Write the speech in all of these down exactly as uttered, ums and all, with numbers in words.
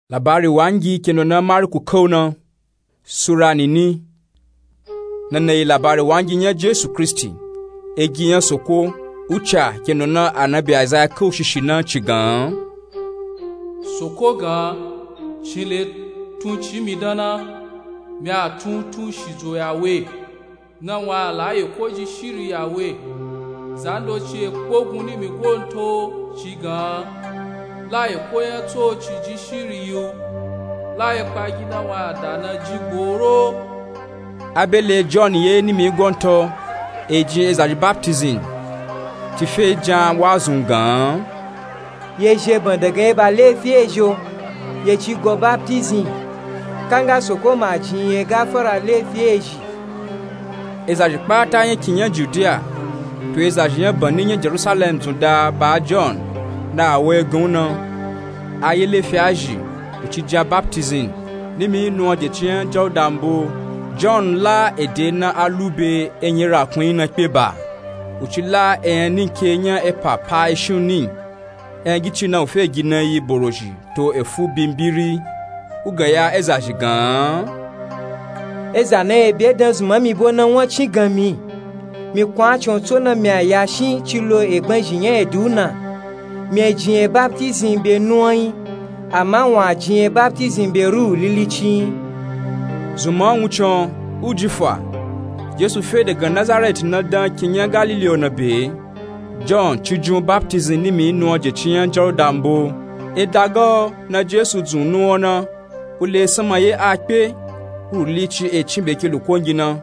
Labari wangi kendo na Marku kau na, sura nini. Nana yi labari wangi nya Jesu Kristi, egi nya Soko, uca kendo na anabi Aizaya kau shishi na ci gan. Soko gan, ci le tun ci mi dan na, mi a tun tun shidzo ya we. Na wun a la eko ji shiri ya we. Zandoci e kpogun nimi gonto ci gan, la eko nya tso ci ji shiri yi u, la ekpagi na wun a da na ji gboro. A be le John ye nimi gonto, e jin ezazhi baptism, ci fe jan wazun gan. Ye zheban daga eba lefi ezhi o, ye ci go baptism, kanga Soko ma jin ye gafara lefi ezhi. Ezazhi kpata nya kin nya Judiya, to ezazhi nya bani nya Jerusalem zun da ba John, na a wo egan u na, a ye lefi a zhi, u ci jan baptism, nimi nuwan je ci nya Jawuda mbo. John la ede na a lu be enyi rakun yi na kpe ba, u ci la eyan ninke nya epa pa eshin u ni. Eyan gici na u fe gi na yi borozhi to efu bimbiri. U gan ya ezazhi gan. Eza na ye bye dan zunman mi bo na won cin gan mi. Mi kun a con tso na mi a ya shin ci lo egban zhi nya edi u na. Mi e jin ye baptism be nuwan yi, ama wun a jin ye baptism be Ruhu Lilici yi. Zunman wuncin u ji fa. Jesu fe daga Nazareti na dan kin nya Galili o na be. John ci jun baptism nimi nuwan je ci nya Jawuda mbo. E daga o na Jesu dzun nuwan na, u le sanma ye a kpe, Ruhu Lilici e cin be ke lukongi na,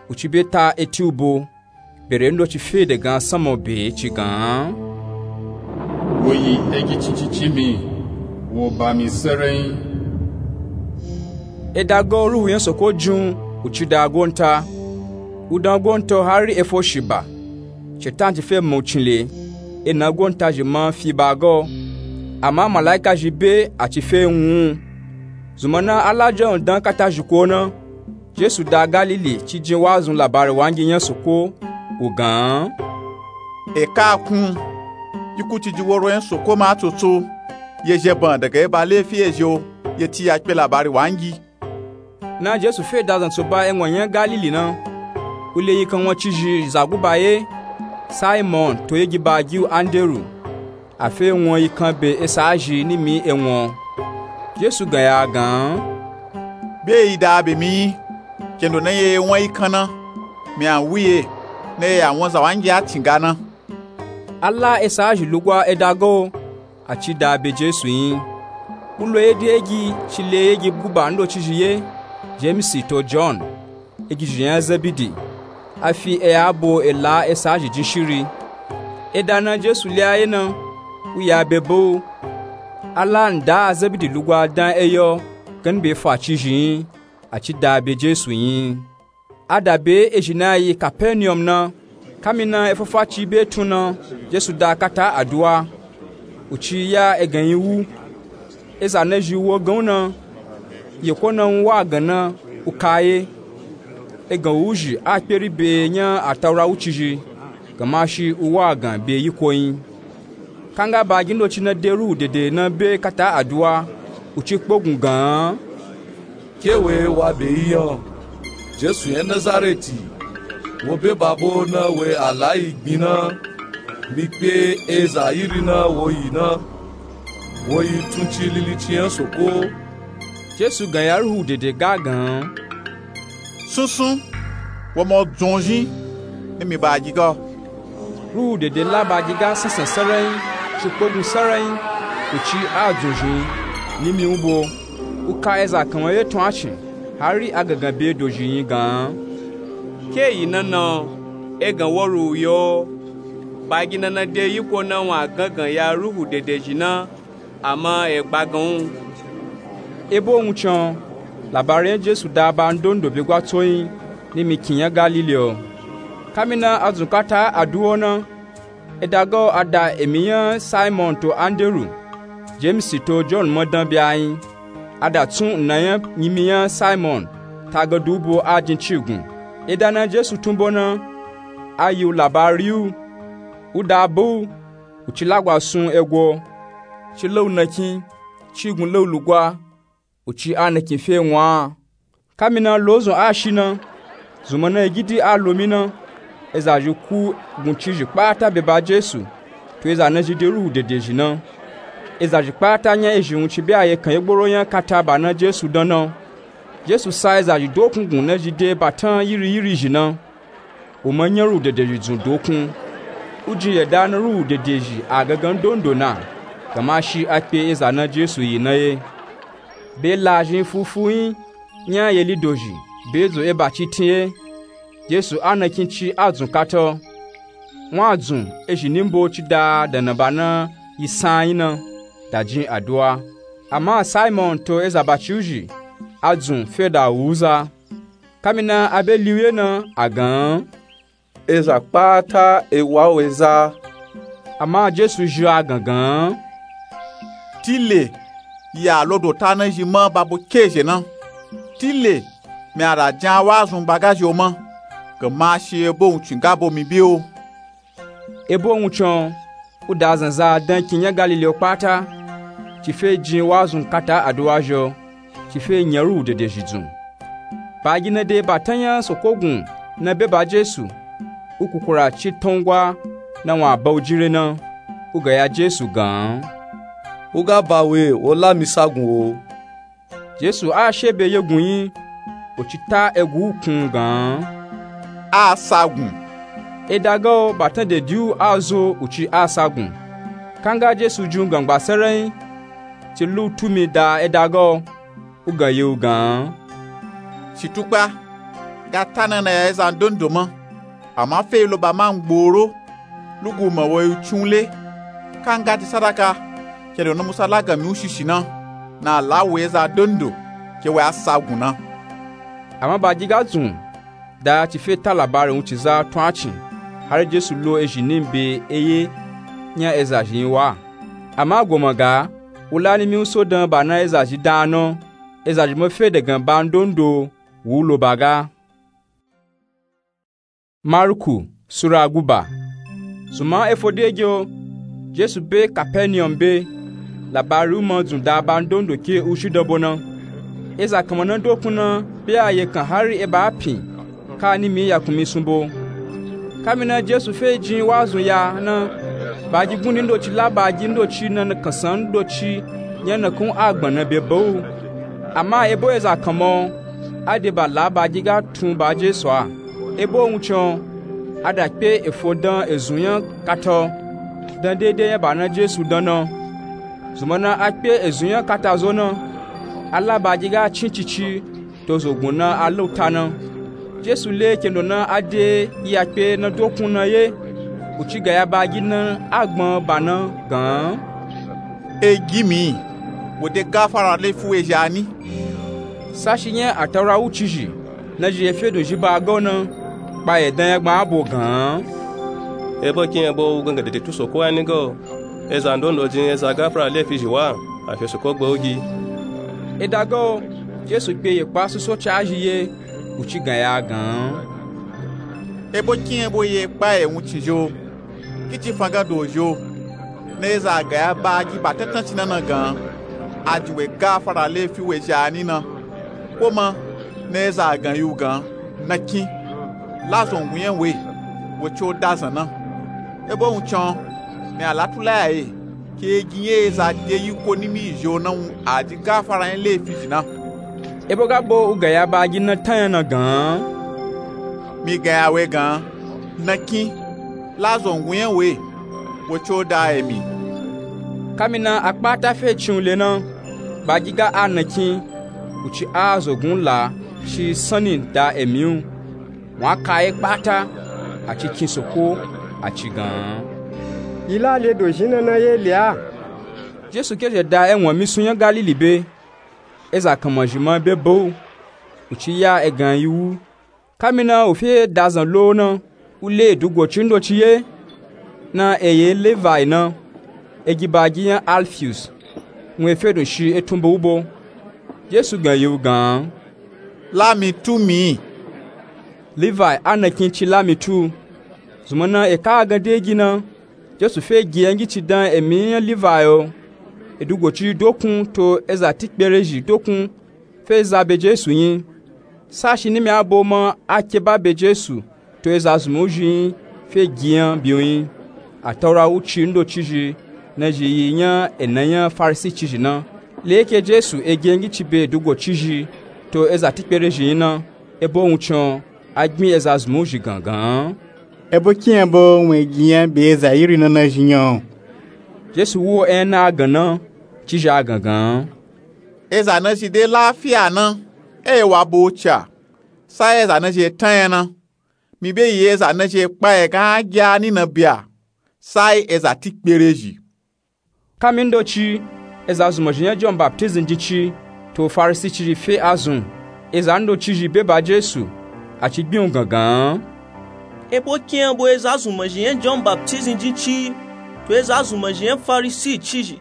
u ci be ta eti u bo. Bere ndoci fe daga sanma o be ci gan. Wo yi egi cincincin mi, wo ba mi serenyi. E daga o Ruhu nya Soko jun, u ci da gonta. U dan gonta o hari e fo shi ba. Shetan ci fe ma u cin le, e na gonta zhi ma fi ba ga o. Ama malaika zhi be a ci fe wun u. Zunman na a la John dan kata zhiko na, Jesu da Galili ci jin wazun labari wangi nya Soko, u gan. Eka a kun, iku ci ji woro nya Soko ma tsotso, ye zheban daga eba lefi ezhi o, ye ti ya kpe labari wangi. Na Jesu fe da zantso ba e won nya Galili na, u le yikan won cizhi za guba ye, Simon to ye gi ba gi u Anderu. A fe won yikan be esa zhi nimi e won. Jesu gan ya gan. Be yi da be mi yi, kendo na ye won yikan na, mi a wu ye, na ye ya won za wangi a tinga na. A la esa zhi lugwa e daga o, a ci da be Jesu yi. U lo ye de egi ci le ye gi guba ndoci zhi ye, Jemisi to John, egi zhi nya Zebidi. A fi eya bo e la esa zhi jin shiri. E da na Jesu le a ye na, u ya be ba u. A la nda a Zebidi lugwa dan e yo, gani be fa cizhi yi, a ci da be Jesu yi. A da be ezhi na yi Kapenium na, kamina e fafa ci be tun na, Jesu da kata aduwa, u ci ya egan yi wu. Eza na zhi wo gan u na, yeko na wun wa gan na, u ka ye. Egan wu zhi a kperi be nya Ataura wuci zhi, gama shi u wa gan be yiko yi. Kanga ba gi ndoci na de Ruhu Dede na be kata aduwa, u ci kpogun gan. Ke we wa be yi yan, Jesu nya Nazareti, wo be ba bo na we a la yi gbin na, mi kpe eza iri na wo yi na, wo yi tun ci Lilici nya Soko. Jesu gan ya Ruhu Dede ga gan. Sunsun, wo ma dzun zhin, ni mi ba gi ga. Ruhu Dede la ba gi ga sansan sarai, ci kpogun sarai, u ci a dzun zhin, nimi u bo. U ka eza kan won ye tun a cin, hari a gangan be dozhi yi gan. Ke yi na na, egan wo Ruhu yo, ba gi na na de yiko na wun a gangan ya Ruhu Dede zhi na, ama e gba gan u. E bo wuncin, labari nya Jesu da ba ndondo be gwa tso yi, nimi kin nya Galili o. Kamina a dzun kata aduwa na, e daga o a da emi nya Simon to Anderu, Jemisi to John ma dan be a yi. A da tsun nna nya nyimi nya Simon, tagadu u bo a jin cigun. E da na Jesu tun bo na, a yi u labari u, u da ba u, u ci lagwa sun ego, ci la u nakin, cigun la u lugwa, Uci a nakin fe wun a. Kamina lozun a shi na, zunmana egidi a lomi na, ezazhi ku guncizhi kpata be ba Jesu, to eza nazhi de ruhu dedezhi na. Ezazhi kpata nya ezhi wuncin be ayekan yegboro nya kata ba na Jesu dan na. Jesu sa ezazhi dokun gun nazhi de batan yiri yiri zhi na. Wo ma nya ruhu dedezhi dzun dokun. Ujin yada na ruhu dedezhi a gangan ndondo na, gama shi a kpe eza na Jesu yi na ye. Be lazhin fufu yin nya yeli dozhi be dzo eba citin ye. Jesu a nakin ci a dzun kata. Wun a dzun ezhi nimbo ci da da na ba na yi san yin na, da jin aduwa. Ama Simon to eza baciu zhi, a dzun fe da wuza. Kamina a be liu ye na, a gan, eza kpata e wa u eza. Ama Jesu zhi a gangan, tile ya lo dota na zhi ma ba bo ke zhe na. Tile mi a da jin a wazun ba ga zhi o ma, gama shi ebo wuncin ga bo mi be o. Ebo wuncin o, u da zanza dan kin nya Galili o kpata, ci fe jin wazun kata aduwa zhi o, ci fe nya ruhu dedezhi dzun. Bagi na de batan nya soko gun na be ba Jesu, u kukura ci tangwa na wun a ba u jin re na, u ga ya Jesu gan, u ga ba we, wo la mi sa gun o. Jesu a she be yegun yin, u ci ta egu u kun gan, a sa gun. Eda ga o batan de diu a zo u ci a sa gun. Kanga Jesu jin u gangba sarayin, ci lu tumi da eda ga o, u gan ye u gan, shi tukpa ga ta na na ya eza ndondo ma. Ama fe yi lo ba ma ngboro, lugu ma wo yi u cin u le. Kanga ti sadaka, kendo na musa la gan mi u shishi na, na la wo yi eza ndondo ke wo yi a sa gun na. Ama bagi ga dzun da ci fe ta labari wuncin za tun a cin, hari Jesu lo ezhi nin be eye nya ezazhi yin wa. Ama goma ga, u la nimi u so dan ba na ezazhi dan a na, ezazhi ma fe dagan ba ndondo wu u lo ba ga. Marku Sura guba. Zunman efo de ge o, Jesu be Kapeniyom be, labari u ma dzun da ba ndondo ke u shi dan bo na. Eza kanma na dokun na be ayekan hari eba a pin, ka nimi yakun mi sun bo. Kamina Jesu fe jin wazun ya na, bagi gundi ndoci la bagi ndoci na kansan ndoci nya nakan a gbana be ba u. Ama ebo eza kanma o, a de ba la bagi ga tun ba Jesu a. Ebo wuncin o, a da kpe efo dan ezun nya kata o, dan dede nya ba na Jesu dan na. Zunmana a kpe ezun nya kata zo na, a la bagi ga cin cici, to zogun na a la u ta na. Jesu le kendo na a de yi a kpe na dokun na ye, u ci ga ya bagi na a gbọn ba na gan, e gi mi, wo de gafara lefi we zhi a ni. Sashi nya Ataura wucizhi na zhi ye fedun zhi ba ga u na, kpaye dan nya gbọn a bo gan, ebo kin ebo u gangan dede tun soko a ni ga o. Eza ndondo jin eza gafara lefi zhi wa, a fe soko gba u gi. Eda ga o, Jesu kpe ye kpa soso ca zhi ye, u ci gan ya gan, ebo kin ebo ye kpaye wuncin zhi o. Ki ci fan ga do zhi o, na eza ga ya bagi ba tantan ci na na gan, a jin we gafara lefi we zhi a ni na. Ko ma na eza gan yi u gan, na kin, la zongun nya we, wo ci o da zan na. Ebo wuncin o, mi a la tula ya ye, ke gi nya eza de yi ko nimi yi zhi o na wun a ji gafara nya lefi zhi na. Ebo ga bo u ga ya bagi na tan nya na gan, mi ga ya we gan, na kin, la zongun nya we, wo ci o da emi. Kamina a kpata fe cin u le na, bagi ga a na kin, u ci a zogun la shi sanni da emi u. Wun a ka ye kpata, a ci kin soko, a ci gan, yi la le do zhi na na ye le a. Jesu ke zhe da ewon misun nya Galili be, eza kanma zhi ma be ba u, u ci ya egan yi wu. Kamina u fe da zan lo na, u le dugo ci ndoci ye, na eye Levi na, egi bagi nya Alfius, wun e fedun shi e tun ba u bo. Jesu gan yi u gan, la mi tu mi. Levi a na kin ci la mi tu. Zunmana e ka a gan de gi na, Jesu fe gi ya ngi ci dan emi nya Levi o. edugo cizhi dokun to eza tikperezhi dokun fe za be Jesu nyi. Sashi nimi abo ma a ke ba be Jesu to eza zunmawuzhi nyi fe gi nya biu nyi. Ataura wuci ndocizhi nazhi yi nya ena nya Farisi cizhi na. Le ke Jesu e ge ngi ci be edugo cizhi to eza tikperezhi nyi na, ebo wuncin a gbin eza zunmawuzhi gan gan. Ebo kiyan bo wun e gi nya be eza iri na nazhi nyi? Jesu wu ena a gan na, cizhi a gan gan. Eza nazhi de lafiya na, e wa bo ca. Sa eza nazhi e tan nya na. Mi be yi eza nazhi e kpa e gan a gya ni na bia. Sa eza tikperezhi. Kami ndoci, eza zunmazhi nya John Baptizm jin ci to Farisi cizhi fe azun. Eza ndocizhi be ba Jesu, a ci gbin u gan gan. Ebo kiyan bo eza zunmazhi nya John Baptizm jin ci to eza zunmazhi nya Farisi cizhi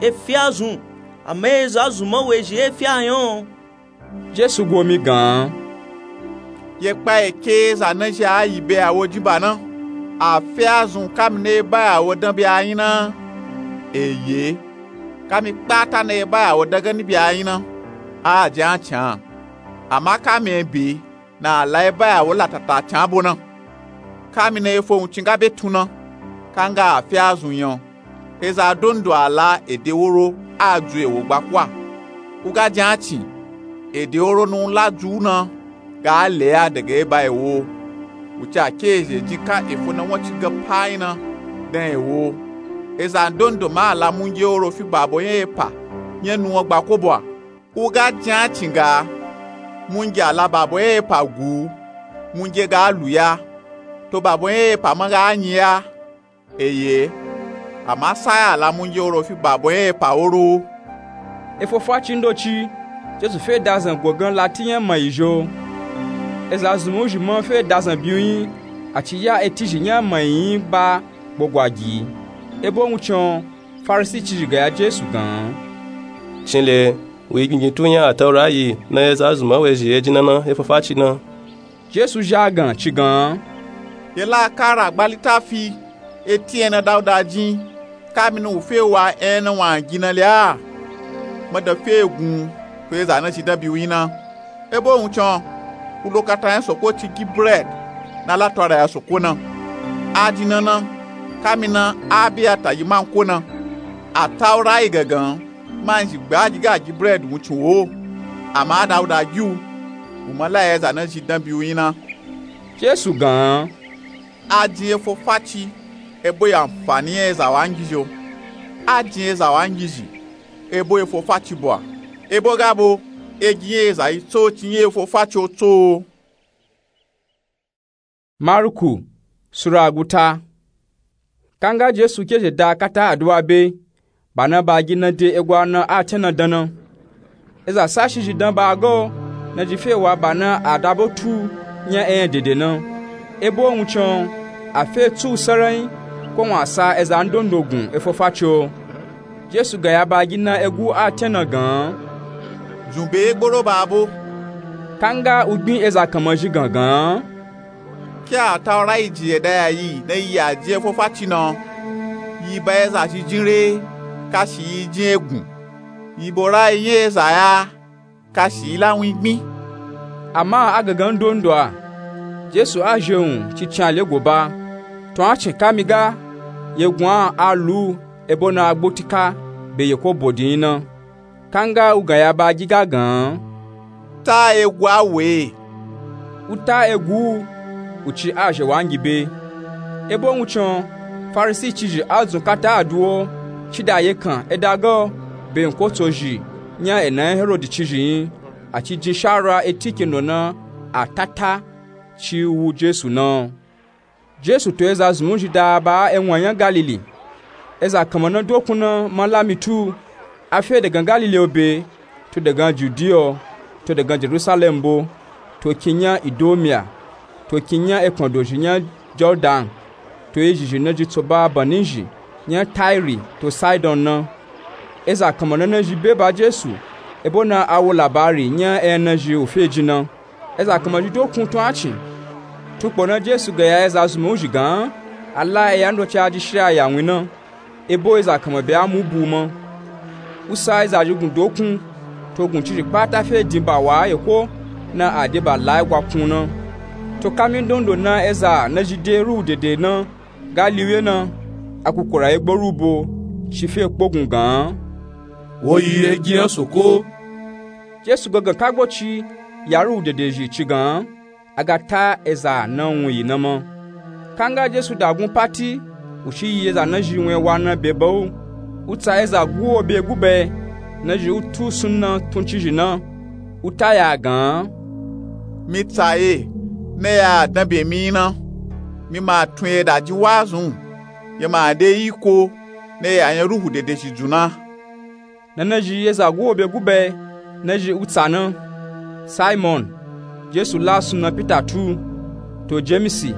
e fe azun, ama eza zunmawuzhi e fe ayan? Jesu go mi gan. Ye kpa e ke eza nazhi a yi be a wo jin ba na, a fe azun kami na e ba a wo dan bia nyi na? Eye, kami kpata na e ba a wo dan gani bia nyi na, a jin a can. Ama kami e be na a la e ba a wo latata can bo na. Kami na e fo wuncin ga be tun na, kanga a fe azun nyi. Eza dondo a la ede woro a ju ewo gba kuwa. U ga jin a cin, ede woro na u la ju u na ga le a daga e ba ewo. Wuci a ke ezhe jin ka efo na won ci gan pa nyi na dan ewo. Eza ndondo ma a la munge woro fi babo nya epa nya nuwan gba kobo a. U ga jin a cin ga, munge a la babo nya epa gu u, munge ga lu ya, to babo nya epa ma ga nyi ya. Eye, ama sa ya a la munge woro fi babo nya epa woro. Efo faci ndoci, Jesu fe dazan gogan lati nya mayi zho. Eza zunmawuzhi ma fe dazan biu nyi, a ci ya etizhi nya mayi nyi ba gbogwa gi. Ebo wuncin, Farisi cizhi ga ya Jesu gan. Cin le, wu yi gingin tu nya Ataura yi na eza zunmawuzhi e jin na na efo faci na? Jesu zha gan ci gan. Ye la kara gba litafi eti ena Dauda jin, kami na u fe wa ena wa gi na le a? Ma da fe gun to eza nazhi dan biu nyi na. Ebo wuncin, u lo kata nya soko ci gi bred na la to a da ya soko na. A jin na na, kami na a bi a ta yi manko na. Ataura yi gan gan, manzhi gba gi ga gi bred wuncin wo. Ama Dauda gi u, u ma la eza nazhi dan biu nyi na. Jesu gan. A jin efo faci ebo yi anfani nya eza wangizhi o. A jin eza wangizhi ebo efo faci bo a. Ebo ga bo, e gi nya eza yi tso ci nya efo faci o tso. Maruku sura guta. Kanga Jesu ke zhe da kata aduwa be, ba na ba gi na de egwa na a ten na dan na. Eza sashi zhi dan ba ga o, nazhi fe wa ba na a da bo tu nya eyan dede na. Ebo wuncin, a fe tsu u saranyi, ko wun a sa eza ndondo gun efo faci o. Jesu ga ya ba gi na egu a ten na gan. Zun be gboro ba bo. Kanga u gbin eza kanmazhi gan gan. Ke Ataura yi jin ye da ya yi na yi a jin efo faci na, yi ba eza zhi jin re, kashi yi jin egun, yi bo ra yi nya eza ya, kashi yi la win gbin. Ama a gangan ndondo a, Jesu a zhe wun ci cin a le go ba, to a cin kami ga, ye gun a a lu u ebo na a gbo tika be ye ko bodi nyi na. Kanga u ga ya ba gi ga gan. Ta egu a we. U ta egu u, u ci a zhe wangi be. Ebo wuncin, Farisi cizhi a zun kata aduwo, ci da ye kan e da ga o, be nko tso zhi nya ena nya Herodi cizhi nyi, a ci jin shawara eti kendo na a tata ci wu Jesu na. Jesu to eza zunmawuzhi da ba ewan nya Galili. Eza kanma na dokun na ma la mi tu, a fe dagan Galili o be, to dagan Judiya o, to dagan Jerusalem bo, to kin nya Idomiya, to kin nya ekpan dozhi nya Jordan, to ezhi zhi na zhi tso ba banizhi nya Tairi to Saidon na. Eza kanma na nazhi be ba Jesu, ebo na a wo labari nya eyan nazhi u fe jin na. Eza kanma zhi dokun tun a cin. Tun kpo na Jesu ga ya eza zunmawuzhi gan, a la eya ndoci a jin shiri a ya win na, ebo eza kanma be a mu bu u ma. U sa eza zhi gun dokun, to guncizhi kpata fe din ba wa eko, na a de ba lai gwakun na. To kami ndondo na eza nazhi de ruhu dede na ga liwe na, a kukura ye gborubo, shi fe kpogun gan. Wo yi egi yan soko. Jesu gangan kagbo ci ya ruhu dede zhi ci gan, a ga ta eza na wun yi na ma. Kanga Jesu dagun pati, u shi yi eza nazhi wun ewa na be ba u. U tsa eza guwo be gube, nazhi u tu sunna tun cizhi na. U ta ya gan. Mi tsa ye, na ya dan be mi na. Mi ma tun ye da ji wazun. Ye ma de iko, na ya yan ruhu dede zhi dzun na. Na nazhi eza guwo be gube, nazhi u tsa na. Simon, Jesu la sunna Pita tu, to Jemisi,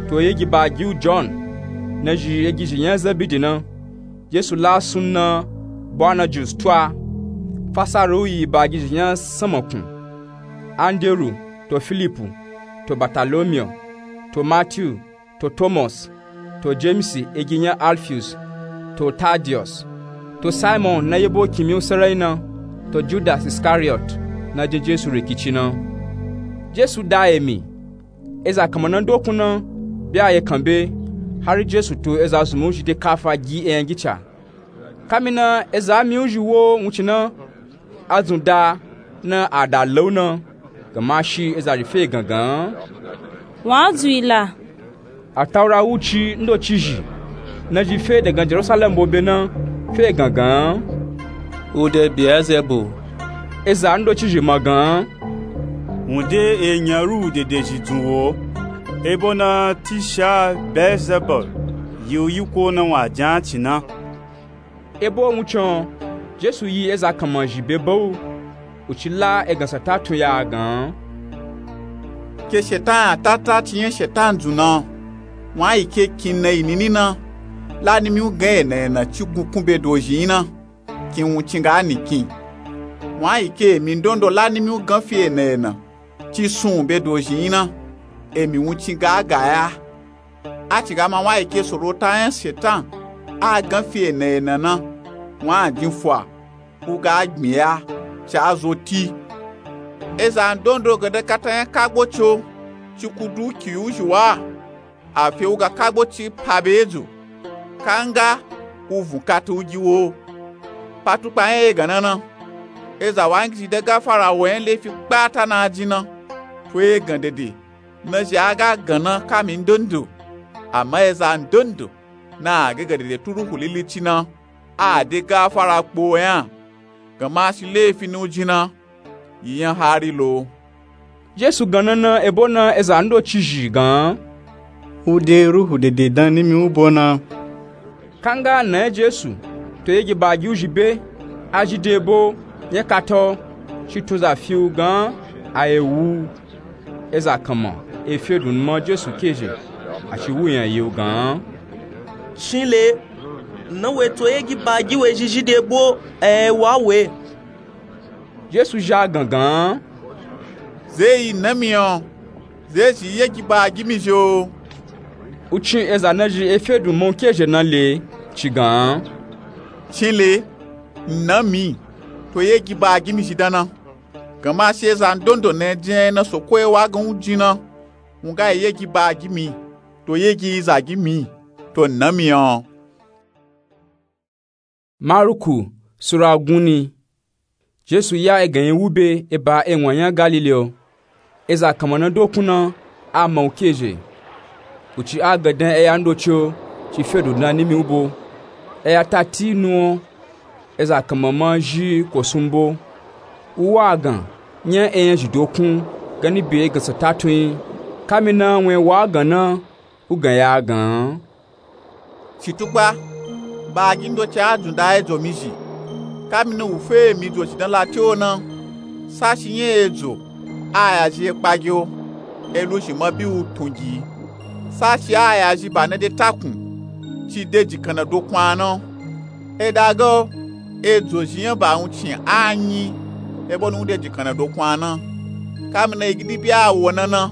to yegi ba gi u Jon, nazhi yegi zhi yan Zebidi na. Jesu la sunna Boanajus tu a, fasara u yi ba gi zhi yan Samakun. Anderu, to Filipu, to Batalomiyo, to Matiyu, to Tomos, to Jemisi egi yan Alfiyus, to Tadiyos, to Simon na yebo kimiyu sarai na, to Judas Iskariyot na jin Jesu rikici na. Jesu da emi, eza kanma na dokun na be a ye kan be, hari Jesu to eza zunmu zhi de kafa gi eyan gica. Kami na eza miyu zhi wo wuncin na, a dzun da na a da lau na, gama shi eza zhi fe gangan. Wa dzun yi la. Ataura wuci ndoci zhi, nazhi fe dagan Jerusalem bo be na, fe gangan. U de Beelzebul. Eza ndoci zhi ma gan. Wun de e yan ruhu dede zhi dzun wo, ebo na tisha Beelzebul, yi u yiko na wa jan ci na. Ebo wuncin, Jesu yi eza kanma zhi be ba u, u ci la egan sata tun ya a gan. Ke shetan a tata ci yan shetan dzun na, wa yi ke kin na yi nini na, la nimi u gan ena ena ci gun kun be dozhi yin na, kin wuncin ga ni kin. Wa yi ke emi ndondo la nimi u gan fi ena ena ci sun be dozhi yin na, emi wuncin ga ga ya. A ci ga ma wa yi ke sorota yan shetan a gan fi ena ena na, wa a din fua, u ga gbin ya, ci a zo ti. Eza ndondo gande kata yan kagbo ci o, ci ku du ki u zhi wa, a fe u ga kagbo ci pa be edzo. Kanga u vun kata u gi wo. Patukpa yan egan na na, eza wa ngizhi de gafara wo yan lefi kpata na jin na, to egan dede. Nazhi a ga gan na kami ndondo, ama eza ndondo na a ga ga dede tu ruhu lilici na, a de gafara kpo yan, gama shi lefi na u jin na, yi yan hari lo. Jesu gan na na ebo na eza ndoci zhi gan. U de ruhu dede dan nimi u bo na. Kanga na yan Jesu to yegi ba gi u zhi be, a zhi de ebo yan kata o, shi tun za fi u gan a ye wu u. Eza kanma e fe dun numa Jesu kezhe, a ci wu yan yi u gan. Shin le, na we to yegi ba gi we zhi zhi de ebo a ye wa we. Jesu zha gangan. Ze yi na mi o, ze zhi yegi ba gi mi zhi o. U cin eza nazhi e fe dun ma u kezhe na le ci gan. Cin le, na mi, to yegi ba gi mi zhi dan na. Gama shi eza ndondo na jin na soko e wa gan u jin na, u ga yi yegi ba gi mi, to yegi za gi mi, to na mi o. Maruku sura gunni. Jesu ya egan yi wu be eba ewan yan Galili o. Eza kanma na dokun na a ma u kezhe. U ci a gandan eya ndoci o, ci fe dun dan nimi u bo. Eya tati nu o, eza kanma ma zhi kosun bo. U wa gan yan eyan zhi dokun gani be egan sata tun yi. Kami na wun e wa gan na, u gan ya a gan. Ci tukpa, ba gi ndoci a dzun da edzo mi zhi. Kami na u fe emi dzo zhi dan lati o na, sashi yan edzo a ya zhi e kpa gi o, e lu zhi ma bi u tun gi. Sashi a ya zhi ba na de takun, ci de jikan na dokun a na. E da ga o, edzo zhi yan ba wuncin a nyi, ebo na u de jikan na dokun a na. Kami na yi gidi bi a wo na na,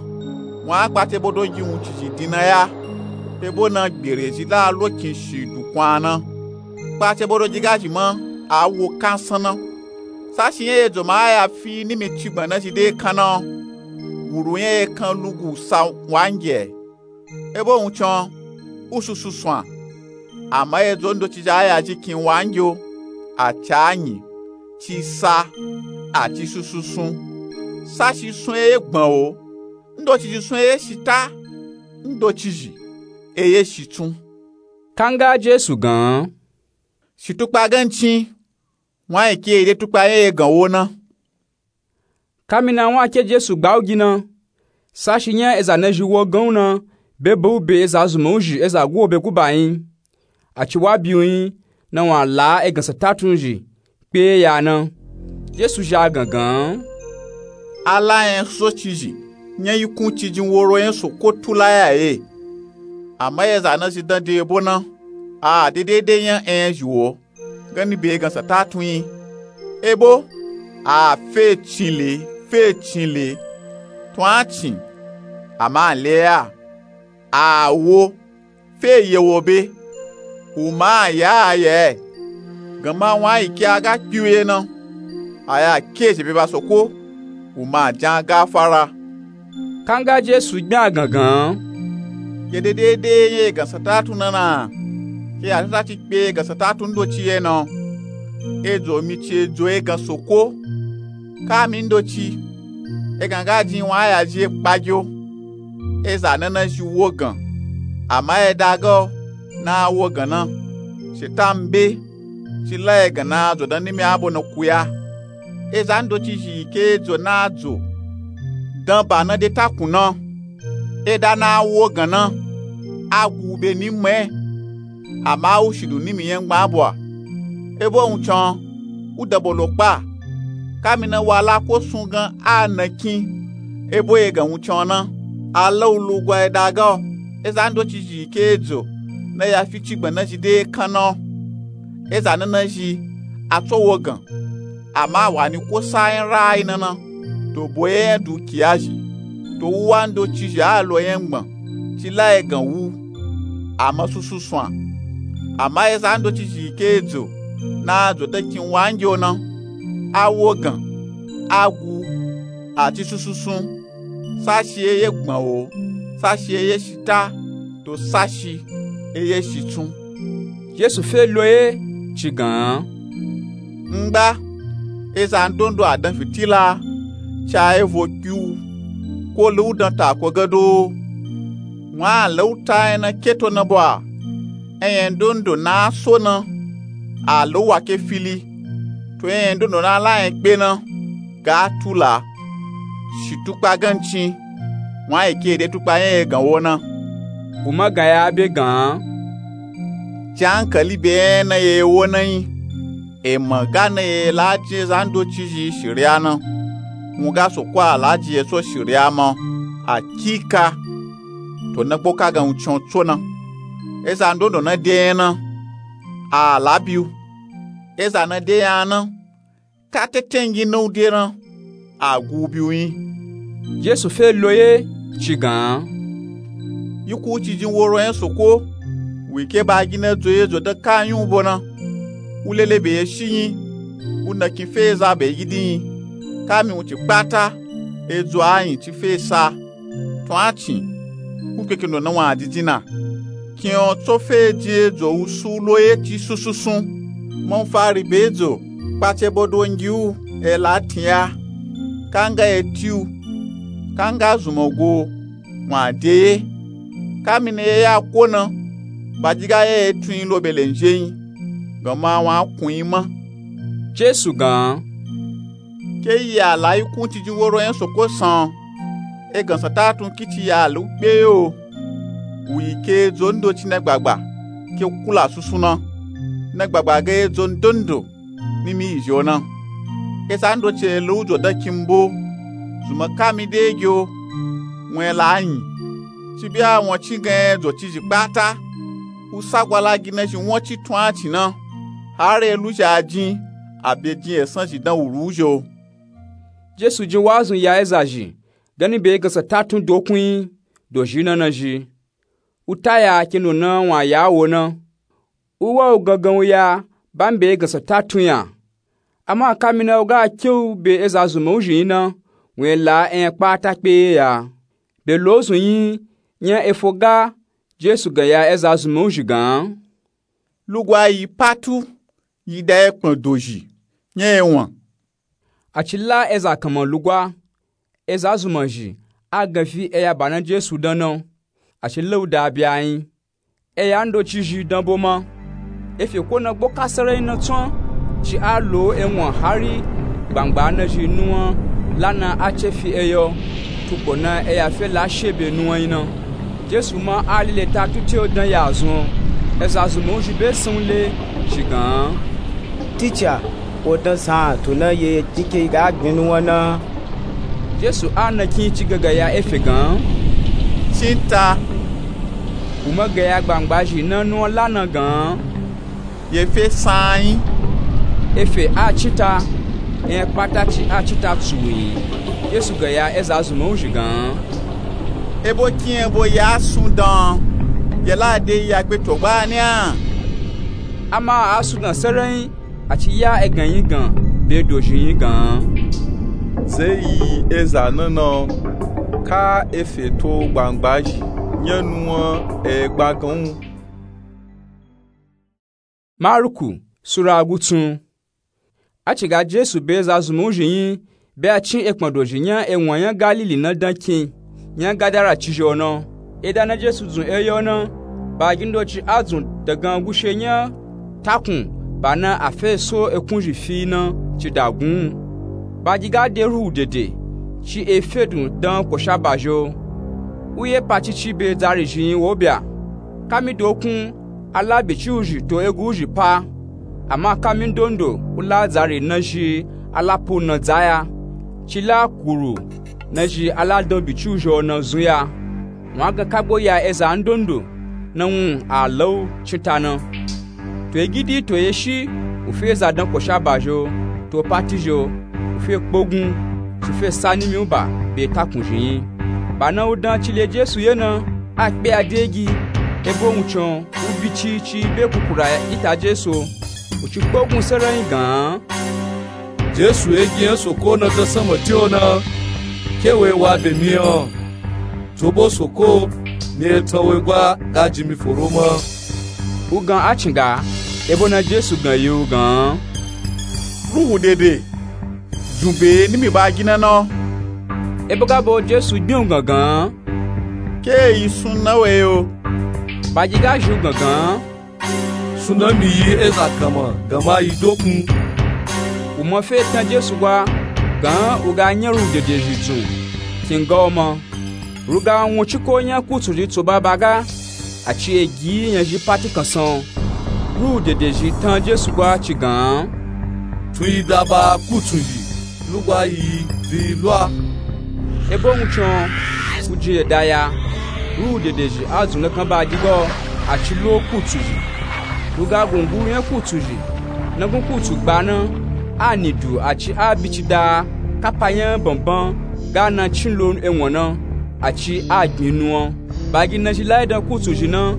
wun a kpata ebo do gi wuncin zhi din na ya, ebo na gbere zhi la lo kin shi dukun a na. Kpata ebo do gi ga zhi ma, a wo kansan na. Sashi nya edzo ma a ya fi nimi cigbana zhi de kan na. Wuru nya ekan lugu sa wangi e. Ebo wuncin o, u susu sun a. Ama edzo ndoci zhi a ya zhi kin wangi o, a ci anyi, ci sa, a ci susu sun. Sashi sun eye gban o, ndoci zhi sun eye shita, ndoci zhi eye shitsun. Kanga Jesu gan an. Shitukpa gancin, wun a yi ke ede tukpa nya egan wo na. Kamina wun a ke Jesu gba u gi na, sashi nya eza na zhi wo gan u na, be be u be eza zunman u zhi eza guobe guba nyi. A ci wa bi u nyi, na wun a la egan satatun zhi kpe ya na. Jesu zhi a gan gan an. A la nya soso ci zhi nya yikun cijin woro nya soko tula ya ye. Ama eza na zhi dan de ebo na, a de dede nya enya zhi wo gani be egan satatun nyi. Ebo a fe cin le, fe cin le, tun a cin, ama a le ya, a wo, fe ye wo be, u ma a ya a ya e. Ganma wun a yi ke a ga kpi u ye na, a ya ke zhi be ba soko, u ma a jan gafara. Kanga Jesu gbin a gan gan an. Ke de dede nya egan satatun na na, ke ya tata ci kpe egan satatun ndoci ye na. Edzo mi ci edzo egan soko. Kami ndoci, egan ga jin wun a ya zhi e kpagi o. Eza na na zhi wo gan, ama eda ga o na a wo gan na. Shetan be, ci la egan na a dzo dan nimi abo na kuya. Eza ndoci zhi yi ke edzo na a dzo dan ba na de takun na, eda na a wo gan na, a gu u be ni mma e, ama a wu shi dun nimi nya ngban abo a. Ebo wuncin o, u dan bo lo kpa. Kamina wa la ko sun gan a na kin, ebo egan wuncin o na, a la u lugwa eda ga o. Eza ndoci zhi yi ke edzo na ya fi cigbana zhi de kan na o. Eza na na zhi a tso wo gan, ama a wa ni ko sa nya ra a yi na na, to bo ye nya dukiya zhi, to wuwa ndoci zhi a lo nya ngban, ci la egan wu, ama susu sun a. Ama eza ndoci zhi yi ke edzo na a dzo dan kin wangi o na, a wo gan, a gu, a ci susu sun. Sashi eye gban o, sashi eye shita, to sashi eye shitsun. Jesu fe lo ye ci gan an. Ngba, eza ndondo a dan fitila, ci a evo kpi u, ko la u dan tako gado o. Wun a la u ta nya na ke to na bo a, enya ndondo na a so na, a la u wa ke fili, to enya ndondo na a la nya kpe na ga a tula. Shitukpa gancin, wun a yi ke ede tukpa nya egan wo na. U ma gan ya be gan an. Jan ankali be enya na ye wo na nyi. Ema ga na ye la jin eza ndoci zhi shiriya na, wun ga soko a la jin ye tso shiriya ma. Akika, to na gbo ka gan wuncin o tso na. Eza ndondo na de nya na, a la bi u. Eza na de nya na, ka tetengi na u de na, a gu u bi u nyi. Jesu fe lo ye ci gan an. Yikun cijin woro nya soko, wu yi ke ba gi na dzo ye dzo dan ka nyun u bo na. U lele be ye shi nyi, u na kin fe eza be gidi nyi. Kami wun ci kpata, edzo a nyi ci fe sa. Tun a cin, u kpe kendo na wun a didin na. Kin o tso fe jin edzo wu su lo ye ci susu sun. Manfari be edzo kpace bodo ngi u, e la tin ya. Kanga ye ti u, kanga zunman go, wun a de ye. Kami na ye ya ko na, baji ga ye ye tun nyi lo be le nzhe nyi, ganma wun a kun nyi ma. Jesu gan an. Ke yi a la yikun cijin woro nya soko san, egan satatun kici ya a la u kpe ye o. Wu yi ke edzo ndoci na gbagba ke kula susu na, na gbagba ga edzo ndondo nimi yi zhi o na. Eza ndoci e la u dzo dan kin bo, zunman kami de gi o, wun e la nyi. Ci be a wun cin gan edzo ci zhi kpata, u sa gwa la gi na zhi won ci tun a cin na, hari e lu zhi a jin, a be jin esan zhi dan wuru u zhi o. Jesu jin wazun ya eza zhi gani be egan satatun dokun nyi, dozhi na na zhi. U ta ya kendo na wun a ya wo na. U wa u gangan u ya ba mi be egansa ta tun ya. Ama kamina u ga ke u be eza zunman u zhi nyi na, wun e la enya kpata kpe ye ya. Be lozun nyi nya efo ga Jesu gan ya eza zunman u zhi gan. Lugwa yi patu, yi da ekpon dozhi nya ewan. A ci la eza kanman lugwa, eza zunman zhi a gan fi eya ba na Jesu dan na, a ci la u da bya nyi. Eya ndoci zhi dan bo ma. Efye ko na gboka sarai na tsun ci a lo ewan hari gbangba na zhi nuwan la na a ce fi eyo. Tukpo na eya fe la she be nuwan nyi na. Jesu ma a lile ta tuti o dan ya zun. Eza zunman u zhi be san u le zhi gan. Ticha, wo dan san to na ye kike ga gbin nuwan na? Jesu a na kin ci gangan ya efye gan. Cinta. U ma gan ya gbangba zhi na nuwan la na gan. Ye fe san nyi? Efye a cinta, enya kpata ci a cinta tsu u nyi. Jesu gan ya eza zunman u zhi gan. Ebo kin ebo ya sun dan, ye la de ya gbe to gba ni a? Ama a sun gan sarai nyi, a ci ya egan nyi gan be dozhi nyi gan. Ze yi eza na na, ka efye to gbangba zhi nya nuwan e gba gan u. Maruku sura gutsun. A ci ga Jesu be eza zunman u zhi nyi be a cin ekpon dozhi nya ewan nya Galili na dan kin nya Gadara ci zhi o na. Eda na Jesu dzun eyo na, bagi ndoci a dzun dagan gushe nya takun ba na a fe so ekun zhi fi na ci da gun u. Bagi ga de ruhu dede ci e fedun dan kosha ba zhi o. U ye pa cici be dzari zhi nyi wo bya. Kami dokun a la biciu zhi to egu u zhi pa. Ama kami ndondo u la dzari na zhi a la pu na dzaya, ci la kuru na zhi a la dan biciu zhi o na zun ya. Wun a gan kagbo ya eza ndondo na wun a la u cinta na. To egidi to eshi u fe eza dan kosha ba zhi o, to pati zhi o, u fe kpogun ci fe sa nimi u ba be takun zhi nyi. Ba na u dan ci le Jesu ye na, a kpe a de gi, ebo wuncin u bi ci ci be kukura ita Jesu o. U ci kpogun sarai nyi gan. Jesu, egi nya soko na dan sanma ti o na, ke we wa be mi o. Tsobo soko ni etan we gwa ga jin mi foro ma. U gan a cin ga, ebo na Jesu gan yi u gan. Ruhu dede dzun be nimi bagi na na. Ebo ga bo Jesu gbin u gangan. Ke yi sun na we o. Bagi ga zhi u gangan. Sun na mi yi eza kanman ganma yi dokun. U ma fe tan Jesu gwa gan u ga nya ruhu dede zhi dzun kin ga o ma. Ruga wun ciko nya kutsu zhi tso ba ba ga, a ci egi nya zhi pati kansan. Ruhu dede zhi tan Jesu gwa ci gan. Tun yi da ba kutsu zhi lugwa yi bi lwa. Ebo wuncin u jin ye da ya. Ruhu dede zhi a dzun na kan ba gi ga o, a ci lo kutsu zhi. Ruga gungu nya kutsu zhi na gun kutsu gba na, a ni du a ci a bicida kapa nya banban ga na cin lo ewan na, a ci a gbin nuwan. Bagi na zhi la yi dan kutsu zhi na,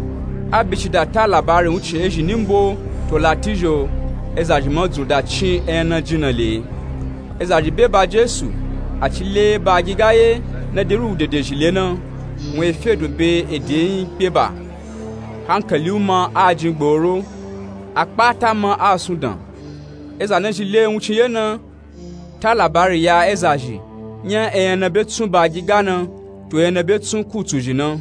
a bicida ta labari wuncin ezhi ni mbo to lati zhi o. Eza zhi ma dzun da cin enya na jin na le. Eza zhi be ba Jesu, a ci le bagi ga ye na de ruhu dede zhi le na, wun e fedun be ede nyi kpe ba. Hankali u ma a jin gboro, a kpata ma a sun dan. Eza na zhi le wuncin ye na ta labari ya eza zhi nya enya na be tsun bagi ga na, to enya na be tsun kutsu zhi na.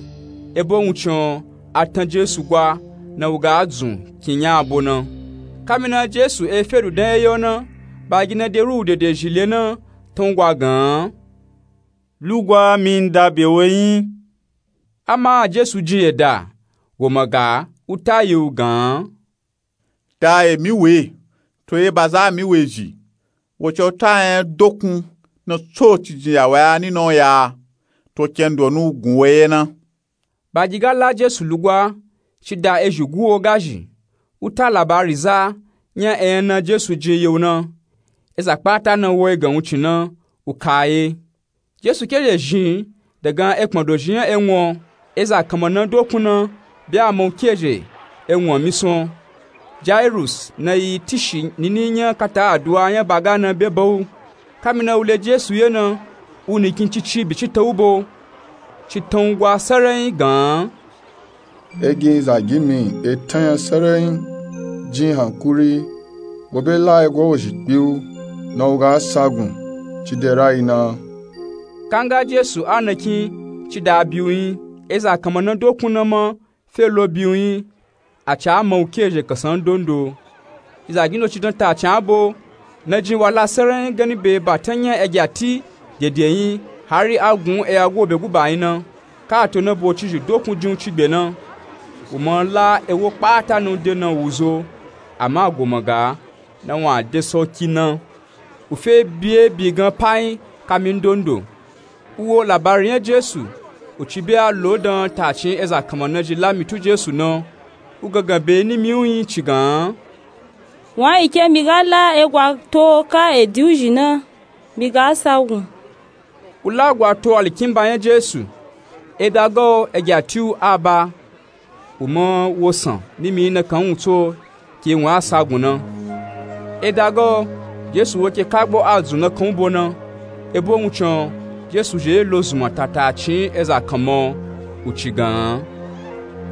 Ebo wuncin a tan Jesu gwa na u ga dzun kin nya abo na. Kami na Jesu e fedun dan eyo na, bagi na de ruhu dede zhi le na tan u gwa gan. Lugwa mi n da be we nyi. Ama Jesu jin ye da, wo ma ga u ta yi u gan. Da emi we, to ye ba za mi we zhi, wo ci o ta enya dokun na tso ci jin ya we a ni na o ya, to kendo nu gun we ye na. Bagi ga la Jesu lugwa, ci da ezhi gu o ga zhi, u ta labari za nya enya na Jesu jin ye u na. Eza kpata na wo egan wuncin na, u ka ye. Jesu ke zhe zhin dagan ekpon dozhi nya ewan, eza kanman na dokun na be a ma u ke zhe ewan misan. Jairus na yi tishi nini nya kata aduwa nya baga na be ba wu. Kamina wu le Jesu ye na, wu nikin cici bicita wu ba wu. Citan gwa sarayin gan. Egin zagin mi etan nya sarayin, jin hankuri, mo be la egwa wozhi kpi wu, na wu ga sagun, ci de rayi na. Kanga Jesu a nakin ci da bi wu yin, eza kanma na dokun na ma fe lo bi wu yin, a ca ma wu ke ezhe kansan ndondo. Izagin doci dan ta can a bo, na jin wa la sarayin gani be batan nya egya ti dede yin, hari a gun eya go be guba yin na, ka a to na bo cizhi dokun jin wu cigbe na. Wu ma la ewo kpata na wu de na wu zo, ama goma ga, na wan de soki na. Wu fe bi e bi gan pa yin kami ndondo. Wu wo labari nya Jesu, wu ci be a lo dan ta cin eza kanma na ji la mi tu Jesu na, wu gangan be ni mi wu yin ci gan. Wan yi ke mi ga la egwa to ka edi wuzhi na, mi ga sagun. Wu la gwa to alikinba nya Jesu, eda ga o egya ti wu a ba. Wu ma wo san ni mi yin nakan wu tso ke wan a sagun na. Eda ga o, Jesu wo ke kagbo a zun nakan wu bo na. Ebo wun can, Jesu zhe lo zunma ta ta cin eza kanma o, wu ci gan.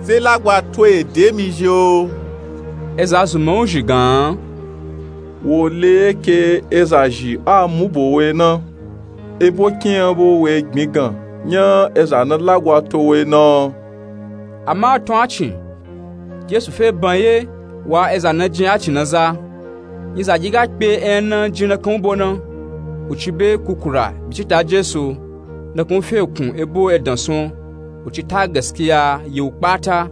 Ze la gwa to ede mi zhe o. Eza zunma wuzhi gan. Wo le ke eza zhi a mu bo we na. Ebo kin a bo we gbin gan, nya eza na la gwa to we na. Ama a tun a cin, Jesu fe ban ye, wa eza na jin a cin na za. Yin zagi ga kpe eya na jin nakan wu bo na, wu ci be kukura bicita Jesu, nakan wu fe kun ebo edan sun, wu ci ta gaskiya ye wu kpata,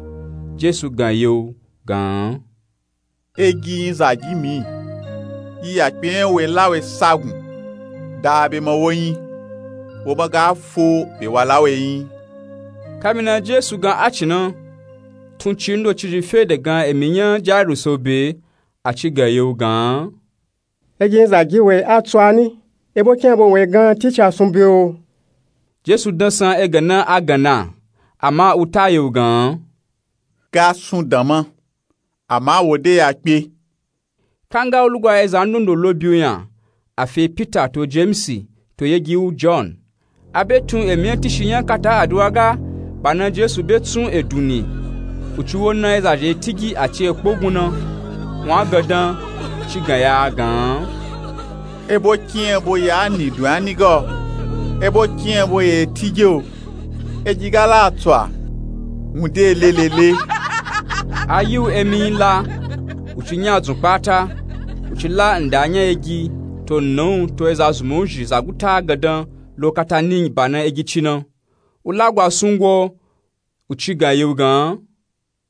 Jesu gan ye wu gan. Egi yin zagi mi, yi ya kpe nya we la we sagun, da be ma wo yin, wo ma ga fo be wa la we yin. Kamina Jesu gan a cin na, tun ci ndo cizhi fe de gan emi nya Jairus o be, a ci gan ye wu gan. Egi yin zagi we a tsu a ni, ebo kin a bo we gan ti ca sun be o. Jesu dan san egan na a gan na, ama wu ta ye wu gan. Ga sun dan ma, ama wo de ya kpe. Kanga wu lugwa eza ndondo lo bi wu nya, a fe Pita to Jemisi to yegi wu Jon. A be tun emi nya tishi nya kata aduwa ga, ba na Jesu be tsun edun ni. Wu ci wo na eza zhe tigi a ci e kpogun na. Wan gandan, ci gan ya gan. Ebo kin a bo ya ni dun a ni ga o. Ebo kin a bo ye tigi o. Egi ga la a tsu a, wun de lelele. A yi wu emi yin la, wu ci nya dzun kpata, wu ci la nda nya egi, to nna wu to eza zunma wuzhi zaguta gandan lo kata ni ba na egi ci na. Wu la gwa sungo, wu ci gan ye wu gan.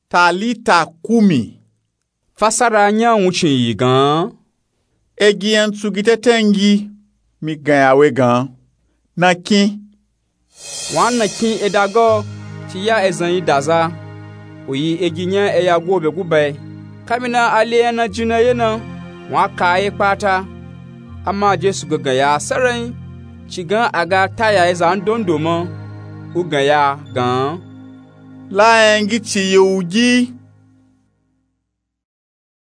Talita kumi. Fasara nya wuncin yi gan. Egi nya n tsugi tete n gi, mi gan ya we gan. Na kin. Wan na kin eda ga o, ci ya ezan yi daza. Wu yi egi nya eya go be guba e. Kamina a le nya na jin na ye na, wan ka ye kpata. Ama Jesu gangan ya sarayin, ci gan a ga ta ya eza ndondo ma, wu gan ya gan. La nya n gi ci yi wu gi.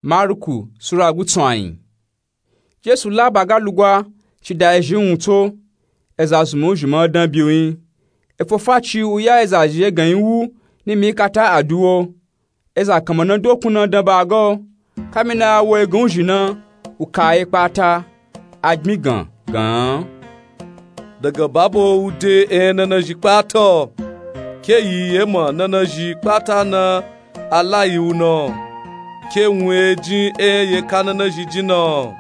Maruku Sura gutsun ayin. Jesu la ba ga lugwa, ci da ezhi wun tso, eza zunma wuzhi ma dan bi wu yin. Efofa ci wu ya eza zhi egan yin wu, ni mi kata aduwo. Eza kanma na dokun na dan ba ga o. Kamina a wo egan wuzhi na, wu ka ye kpata, a gbin gan gan. Daga babo wu de eya na na zhi kpata o. Ke yi ye ma na na zhi kpata na a la yi wu na o. Ke wun e jin eya ye ka na na zhi jin na o.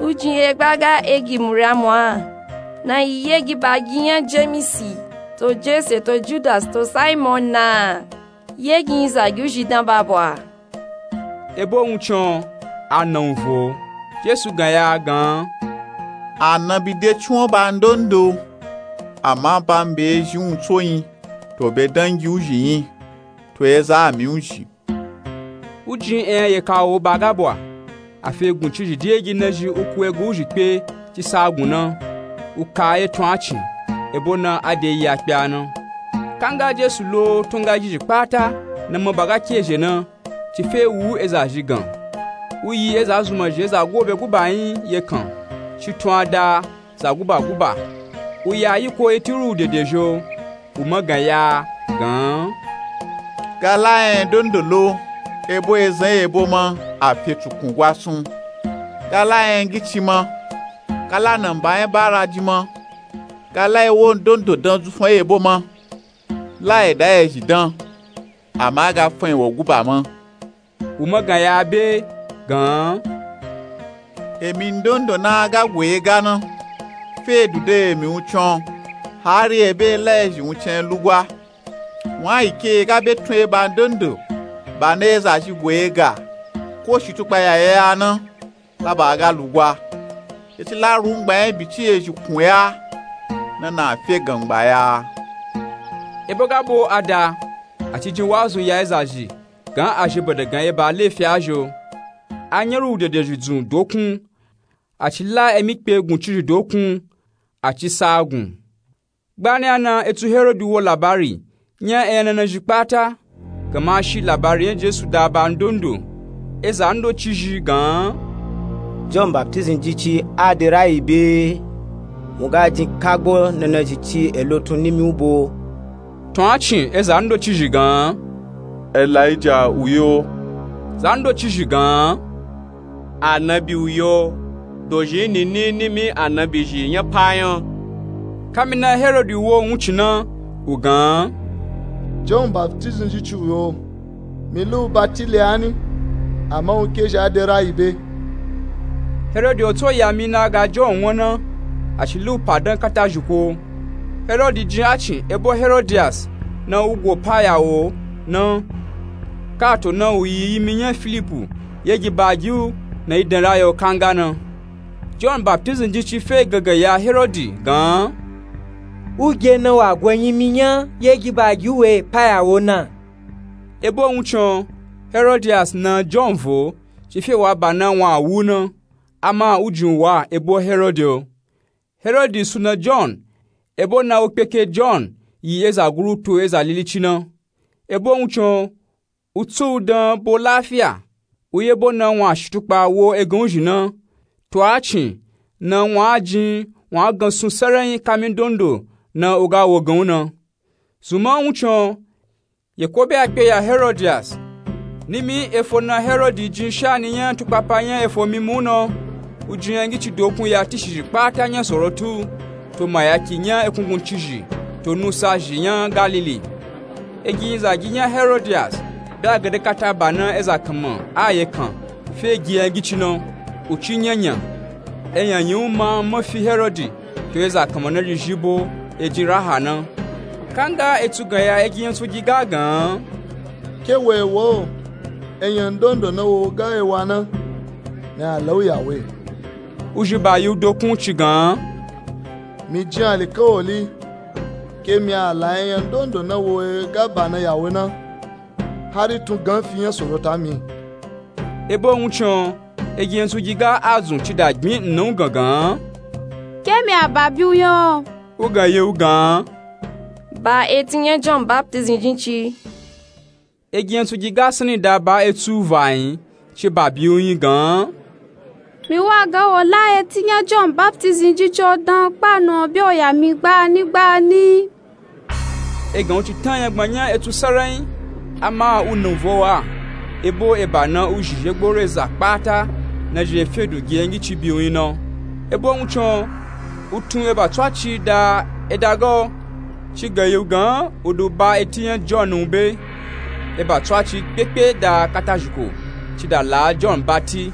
Wu jin egba ga egi Muriamu a, na yi yegi ba gi nya Jemisi, to Jese, to Judasi, to Saimon na. Yegi yin zagi wuzhi dan ba bwa. Ebo wun can, a na wun vo. Jesu gan ya gan. A na bi de ciwon ba ndondo. Ama ba n be ezhi wun tso yin, to be dangi wuzhi yin, to eza ami wuzhi. Wu jin eya ye ka wo ba ga bwa. A fe gun cizhi di egi na zhi wu ku egun wuzhi kpe, ci sa gun na, wu ka ye tun a cin, ebo na a de yi a kpe a na. Kanga Jesu lo tun ga zhizhi kpata na ma ba ga ke zhe na, ci fe wu eza zhi gan. Wu yi eza zunmazhi eza gobe guba nyi ye kan, ci tun a da za guba guba. Wu ya yiko eti ruwu dede zho, wu magan ya gan. Ga la enya ndondo lo, ebo ezan ebo ma a fe tukun gwa sun. Ga la enya ngici ma, ga la namba nya bara ji ma, ga la ewo ndondo dan zufun ebo ma, la eda ezhi dan, ama ga fun ewo guba ma. Wu magan ya be gan. Emi ndondo na ga gwe ga na, fe dude emi wuncin o, hari ebe la ezhi wuncin lugwa. Wan yi ke ga be tun eba ndondo ba na eza zhi gwe ga, ko shitukpa ya ya na, la ba ga lugwa. Eti la rungba nya bici ezhi kun ya, na na fe gangba ya. Ebo ga bo a da, a ci jin wazu ya eza zhi gan a zhi bada gan eba lefi a zho. A nya ruwu dede zhi dzun dokun, a ci la emikpe gun cizhi dokun, a ci sa gun. Gbani a na etu Herodi wo labari nya enya nana zhi kpata, gama a shi labari nya Jesu da ba ndondo. Eza ndoci zhi gan. John Baptism jici a de rayi be, wu ga jin kagbo nana zhi ci elo tun nimi u bo. Tun a cin eza ndoci zhi gan. Elija wu yo. Za ndoci zhi gan. Anabi wu yo, dozhi nini nimi anabi zhi nya pa nya. Kamina Herodi wo wuncin na, wu gan. John Baptism jici wu yo, mi lu bati le ani, ama wu kezhi a de rayi be. Herodi o to ya mi na ga John wan na, a ci lu pa dan kata zhiko. Herodi jin a cin ebo Herodias na wu go pa ya wo na. Kato na wu yi yimi nya Filipu, yegi ba gi u na yi dan rayi o kanga na. John Baptism jici fe gangan ya Herodi gan. Wu ge na wa go yimi nya yegi ba gi u we pa ya wo na. Ebo wuncin o, Herodias na John vo, ci fe wa ba na wan a wu na, ama wu jin u wa ebo Herodi o. Herodi suna John, ebo na wu kpeke John yi eza guru to eza lilici na. Ebo wuncin o, wu tsu u dan bo lafiya, wu yebo na wan a shitukpa wo egan u zhi na. To a cin na wan a jin wan a gan sun saranyi kami ndondo na u ga wo gan u na. Zunman wuncin o, yeko be a kpe ya Herodias. Nimi efo na Herodi jin shani nya tukpapa nya efo mimi u na, u jin enya ngici dokun ya tishi zhi kpata nya Sorotu, to mayaki nya ekunguncizhi, to nusa zhi nya Galili. Egi zagi nya Herodias be a gade kata ba na eza kanma a ye kan fe gi enya ngici na, u ci nyanya. Enya nyi u ma ma fi Herodi to eza kanma na zhi zhi bo e jin raha na. Kanga etu gan ya egi nya tsugi ga gan. Ke we wo, enya ndondo na wo ga e wa na, mi a la u ya we. U zhi ba yi u dokun ci gan. Mi jin alikawali, ke mi a la enya ndondo na wo e ga ba na ya we na, hari tun gan fi nya Sorota mi. Ebo wuncin o, egi nya tsugi ga a zun ci da gbin nna u gan gan. Ke mi a ba bi u nya o. U gan ye u gan. Ba eti nya John Baptism jici. Egi nya tsugi ga sanni da ba etu u va nyi, ci ba bi u nyi gan. Mi wa ga wo la eti nya John Baptism jici o dan kpa na o be o ya mi gbani gbani. Egan u ci tan nya gbanya etu saranyi, ama u na u vo wa, ebo eba na u zhi zhe gboro eza kpata na zhi e fe dun gi enya ngici bi u nyi na. Ebo wuncin o, u tun eba tsaci da eda ga o, ci gan ye u gan u du ba eti nya John u be. Eba tsaci kpekpe da kata zhiko, ci da la John bati.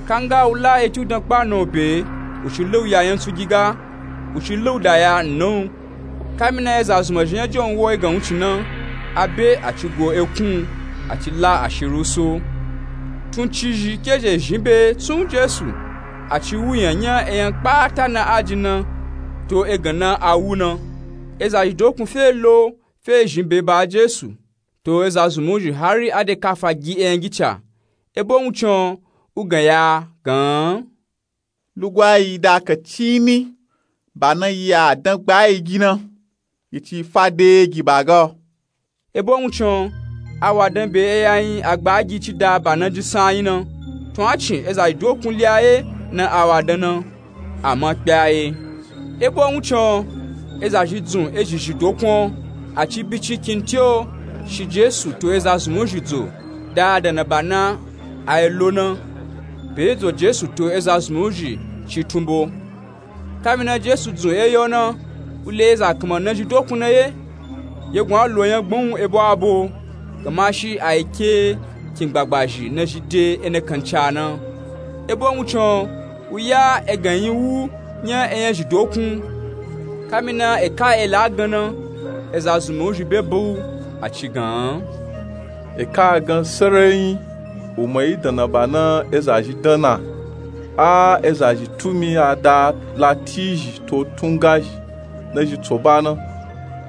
Kanga u la eti u dan kpa na o be, u ci la u ya nya tsugi ga, u ci la u da ya nna u. Kamina eza zunmazhi nya John wo egan wuncin na, a be a ci go ekun u, a ci la ashiri u so. Tun cizhi ke zhe zhin be tsun Jesu, a ci wu nya nya enya kpata na a jin na, to egan na a wu na. Eza zhi dokun fe lo fe zhin be ba Jesu, to eza zunmun zhi hari a de kafa gi enya ngici a. Ebo wuncin o, u gan ya gan. Lugwa yi da kaci ni, ba na yi a dan gba yi gi na, yi ci fa de gi ba ga o. Ebo wuncin o, a wadan be eya nyi a gba a gi ci da ba na jin san a nyi na. Tun a cin eza zhi dokun li a ye na a wadan na, a ma kpe a ye. E bo wuncin o, eza zhi dzun ezhi zhi dokun o, a ci bi ci kinti o shi jesu to eza zunmun zhi dzo da a dana ba na a yi lo na. Be ye dzo jesu to eza zunmun zhi ci tunbo. Kamina jesu dzun eya o na, u le eza kanma nazhi dokun na ye. Yegun a lo nya gbon ebo abo, gamashi a yi ke kin gbagbazhi nazhi de ena kanca na. E bo wuncin o, u ya egan nyi wu nya enyazhi dokun. Kamina e ka e la gan na, eza zunmun zhi be ba u, a ci gan. E ka a gan serenyi, u ma yi dana ba na eza zhi dan na. A eza zhi tu mi a da lati zhi to tunga zhi nazhi tso ba na.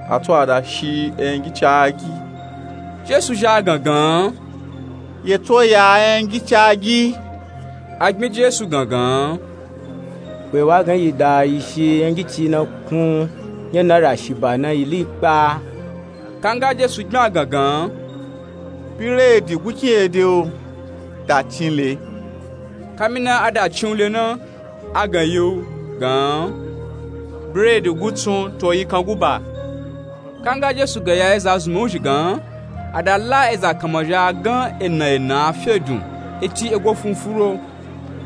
A tso a da shi enyagi ci a gi. Jesu zhi a gan gan. Ye tso ya enyagi ci a gi. A gbin jesu gan gan. We wa gan yi da yi shi enyagi ci na kun nya na ra shi ba na yi li kpa. Kanga jesu gbin a gan gan. Biredi gukin ye de o, da cin le. Kamina a da cin u le na, a gan yi u gan. Biredi gutsun to yikan guba. Kanga jesu gaya eza zunmun zhi gan, a da la eza kanma zhi a gan ena ena a fe dun, eti ego funfuro.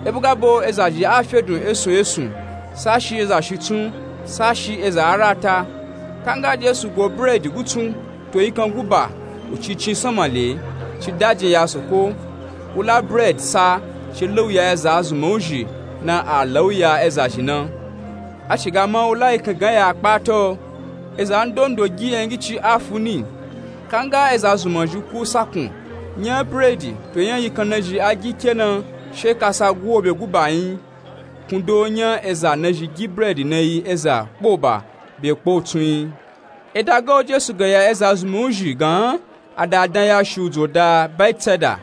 E bo ga bo eza zhi a fe dun esun esun, sashi eza shitsun, sashi eza arata. Kanga jesu go biredi gutsun to yikan guba, u ci cin sanma le, ci dajin ya soko. U la biredi sa, ci lauya eza zunmun zhi na a lauya eza zhi na. A ci ga ma u la yikan gan ya kpata o. Eza ndondo gi enyagi ci a fu ni. Kanga eza zunmun zhi ku sakun nya biredi to nya yikan nazhi a gi ke na, she kasa guwo be guba nyi. Kundo nya eza nazhi gi biredi na yi eza kpoba be kpotsun nyi. E da ga o jesu gaya eza zunmun zhi gan, a da dan ya shi u dzo da baitseda,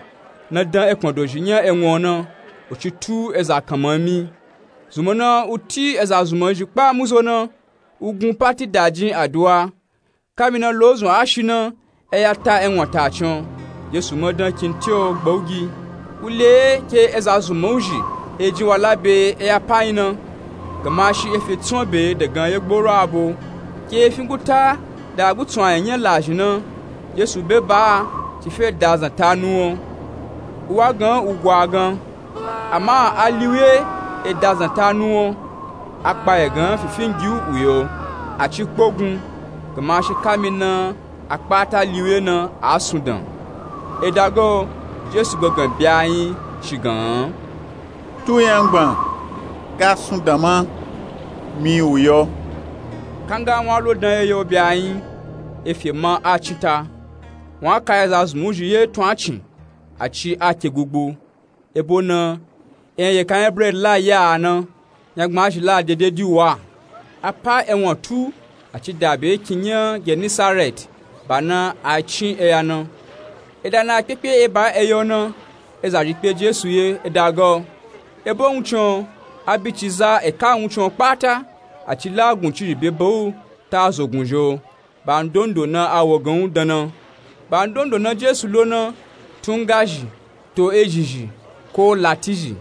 na dan ekpan dozhi nya enwan o na, u ci tu eza kanma mi. Zunmun na u ti eza zunmun zhi kpa muzo na, u gun pati dajin aduwa. Kamina lozun a shi na, e ya ta enwan ta cin o. Jesu ma dan kinti o gba u gi. U le ke eza zunmun zhi e jin wala be e ya pa nyi na. Gamashi e fe tsan be dagan ye gboro abo. Ke e fin guta da gutsun a nya nya lazhi na, jesu be ba a, ci fe da zanta nu o. U wa gan u gwa gan. Ama a liwe e da zanta nu o. A kpa ye gan fifin gi u u yo, a ci kpogun. Gamashi kamina a kpata liwe na a sundan. E da ga o, jesu gangan be a nyi ci gan. Tu yangban ga sundan ma, mi u yo. Kanga wan lo dan ye yo be a nyi, e fe ma a cin ta. Wan a ka eza zunmun zhi ye tun a cin, a ci a ke gugbu. E bo na, enyagi ka nya biredi la ya a na, nya gbazhi la dededi u wa. A pa enwan tu, a ci da be kin nya genisaret, ba na a cin eya na. E da na kpekpe e ba eya o na, eza zhi kpe jesu ye e da ga o. E bo wuncin o, a bi ci za e ka wuncin o kpata, a ci la guncizhi be ba u ta zogun zhi o. Ba ndondo na a wo gan u dan na. Ba ndondo na jesu lo na, tunga zhi, to ezhi zhi, ko lati zhi.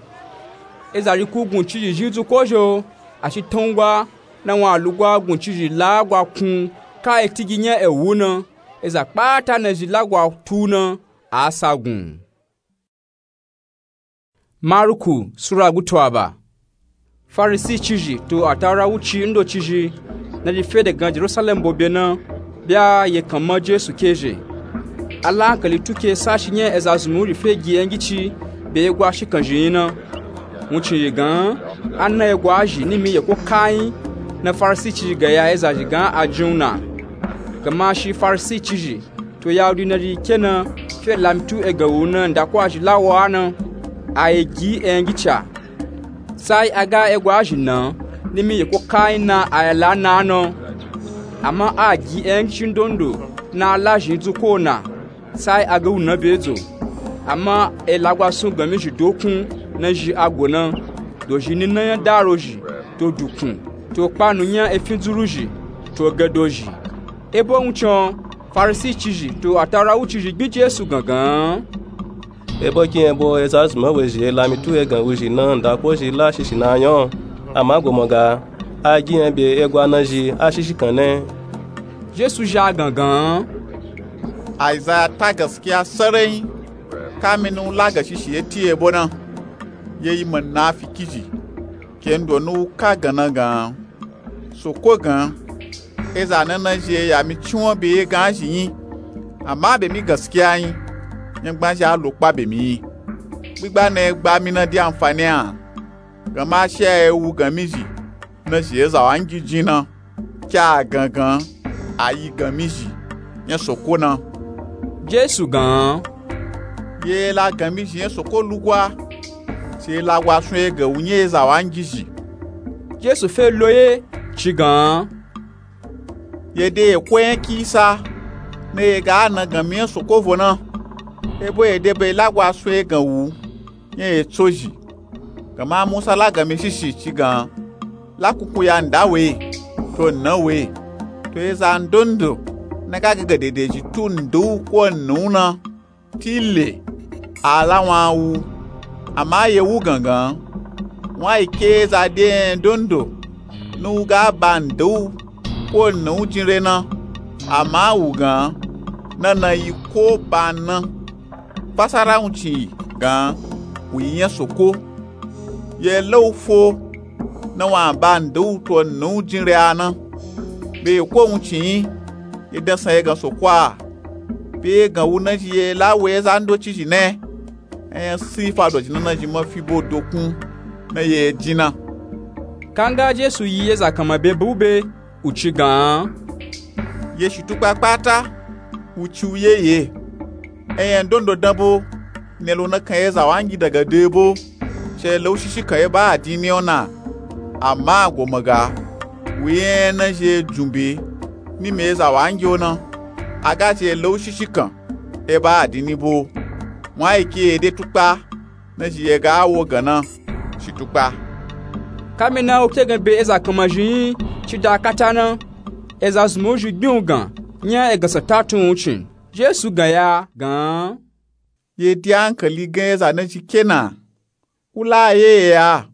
Eza zhi ku guncizhi zhi dzuko zhi o, a ci tangwa na wan a lugwa guncizhi la gwa kun ka eti gi nya ewu na. Eza kpata nazhi la gwa tu na, a sa gun. Maruku sura gutu aba. Farisi cizhi to ataura wuci ndocizhi nazhi fe dagan jerusalem bo be na, be a ye kan ma jesu ke zhe. A la hankali tu ke sashi nya eza zunmun zhi fe gi engici be ye gwa shikan zhi nyi na. Wuncin zhi gan, a na ye gwa zhi nimi ye ko kanyi. Na farisi cizhi gaya eza zhi gan a jin u na. Gama shi farisi cizhi to yahudi nazhi ke na fe lamitu egan wu na ndakwa zhi la wo a na, a ye gi engici a. Sai a ga egwa zhi na nimi ye ko kanyi na a ye la na a na. Ama a gi engici ndondo na a la zhi dzuko na. Sai a ga wu na be dzo. Ama e lagwa sun ganmi zhi dokun nazhi a go na, dozhi nina nya daro zhi, to dukun, to kpanu nya efin dzuru zhi, to gedo zhi. Ebo wuncin o, Farisi cizhi to atawura wucizhi gbin Jesu gangan. Ebo kinyebo eza zunman wezhi e lami tu egan wuzhi na ndako zhi la shishi na nya o. Ama gomon ga a gin nya be egwa na zhi a shishi kan ne. Jesu zha gangan. Aizaya ta gaskiya sarai. Kamini u la gashishi e ti ebo na. Ye yi munafiki zhi. Kendo ni u ka gan na gan. Soko gan. Eza na na zhi e ya mi ciwon be ye gan zhi yin. Ama be mi gaskiya yin. Nyangban zhi a lo kpa be mi yin. Gbigba na e gba mi na di anfani a. Gan ma shi a e wu gan mi zhi. Na zhi eza wa ngi jin na. Kya gangan a yi gan mi zhi nya soko na. Jesu gan. Ye la gan mi zhi nya soko lugwa. Se la gwa sun ye gan wu nya eza wa ngi zhi. Jesu fe lo ye ci gan. Ye de ye ko nya kisa. Na ye ga na gan mi nya soko vo na. Ebo ye de be la gwa sun ye gan wu. Nya ye tso zhi. Gan ma musa la gan mi shishi ci gan. La kuku ya nda we to nna we. To eza ndondo na ga gaga dede zhi tu ndu ko nnu na. Ti le a la wan wu. Ama ye wu gangan. Wan yi ke eza de nya ndondo ni u ga ba ndu ko nnu jin re na. Ama wu gan na na yi ko ba na. Fasara wuncin yi gan wu yi nya soko. Ye la u fo na wan ba ndu to nnu jin re a na. Be ye ko wuncin yi ye dansan ye gan soko a. Be ye gan wu na zhi ye la we eza ndoci zhi ne. Enya sifa do zhi na na zhi ma fi bo dokun na ye jin na. Kanga Jesu yi eza kanma be bu be. U ci gan. Ye shitukpa kpata u ci u ye ye. Enya ndondo dan bo. Ne lo na kan ye za wa ngi daga de bo. Ci e la u shishi kan ye ba adini o na. Ama gomon ga wu ye na zhi e jun be ni mi ye za wa ngi o na. A ga ci e la u shishi kan ye ba adini bo. Wan yi ke ye de tukpa. Na zhi ye ga wo gan na shitukpa. Kamina u ke gan be eza kanma zhi yin ci da kata na. Eza zunman wuzhi gbin u gan nya egan sa ta tun wuncin. Jesu gan ya gan. Ye di ankali gan eza na zhi ke na. U la ye ye a.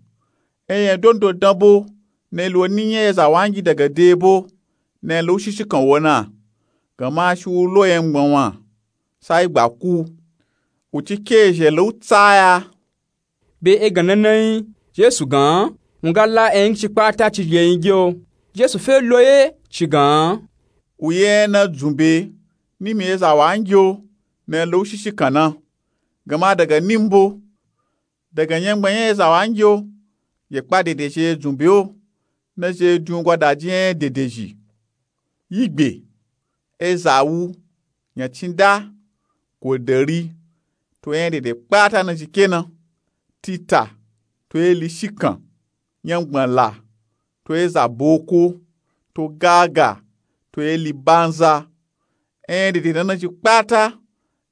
Enya ndondo dan bo. Na ye lo ni nya eza wa ngi daga de bo. Na ye la u shishi kan wo na. Gan ma shi u lo ye ngban wan. Sa yi gba ku. U ci ke zhe la u tsa ya. Be egan na na yin Jesu gan. Wun ga la enya ngi ci kpata ci ye yin gi o. Jesu fe lo ye ci gan. U ye na jun be ni mi ye za wa ngi o. Na ye la u shishi kan na. Gan ma daga ni mbo. Daga nyangban nya eza wa ngi o. Ye kpa dede zhi e jun be o. Na zhi e jun gwada ji nya dede zhi. Yi gbe. Eza wu. Nya cinda. Godari. To nya dede kpata na zhi ke na. Tita. To eli shikan. Nyangban la. To eza boko. To gaga. To eli banza. Enya dede na na zhi kpata.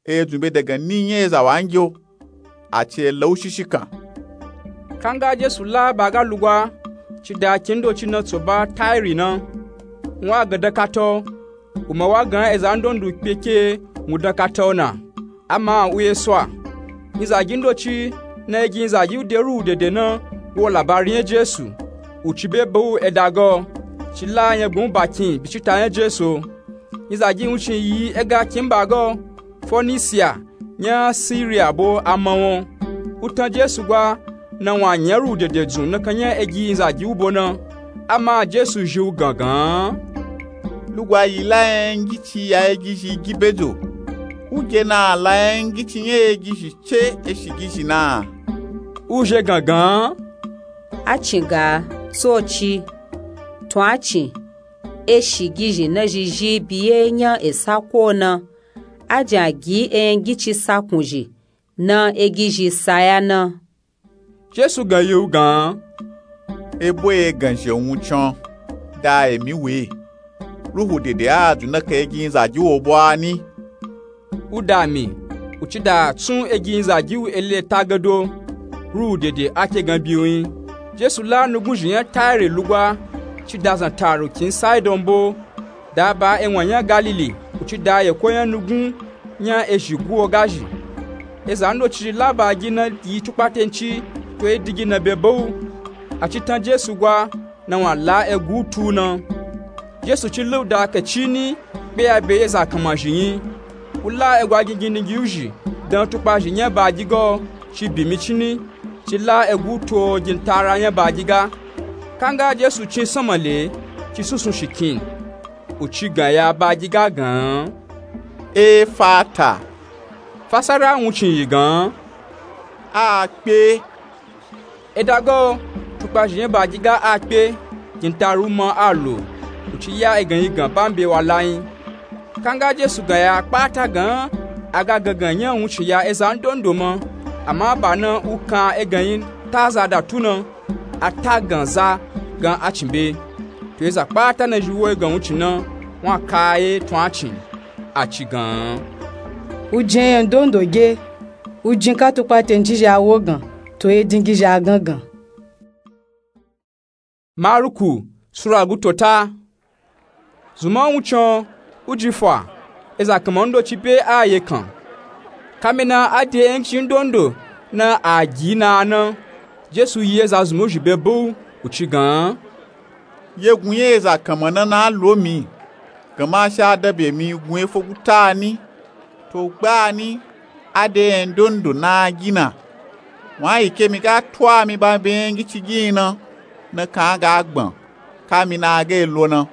E jun be daga ni nya eza wa ngi o. A ci e la u shishi kan. Kanga Jesu la ba ga lugwa ci da kin doci na tso ba Tairi na. Wun wa gan dan kata o. U ma wa gan eza ndondo kpe ke wun dan kata o na. Ama u ye so a. Nyizagi ndoci na ye gi nyizagi u de ruhu dede na wo labari nya Jesu. U ci be ba u eda ga o. Ci la nyangban u bakin bicita nya Jesu o. Nyizagi wuncin yi ega kin ba ga o. Fonisia nya Siriya bo a ma won. U tan Jesu gwa na wun a nya ruhu dede dzun nakan nya egi nyizagi u bo na. Ama Jesu zhi u gan gan. Lugwa yi la nya ngi ci ya egi zhi gi bedo. U ge na a la nya ngi ci nya egi zhi ce eshi gi zhi na. U zhi e gan gan. A cin ga tso ci. Tun a cin. Eshi gi zhi na zhi zhi bi ye nya esa ko na. A jan gi enya ngi ci sakun zhi. Na egi zhi saya na. Jesu gan yi u gan. Ebo ye gan zhi e wun can. Da emi we. Ruhu dede a jun nakan egi nyizagi wo bo a ni. U da mi. U ci da tsun egi nyizagi u eli eta gado. Ruhu dede a ke gan bi u yin. Jesu la nugun zhi nya Tairi lugwa. Ci da zan taru kin Saidon bo. Da ba ewan nya Galili. u ci da yeko nya nugun nya ezhi guwo gazhi. Eza ndoci zhi la baagi na yi tukpatenci to edingi na be be u. A ci tan Jesu gwa na wun a la egu tu u na. Jesu ci la u da kacini kpe ya be eza kanma zhi nyi. U la egwa gingindingi u zhi dan tukpazhi nya baagi ga o ci bi micini, ci la egu to gintara nya baagi ga. Kanga Jesu cin sanma le, ci sunsun shikin, u ci gan ya baagi ga gan, "Efata." Fasara wuncin yi gan, "A kpe." Eda ga o, tukpazhi nya baagi ga a kpe, gintara u ma a lo, u ci ya egan yi gan bambe wa la nyi. Kanga Jesu gan ya kpata gan, a ga gangan nya wuncin ya eza ndondo ma, ama ba na u kan egan nyi ta za da tu na, a ta gan za gan a cin be. To eza kpata na zhi wo egan wuncin na, wun a ka ye tun a cin, a ci gan, "U jin enya ndondo ge, u jin ka tukpatenci zhi a wo gan, to edingi zhi a gangan." Maruku sura gutota. Zunman wuncin o, u ji fa, eza kanma ndoci be a ye kan. Kamina a de engici ndondo na a gi na a na, Jesu yi eza zunman u zhi be be u, u ci gan, "Yegun ye eza kanma na na lo mi, ganma sha da be mi gun efo guta ni. To gba ni, a de enya ndondo na a gi na. Wun a yi ke mi ga tu a mi ba be engici gi na, na kan a ga gban, kamina a ga lo na.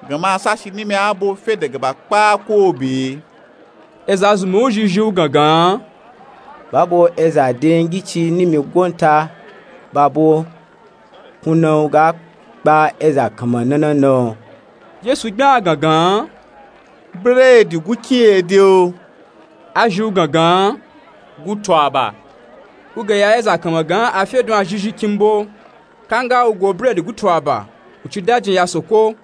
Ganma sashi nimi a bo fe daga ba kpa ko be." Eza zunman u zhi zhi u gangan, "Ba bo eza de engici nimi gonta, ba bo kuna u ga kpa eza kanma na na na o." Jesu gban a gangan, "Bredi gukin ye de o?" A zhi u gangan, "Gutu aba." U gan ya eza kanma gan a fe dun a zhi zhi kimbo. Kanga u go bredi gutu aba, u ci dajin ya soko,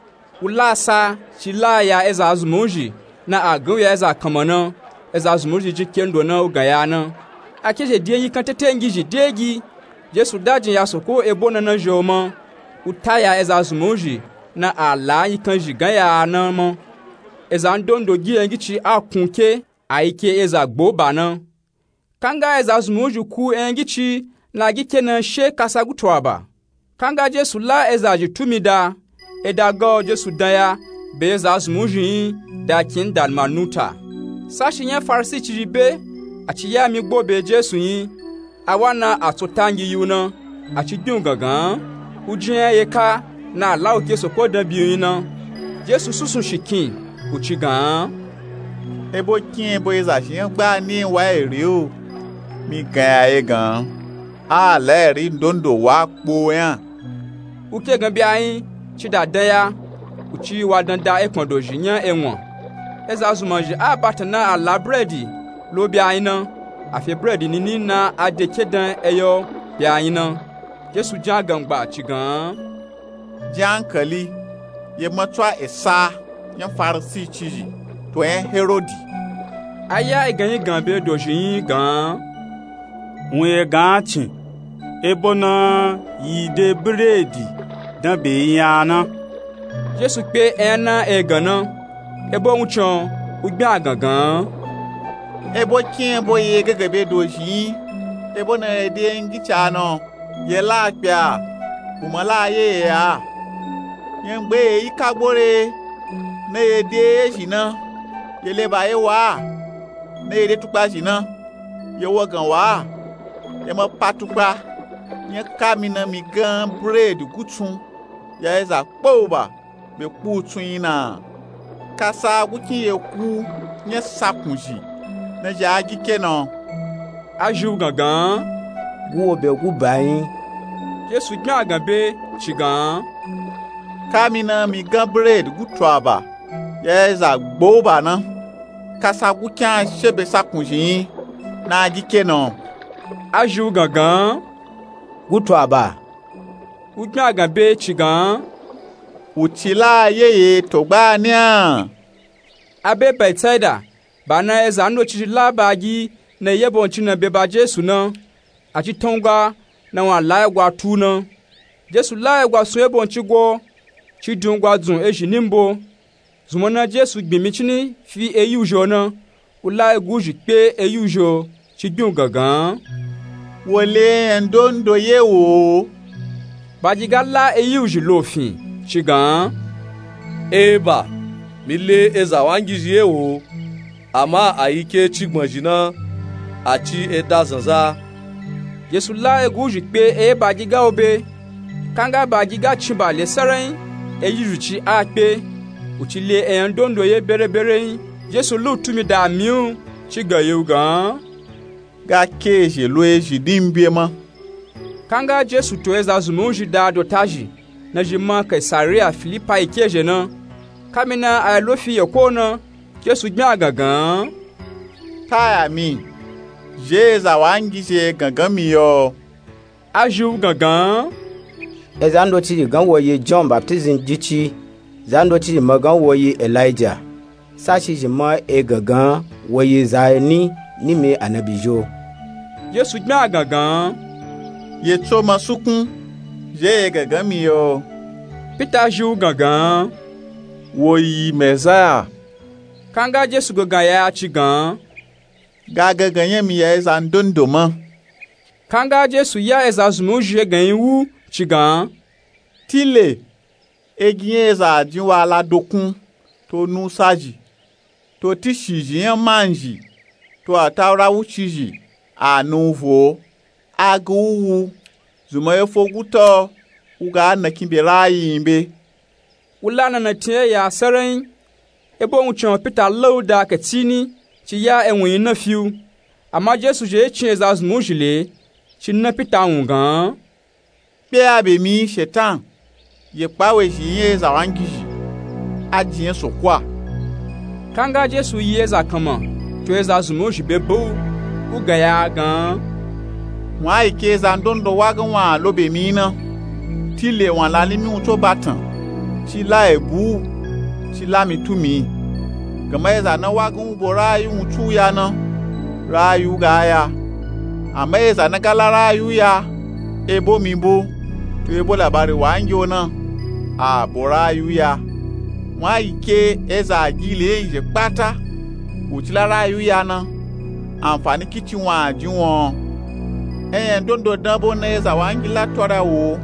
u la sa, ci la ya eza zunman u zhi, na a gan u ya eza kanma na, eza zunman u zhi jin kendo na u gan ya na. A ke zhe de nyikan tetengi zhi de gi. Jesu dajin ya soko ebo na na zhi o ma, u ta ya eza zunman u zhi, na a la nyikan zhi gan ya na ma. Eza ndondo gi engici a kun ke, a yi ke eza gbo ba na. Kanga eza zunman u zhi ku engici na a gi ke na she kasa gutu aba. Kanga Jesu la eza zhi tu mi da, eda ga o Jesu dan ya be eza zunman u zhi nyi da kin Dalmanuta. Sashi nya Farisi ci zhi be, a ci ya mi gbo be Jesu nyi, a wa na a tso tangi yi u na, a ci gin u gangan, u jin enya ye ka na a la u ke soko dan bi u nyi na. Jesu sunsun shikin, u ci gan, "Ebo kin ebo eza zhi nya gba ni wa eri o? Mi gan ya ye gan, a la eri ndondo wa kpo nya." U ke gan be a nyi, ci da dan ya, u ci wa dan da ekpan do zhi nya enwan. Eza zunman zhi a batan na a la bredi lo be a nyi na, a fe bredi nini na a de ke dan eya o be a nyi na. Jesu jin a gangba ci gan, "Jin ankali, ye ma tsu a esa nya Farisi ci zhi to enya Herodi." A ya egan nyi gan be do zhi nyi gan, "Wun ye gan a cin, ebo na yi de bredi dan be yi nya na." Jesu kpe enya na egan na, ebo wuncin o, u gban a gangan, "Ebo kin ebo ye gangan be do zhi nyi? Ebo na ye de engici a na o, ye la kpe a, u ma la ye ye a. Nya ngbe ye yi kagbo re, na ye de ezhi na, ye leba ye wa a, na ye de tukpazhi na, ye wo gan wa a. Ye ma pa tukpa, nya kamina mi gan bredi gutsun ya eza kpauba be kpu tsun nyi na. Kasa gukin ye ku nya sakunzhi na zhi a gi ke na o." A zhi u gangan, "Guwo be guba nyi." Jesu gban a gan be ci gan, "Kamina mi gan bredi gutu aba ya eza gbauba na. Kasa gukin a she be sakunzhi nyi na a gi ke na o." A zhi u gangan, "Gutu aba." U gban a gan be ci gan, "U ci la ye ye to gba ni a?" A be Betsaida, ba na eza ndoci zhi la baagi na yebo nci na be ba Jesu na, a ci tan u gwa na wun a la egwa tu u na. Jesu la egwa sun yebo nci gwo, ci din u gwa dzun ezhi ni mbo. Zunmọ na Jesu gbin micini fi eyi wuzhi o na, u la egu wuzhi kpe eyi wuzhi o, ci gbin u gangan. Wo le enyạ ndondo ye wo. Bagiga la eyi wuzhi lo fin, ci gan. Eba, mi le eza wangizhi ye wo, ama a yi ke ci gbọnzhi na, a ci eda zanza. Jesu la egu wuzhi kpe eye bagiga u be. Kanga bagiga cin ba le sarayin, eyi wuzhi ci a kpe, u ci le enyạ ndondo ye berebereyin. Jesu lu tumi da mi u, ci gan ye u gan. Ga ke ezhe lo ezhi din be ma. Kanga Jesu to eza zunmi wuzhi da dotazhi, nazhi ma Kaisariya Filipayi ke ezhe na. Kamina a yi lo fi yeko na, Jesu gbin a gangan. Taya mi, zhe eza wangizhi gangan mi yo. A zhi u gangan. Eza ndocizhi gan wo yi Jọn Baptizim jici, za ndocizhi ma gan wo yi Elaija, sashi zhi ma e gangan wo yi za ni nimi anabi zhi o. Jesu gbin a gangan. Ye tso ma sukun, zhe ye gangan mi yo. Pita zhi u gangan. Wo yi Mezaya. Kanga Jesu gangan ya ci gan. Ga gangan nyạ mi ya eza ndondo ma. Kanga Jesu ya eza zunmi wuzhi eganyi wu, ci gan. Tile, egi nyạ eza a jin wa ala dokun, to nusa zhi, to tishi zhi nyạ manzhi, to atawura wuci zhi, a ni u vo, a gi u wu, zunmọ ye foguta o, u ga nakin be rayi yin be. U la nanatin ye ya sarayin, ebo wuncin o Pita la u da katini, ci ya ewun yin na fi u. Ama Jesu zhe ye cin eza zunmi wuzhi le, ci na Pita wun gan. Kpe a be mi, Shetan, ye kpa wezhi nyạ eza wangizhi, a jin nyạ soko a. Kanga Jesu yi eza kanma, to eza zunmi wuzhi be be u, u gan ya gan. Wun a yi ke eza ndondo wa gan wun a lo be mi na. Tile wun a la nimi wun tso batan, ci la ebu u, ci la mi tu mi. Gama eza na wa gan u bo rayi wun tsu ya na, rayi u ga ya. Ama eza na ga la rayi u ya, ebo mi bo, to ebo labari wangi o na, a bo rayi u ya. Wun a yi ke eza a gi le yin zhe kpata, u ci la rayi u ya na, anfani kici wun a jin wun o. Enyạ ndondo dan bo na eza wangi la to ra wo,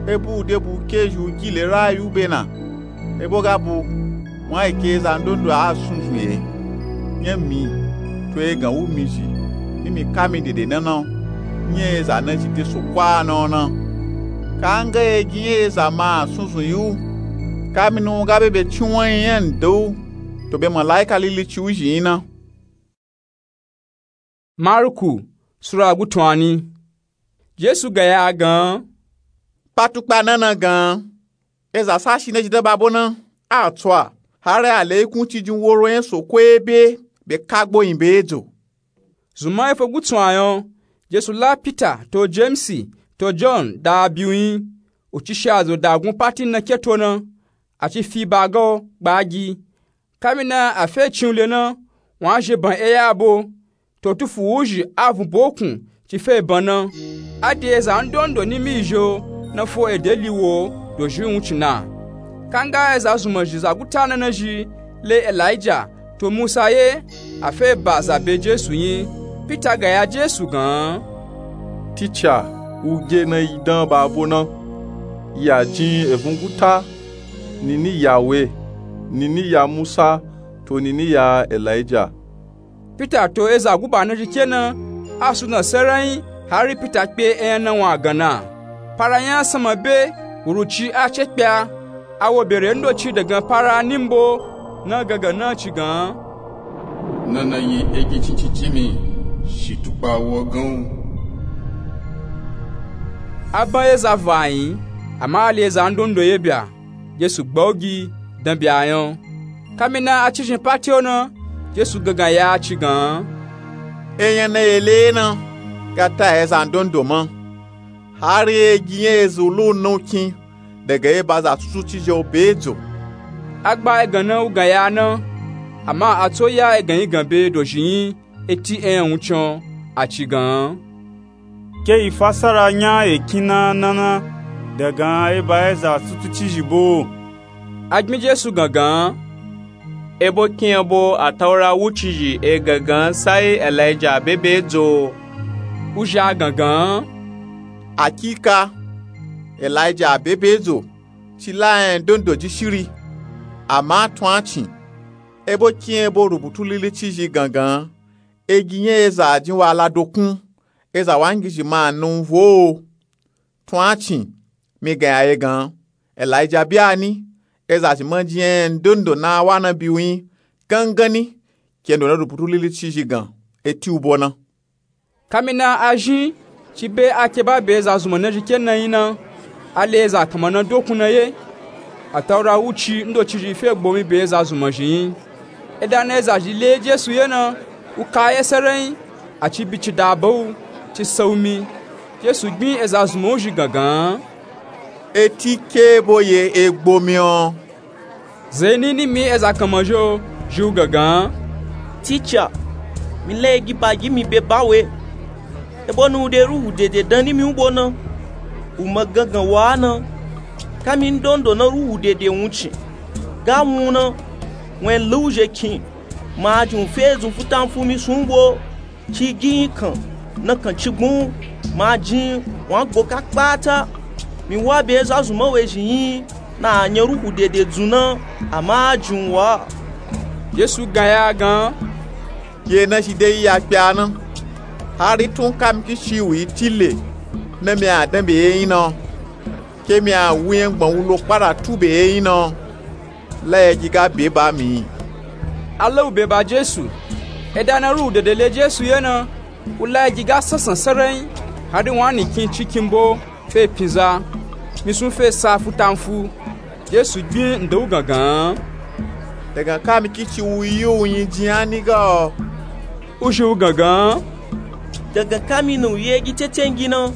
ebo u de bu ke zhi u gi le rayi u be na. Ebo ga bu, wun a yi ke eza ndondo a sunzun ye. Nyạ mi, to egan wu mi zhi, ni mi ka mi dede na na, nyạ eza na zhi de soko a na o na. Kanga egi nyạ eza ma a sunzun yi u, kamina u ga be be ci wun yin nyạ nda u, to be malaika lili ci u zhi yin na. Marku Sura gutunani. Jesu gan ya gan. Kpatukpa na na gan. Eza sashi na zhi da ba bo na, a tso a, hari a le ikun ci jin woro nyạ soko ebe be kagbo yin be edzo. Zunmọ ye fogutu a yin o, Jesu la Pita to Jemisi to Jọn da a bi u yin, u ci shi azo da gun pati na ke to na, a ci fi ba ga o gbagi. Kamina a fe cin u le na, wun a zhe ban eya bo, to tufu wuzhi a vun bokun ci fe ban na. A de eza ndondo nimi zhi o na fo ede li wo dozhi wuncin na. Kanga eza zunmọ zhi za guta na na zhi le Elaija to Musa ye, a fe ba za be Jesu yin. Pita gan ya Jesu gan. Tica, u ge na yi dan ba bo na, ya jin evun guta, nini ya we, nini ya Musa, to nini ya Elaija. Pita to eza guba na zhi ke na, a suna sarayin, hari Pita kpe enyạ na wun a gan na. Para nya sama be, wuruci a ce kpe a, a wo bere ndoci dagan para nimbo na gangan na ci gan. Na na yi egi cici ci mi, shi tukpa wo gan u. A ban eza va yin, ama a le eza ndondo ye bya. Jesu gba u gi dan bya yin o. Kamina a ci zhin pati o na, Jesu gangan ya ci gan. Enyạ na ye le na, ga ta eza ndondo ma, hari egi nyạ eza u lo na u kin daga eba za tutuci zhi o be edzo. A gba egan na u gan ya na, ama a tso ya egan yi gan be dozhi yin eti enyạ wuncin o, a ci gan. Ke yi fasara nya ekin na na na dagan eba eza tutuci zhi bo. A gbin Jesu gangan. Ebo kin ebo atawura wucizhi e gangan sai elijah bebe dzo? Wuzhi a gangan, akika elijah bebe dzo, ci la enya ndondo ji shiri. Ama tun a cin, ebo kin ebo rubutu lilicizhi gangan, egi nya eza a jin wa la dokun, eza wangizhi ma a na u vo o. Tun a cin, mi gan ya ye gan, elijah bia ni, eza zhi ma jin enya ndondo na a wa na bi u yin, gangani kendo na rubutu lilicizhi gan eti u bo na. Kamina a zhin, ci be a keba be eza zunmạ nazhi ke na yin na, a le eza kanmạ na dokun na ye. Atawura wuci ndocizhi fe gbomi be eza zunmạ zhi yin. E da na eza zhi le jesu ye na, u ka ye serenyi, a ci bi ci da ba u, ci sa u mi. Jesu gbin eza zunmạ u zhi gangan, eti ke ebo ye e gbomi o? Zeni ni mi eza kanmạ zhi o, zhi u gangan, ticha, mi la egi ba gi mi be ba we, ebo na u de ruhu dede dan ni mi u bo na, u ma gangan wa na. Kami ndondo na ruhu dede wuncin ga wun u na, wun e la u zhe kin, ma a jin u fe zun futanfu mi sun u bo. Ci gi yin kan na kan ci gbun, ma a jin wun a gbo ka kpata. Mi wa be eza zunmạ we zhi yin, na a nya ruhu dede dzun na, ama a jin u wa. Jesu gan ya gan, ye na zhi de yi ya kpe a na, hari tun kami kici u yi tile, na mi a dan be ye yin na, ke mi a wu nya gbọn wu lo kpara tu be ye yin na, la egi ga be ba mi. A la u be ba jesu. E da na ruhu dede le jesu ye na, u la egi ga sansan serenyi, hari wun a ni kin ci kin bo fe pinza, mi sun fe sa futanfu. Jesu gbin nda u gangan, dagan kami kici u yi u yin jin a ni ga o? U zhi u gangan, dagan kami na u yi egi tetengi na,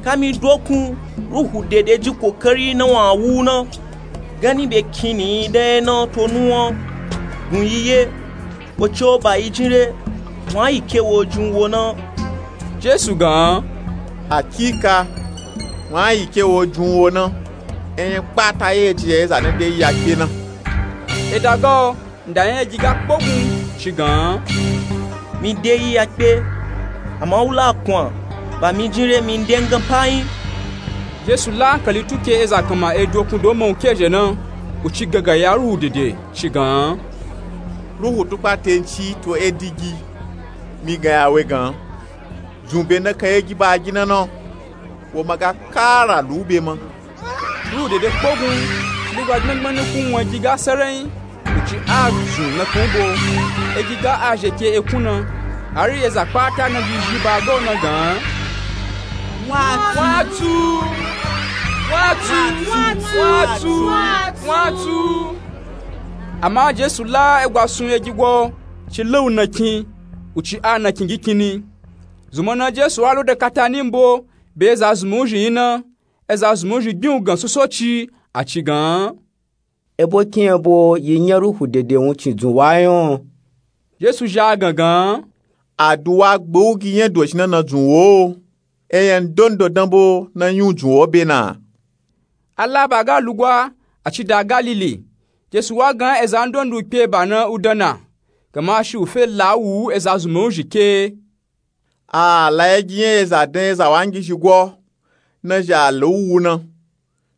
kami dokun ruhu dede ji kokari na wun a wu u na, gani be kin ni yi dan ye na to nuwan, gun yi ye, wo ci o ba yi jin re, wun a yi ke wo jin u wo na. Jesu gan, akika, wun a yi ke wo jin u wo na. Enya kpata ye ji ya eza na de yi ya kpe na. E da ga o, nda nya egi ga kpogun, ci gan, mi de yi ya kpe, ama u la kun a, ba mi jin re mi nde ngan pa yin. Jesu la ankali tu ke eza kanmạ e dokun do ma u ke zhe na, u ci gangan ya ruhu dede, ci gan, ruhu tukpa tenci to e digi, mi gan ya we gan, zun be na kan egi ba gi na na, wo ma ga kara lu u be ma. Ruhu dede kpogun, lugba gbẹngbẹn ni kun wun egi ga serenyi, u ci a zun na kan u bo. Egi ga a zhe ke ekun na, hari eza kpata na zhi zhi ba ga u na gan, wun a tu, wun a tu, wun a tu, wun a tu. Ama jesu la egwa sun egi gwa o, ci la u na kin, u ci a na kin gi kin ni. Zunmạ na jesu a lo de kata ni mbo, be eza zunmạ u zhi yin na, eza zunmạ u zhi gbin u gan sosoci, a ci gan, ebo kin ebo yi nya ruhu dede wuncin dzun wa yin o? Jesu zhi a gangan, aduwa gbe u gi nya dozhi na na dzun wo o. Enya ndondo dan bo na yin u dzun wo be na. A la ba ga lugwa, a ci da galili. Jesu wa gan eza ndondo u kpe ba na u dan na, gamashi u fe la u wu eza zunmạ u zhi ke. A la egi nya eza dan eza wangizhi gwa o, na zhi a la u wu na.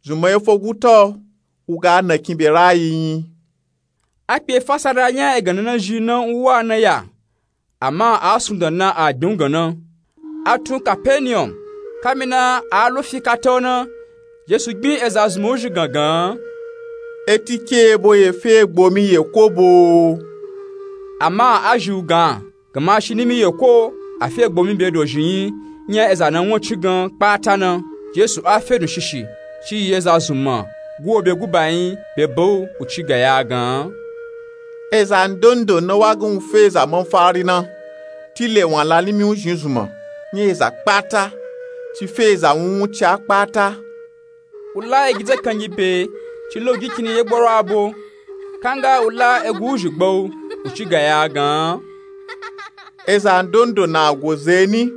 Zunmạ ye fo guta o, u ga na kin be rayi yin. A kpe fasara nya egan na na zhi na u wa na ya, ama a sundan na a gbin u gan na. A tun kapenium, kamina a lo fi kata o na, jesu gbin eza zunmạ u zhi gangan, eti ke ebo ye fe gbomi ye ko bo? Ama a zhi u gan, gamashi ni mi ye ko, a fe gbomi be dozhi yin, nya eza na won ci gan kpata na. Jesu a fe dun shishi, ci yi eza zunmạ guwo be guba yin be ba u, u ci ga ya gan, eza ndondo na wa gan u fe eza manfari na, tile wun a la ni mi u zhin zunmạ, nya eza kpata, ci fe eza wun wun ci a kpata. U la egi dzakangi be, ci la u gi kin ni ye gboro a bo, kanga u la egu u zhi gba u, u ci ga ya gan, eza ndondo na go ze ni,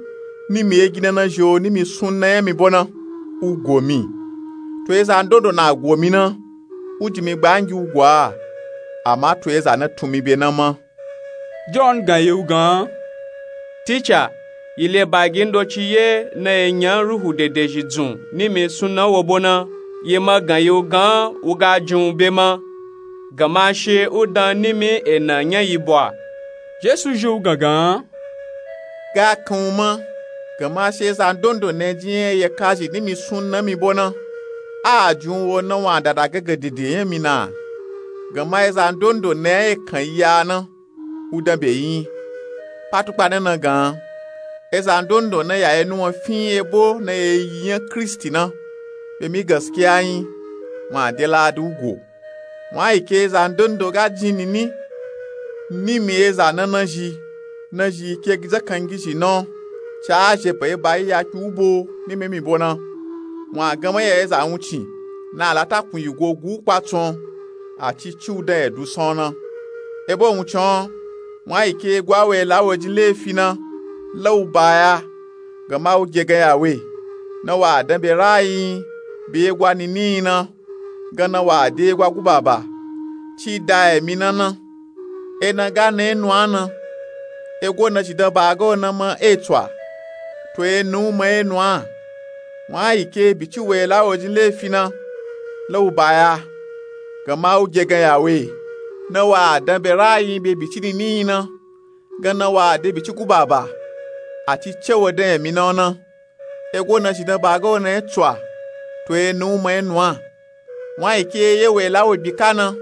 ni mi egi na na zhi o ni mi sun na nya mi bo na, u go mi. To eza ndondo na go mi na, u ji mi gbangi u go a. ama to eza na tun mi be na ma. John gan yi wu gan, Ticha, yi le bagi ndoci ye na ye nya ruhu dedezhi dzun nimi sunna wo bo na, ye ma gan yi wu gan wu ga jin wu be ma, gama she wu dan nimi ena nya yi bwa. Jesu zhi wu gangan, ga kan wu ma, gama she eza ndondo na jin ye ye kazhi nimi sunna mi bo na, a jin wu wo na wa dada gangan dede nya mi na. Gama eza ndondo na ye kan yi ya na, wu dan be yi nyi. Patukpa na na gan, eza ndondo na ya ye nuwan fin ebo na ye yi nya Kristi na, be mi gaskiya nyi, wa de ladi wu go. Wa yi ke eza ndondo ga jin nini nimi eza na na zhi, na zhi ke dzakangizhi na, ci a zhe be ba yi ya kpe wu bo nimi mi bo na. Wa gama ya eza wuncin na a la takun yi go gu wu kpatsun, a ci ci wu dan ye du san na. Ebo wuncin, wa yi ke gwa we la wo jin lefi na, la wu ba ya, gama wu ge gan ya we, na wa dan be rayi nyi be ye gwa nini nyi na, gan na wa de ye gwa guba ba, ci da emi na na. Ena ga na ye nuwa na, ego na zhi dan ba ga wo na ma e tswa, to ye na wu ma ye nuwa. Wa yi ke bi ci we la wo jin lefi na, la wu ba ya, gama wu ge gan ya we, na wa dan be rayi nyi be bi ci nini nyi na, gan na wa de bi ci guba ba, a ci ce wo dan emi na na. Ego na zhi dan ba ga wo na ye tswa, to ye na wu ma ye nuwa. Wa yi ke ye we la wo bi ka na,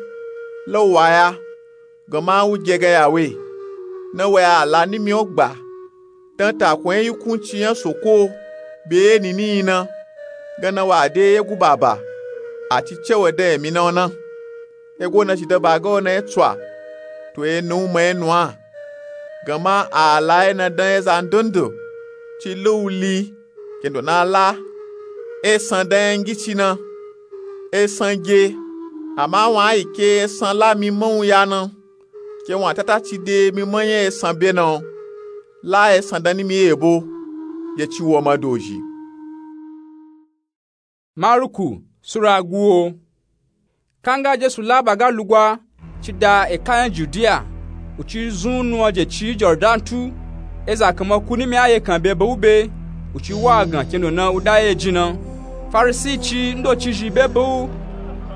la wu wa ya, gama wu ge gan ya we, na wa a la nimi wo gba, dan takun ye yikunci nya Soko be ye nini nyi na, gan na wa de ye guba ba, a ci ce wo dan emi na na. Ego na zhi dan ba ga wo na ye tswa, to ye na wu ma ye nuwa. Gama a la ye na dan eza ndondo, ci la wu li, kendo na la esan dan nya ngici na. Esan ge, ama wa yi ke esan la mi ma wu ya na, ke wa tata ci de mi ma nya esan be na, la esan dan nimi ye bo, ye ci wo ma dozhi. Maruku sura guwo. Kanga Jesu la ba ga lugwa ci da eka nya Judiya, wu ci zun nuwan je ci Jordani tu, eza kanma ku nimi a ye kan be ba wu be, wu ci wa gan kendo na wu da ye jin na. Farisi ci ndoci zhi be ba wu,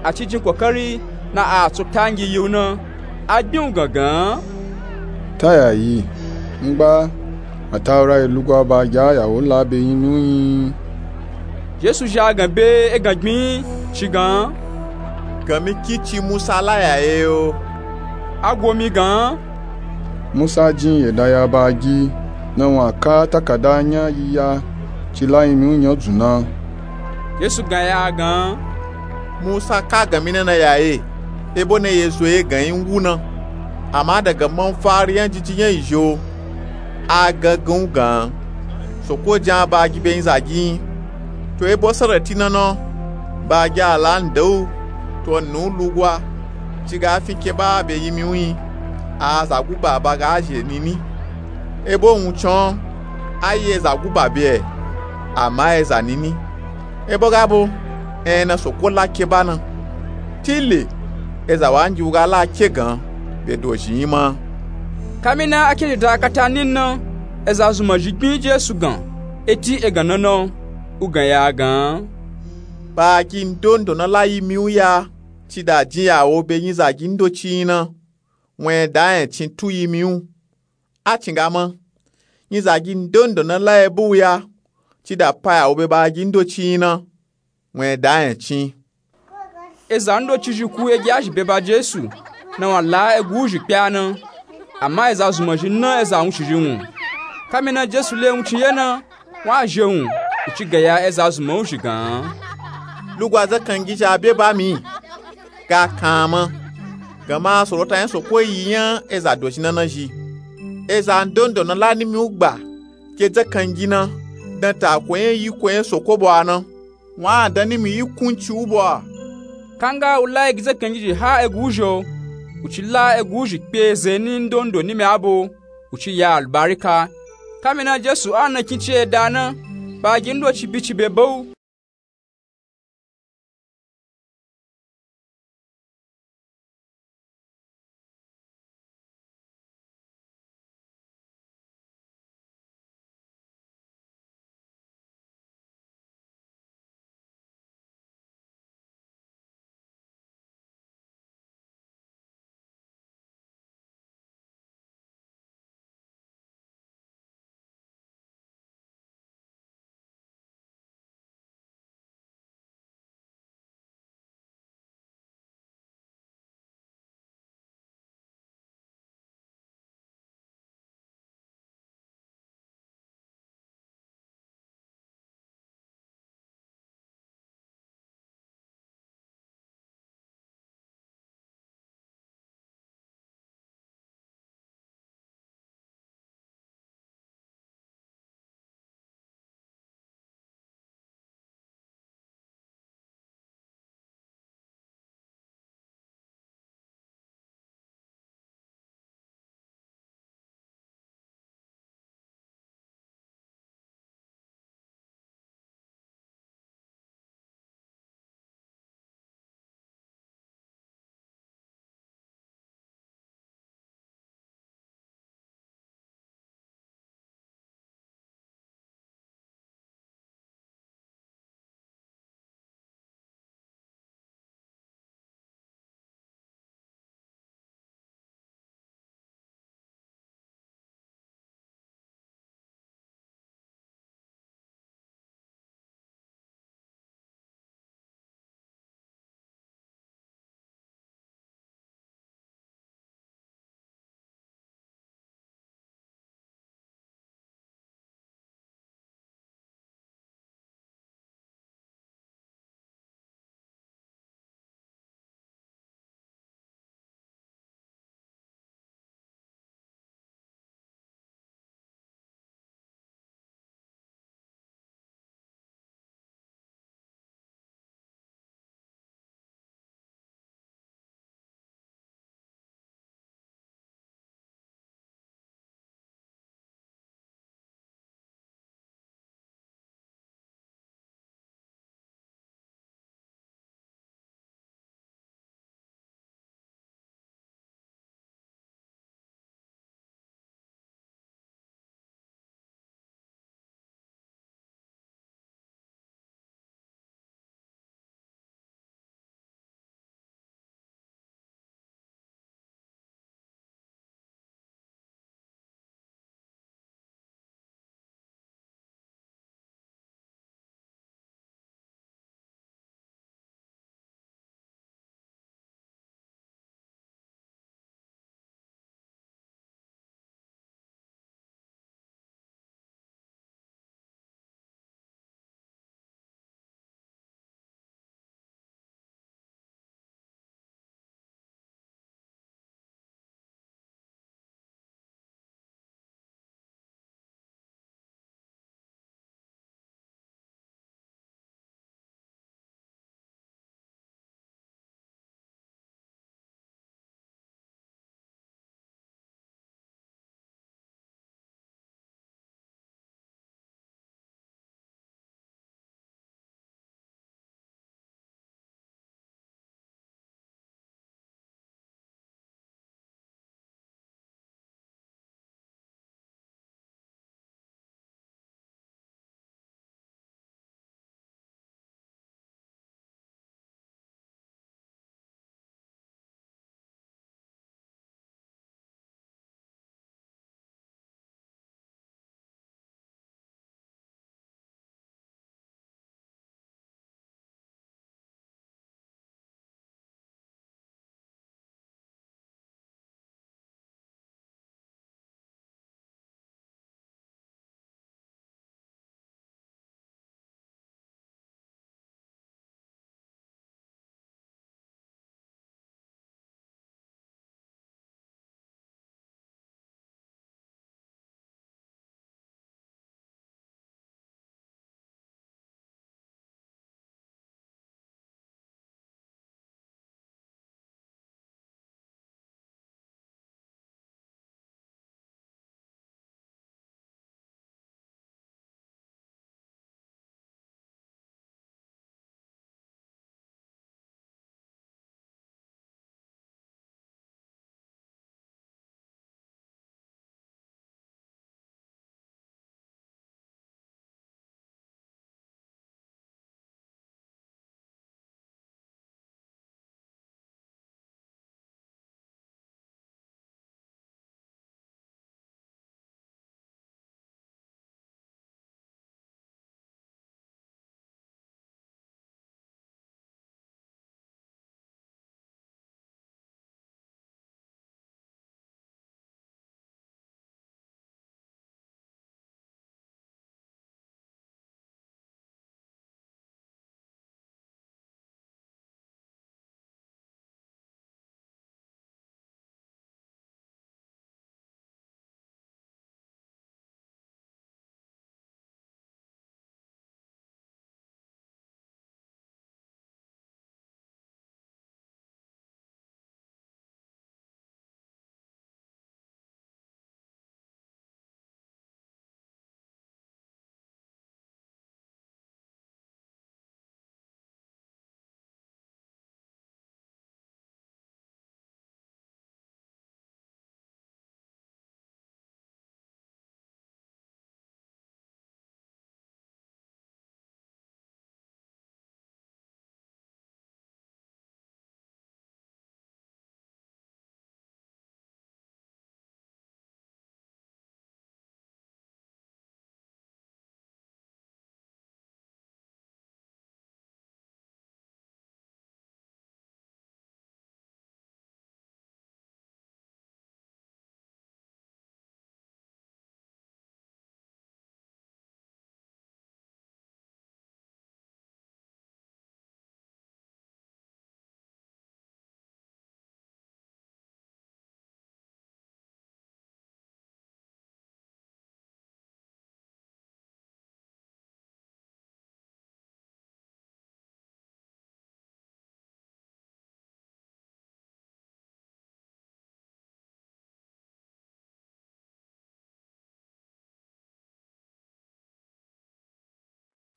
a ci jin kokari na a tso tangi yi wu na, a gbin wu gangan, Ta ya yi, ngba Atawura yi lugwa ba gi a ya wo la be yinmi wu nyi? Jesu zha gan be e gan gbin ci gan, Gan mi kin ci Musa la ya ye yo. A gwo mi gan, Musa jin ye da ya ba gi, na wa ka takada nya yi ya ci la yinmi wu nya dzun na. Jesu gan ya gan, Musa ka gan mi na na ya ye, ebo na ye zo ye gan yi wu na. Ama daga manfari nya jiji nya yi zho, a gan gan wu gan, Soko jin a ba gi be yin zagi nyi. To ebo sarati na na, ba gi a la nda wu, to na wu lugwa, ci ga fin ke ba be yinmi wu nyi, a za guba ba ga zhe nini. Ebo wuncin, a yi eza guba be, ama eza nini. Ebo ga bo, en na Soko la ke ba na. Tile, eza wa ngi wu ga la ke gan be dozhi nyi ma. Kamina a ke zhi da kata nini na, eza zunmazhi gbin Jesu gan, eti e gan na na, wu gan ya gan, Ba gi ndondo na la yinmi wu ya ci da jin ya wo be yin zagi ndoci nyi na, wun e da enya cin tu yinmi wu. A cin ga ma, yin zagi ndondo na la ye ba wu ya ci da pa ya wo be ba gi ndoci nyi na, wun e da enya cin. Eza ndoci zhi ku e gi a zhi be ba Jesu, na wa la egu wuzhi kpe a na. Ama eza zunmazhi na eza wuncizhi wun. Kamina Jesu le wuncin ye na, wa zhe wun, wu ci gan ya eza zunma wuzhi gan, Lugwa zakangizhi a be ba mi, ga kan a ma, gama sorota nya Soko yi nya eza dozhi na na zhi. Eza ndondo na la nimi wu gba ke zakangi na, dan tako nya yiko nya Soko bo a na, wa a dan nimi yikunci wu bo a. Kanga wu la egi zakangizhi ha egu wuzhi o, wu ci la egu wuzhi kpe eze ni ndondo nimi a bo, wu ci ya alubarika. Kamina Jesu a na kin ci eda na, ba gi ndoci bi ci be ba wu.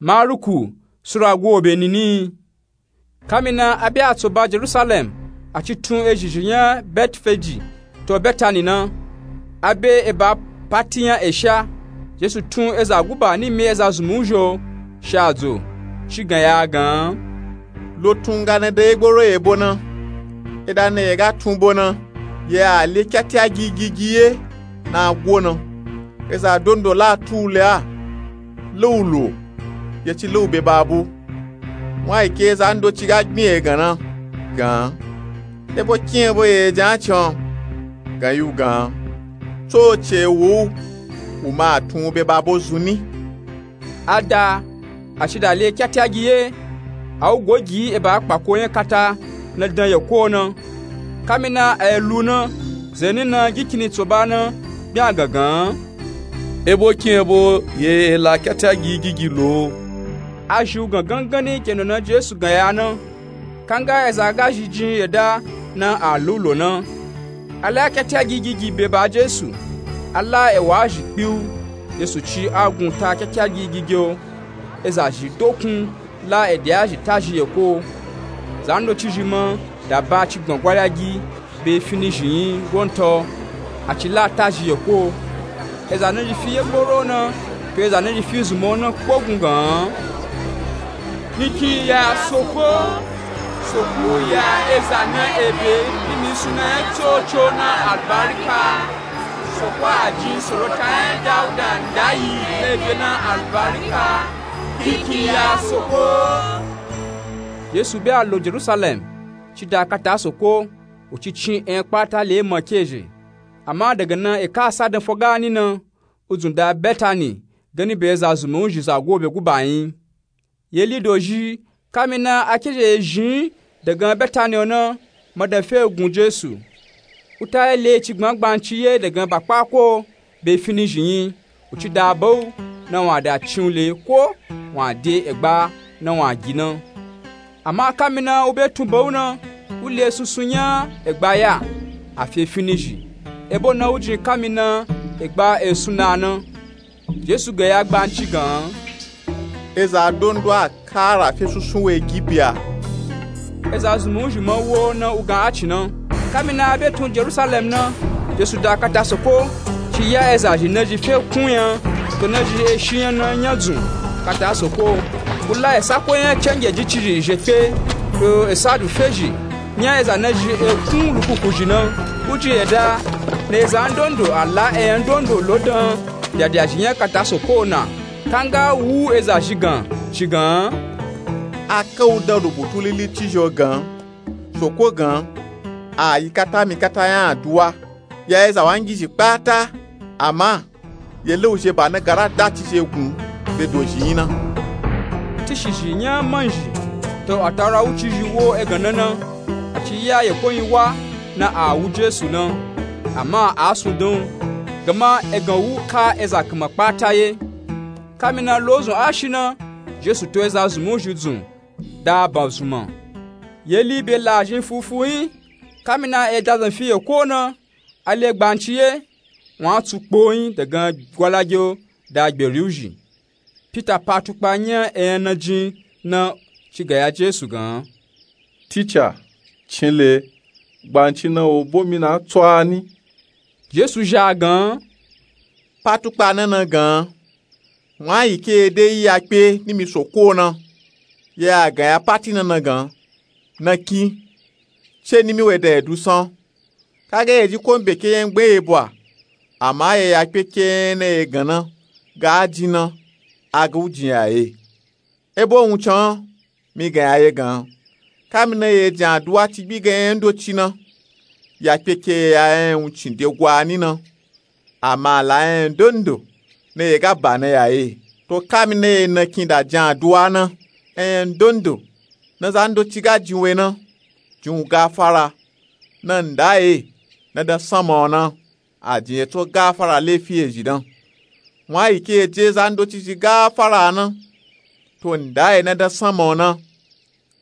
Maruku sura gwobe nini. Kamina a be a tso ba jerusalem, a ci tun ezhizhi nya betfeji to betani na. A be eba pati nya esha. Jesu tun eza guba nimi eza zumu uzho sha dzo, ci gan ya gan, lo tun ga na da yegboro yebo na. Eda na ye ga tun bo na, ye a le kyati a gigigi ye na gwo na. Eza dondo la tu u le a, le u lo, ye ci le u be ba bo. Wun a yi ke eza ndoci ga gbin ye gan na gan, ebo kin ebo ye jan a can gan yi u gan, tso ce wo u, u ma a tun u be ba bo zun ni. A da, a ci da le kyati a gi ye, a u go gi eba kpako nya kata na dan ye ko na. Kamina a ye lu na, zeni na gi kini tso ba na, bia gangan, ebo kin ebo ye la kyati a gi gigi lo. A zhi u gangan gani kendo na jesu gan ya na. Kanga eza ga zhi jin ye da na a lu lo na. A la kyati a gi gigi be ba jesu, a la ewa zhi kpiu. Jesu ci a gun ta kyati a gi gigi o. Eza zhi dokun la ede a zhi ta zhi ye ko. Zan doci zhi ma da ba ci gbangwali a gi be fini zhi yin gonto. A ci la ta zhi ye ko. Eza na zhi fi yegboro na, to eza na zhi fi zun mo na kpo gun gan, ni kin ya soko, soko ya eza na ebe, ni mi suna ya coco na albarika. Soko a jin sorota ya dauda ndayi na ebe na albarika. Ni kin ya soko. Jesu be a lo jerusalem, ci da kata soko, u ci cin en kpata le ma ke zhe. Ama daga na eka a sa dan fo gani na, u dzun da betani gani be eza zumu uzhi za gwobe guba yin. Ye li dozhi, kamina a ke zhe ye zhin daga betani o na, ma dan fe gun jesu. U ta ye le ci gbangban ci ye daga ba kpako be fini zhi yin. U ci da ba u na wun a da cin u le ko wun a de egba na wun a gi na. Ama kamina u be tun ba u na, u le sunsun nya egba ya, a fe fini zhi. Ebo na u jin kamina egba e suna na. Jesu gan ya gbanci gan, eza dondo a kara fe sunsun we gi bia. Eza zumu uzhi ma wo na u gan a ci na. Kamina a be tun jerusalem na, jesu da kata soko, ci ya eza zhi na zhi fe kun nya, to na zhi e shi nya na nya dzun kata soko. U la esa ko nya cenge ji ci zhi zhe kpe, to esa du fe zhi nya eza na zhi e kun lukuku zhi na. U jin ye da na eza ndondo a la eyan ndondo lo dan. Dyadyazhi nya kata soko na. Kanga wu eza zhi gan ci gan, a ka u dan lubutu lili ci zho gan, soko gan, a yi kata mi kata nya aduwa ya eza wangizhi kpata. Ama ye le u zhe ba na gara da ci zhe gun be dozhi yin na. Tishizhi nya manzhi to ataura wu ci zhi wo egan na na. A ci ya ye ko yin wa na a wu jesu na. Ama a sun dan u, gama egan wu ka eza kama kpata ye. Kamina lozun a shi na, jesu to eza zumu uzhi dzun da a ba zun ma. Ye li be la zhin fufu yin. Kamina e da zan fi ye ko na, a le gbanci ye, wun a tsu kpo yin daga gwalage o da gberi uzhi. Pita pa tukpa nya eyan na jin na, ci gan ya jesu gan, tica, cin le, gbanci na o bo mi na tso a ni? Jesu zha gan, pa tukpa na na gan, wun a yi ke ye de yi ya kpe ni mi soko na. Ye a gan ya pati na na gan, na kin, ce ni mi we dan ye du san. Kage ye ji ko n be ke yen gbe ye bwa. Ama ye ya kpe ke yen na ye gan na ga a jin na, a ga u jin ya ye. Ebo wun can mi gan ya ye gan, kamina ye jin aduwa ci gbi gan yen ndoci na, ya kpe ke ye ya yen wun cin de gwa ni na. Ama a la yen ndondo na ye ga ba na ya ye. To kamina ye na kin da jin aduwa na, yen ndondo na za ndoci ga jin we na, jin u gafara, na nda ye na dan sanma o na, a jin ye tso gafara lefi ye zhi dan. Wun a yi ke ye je za ndoci zhi gafara na, to nda ye na dan sanma o na,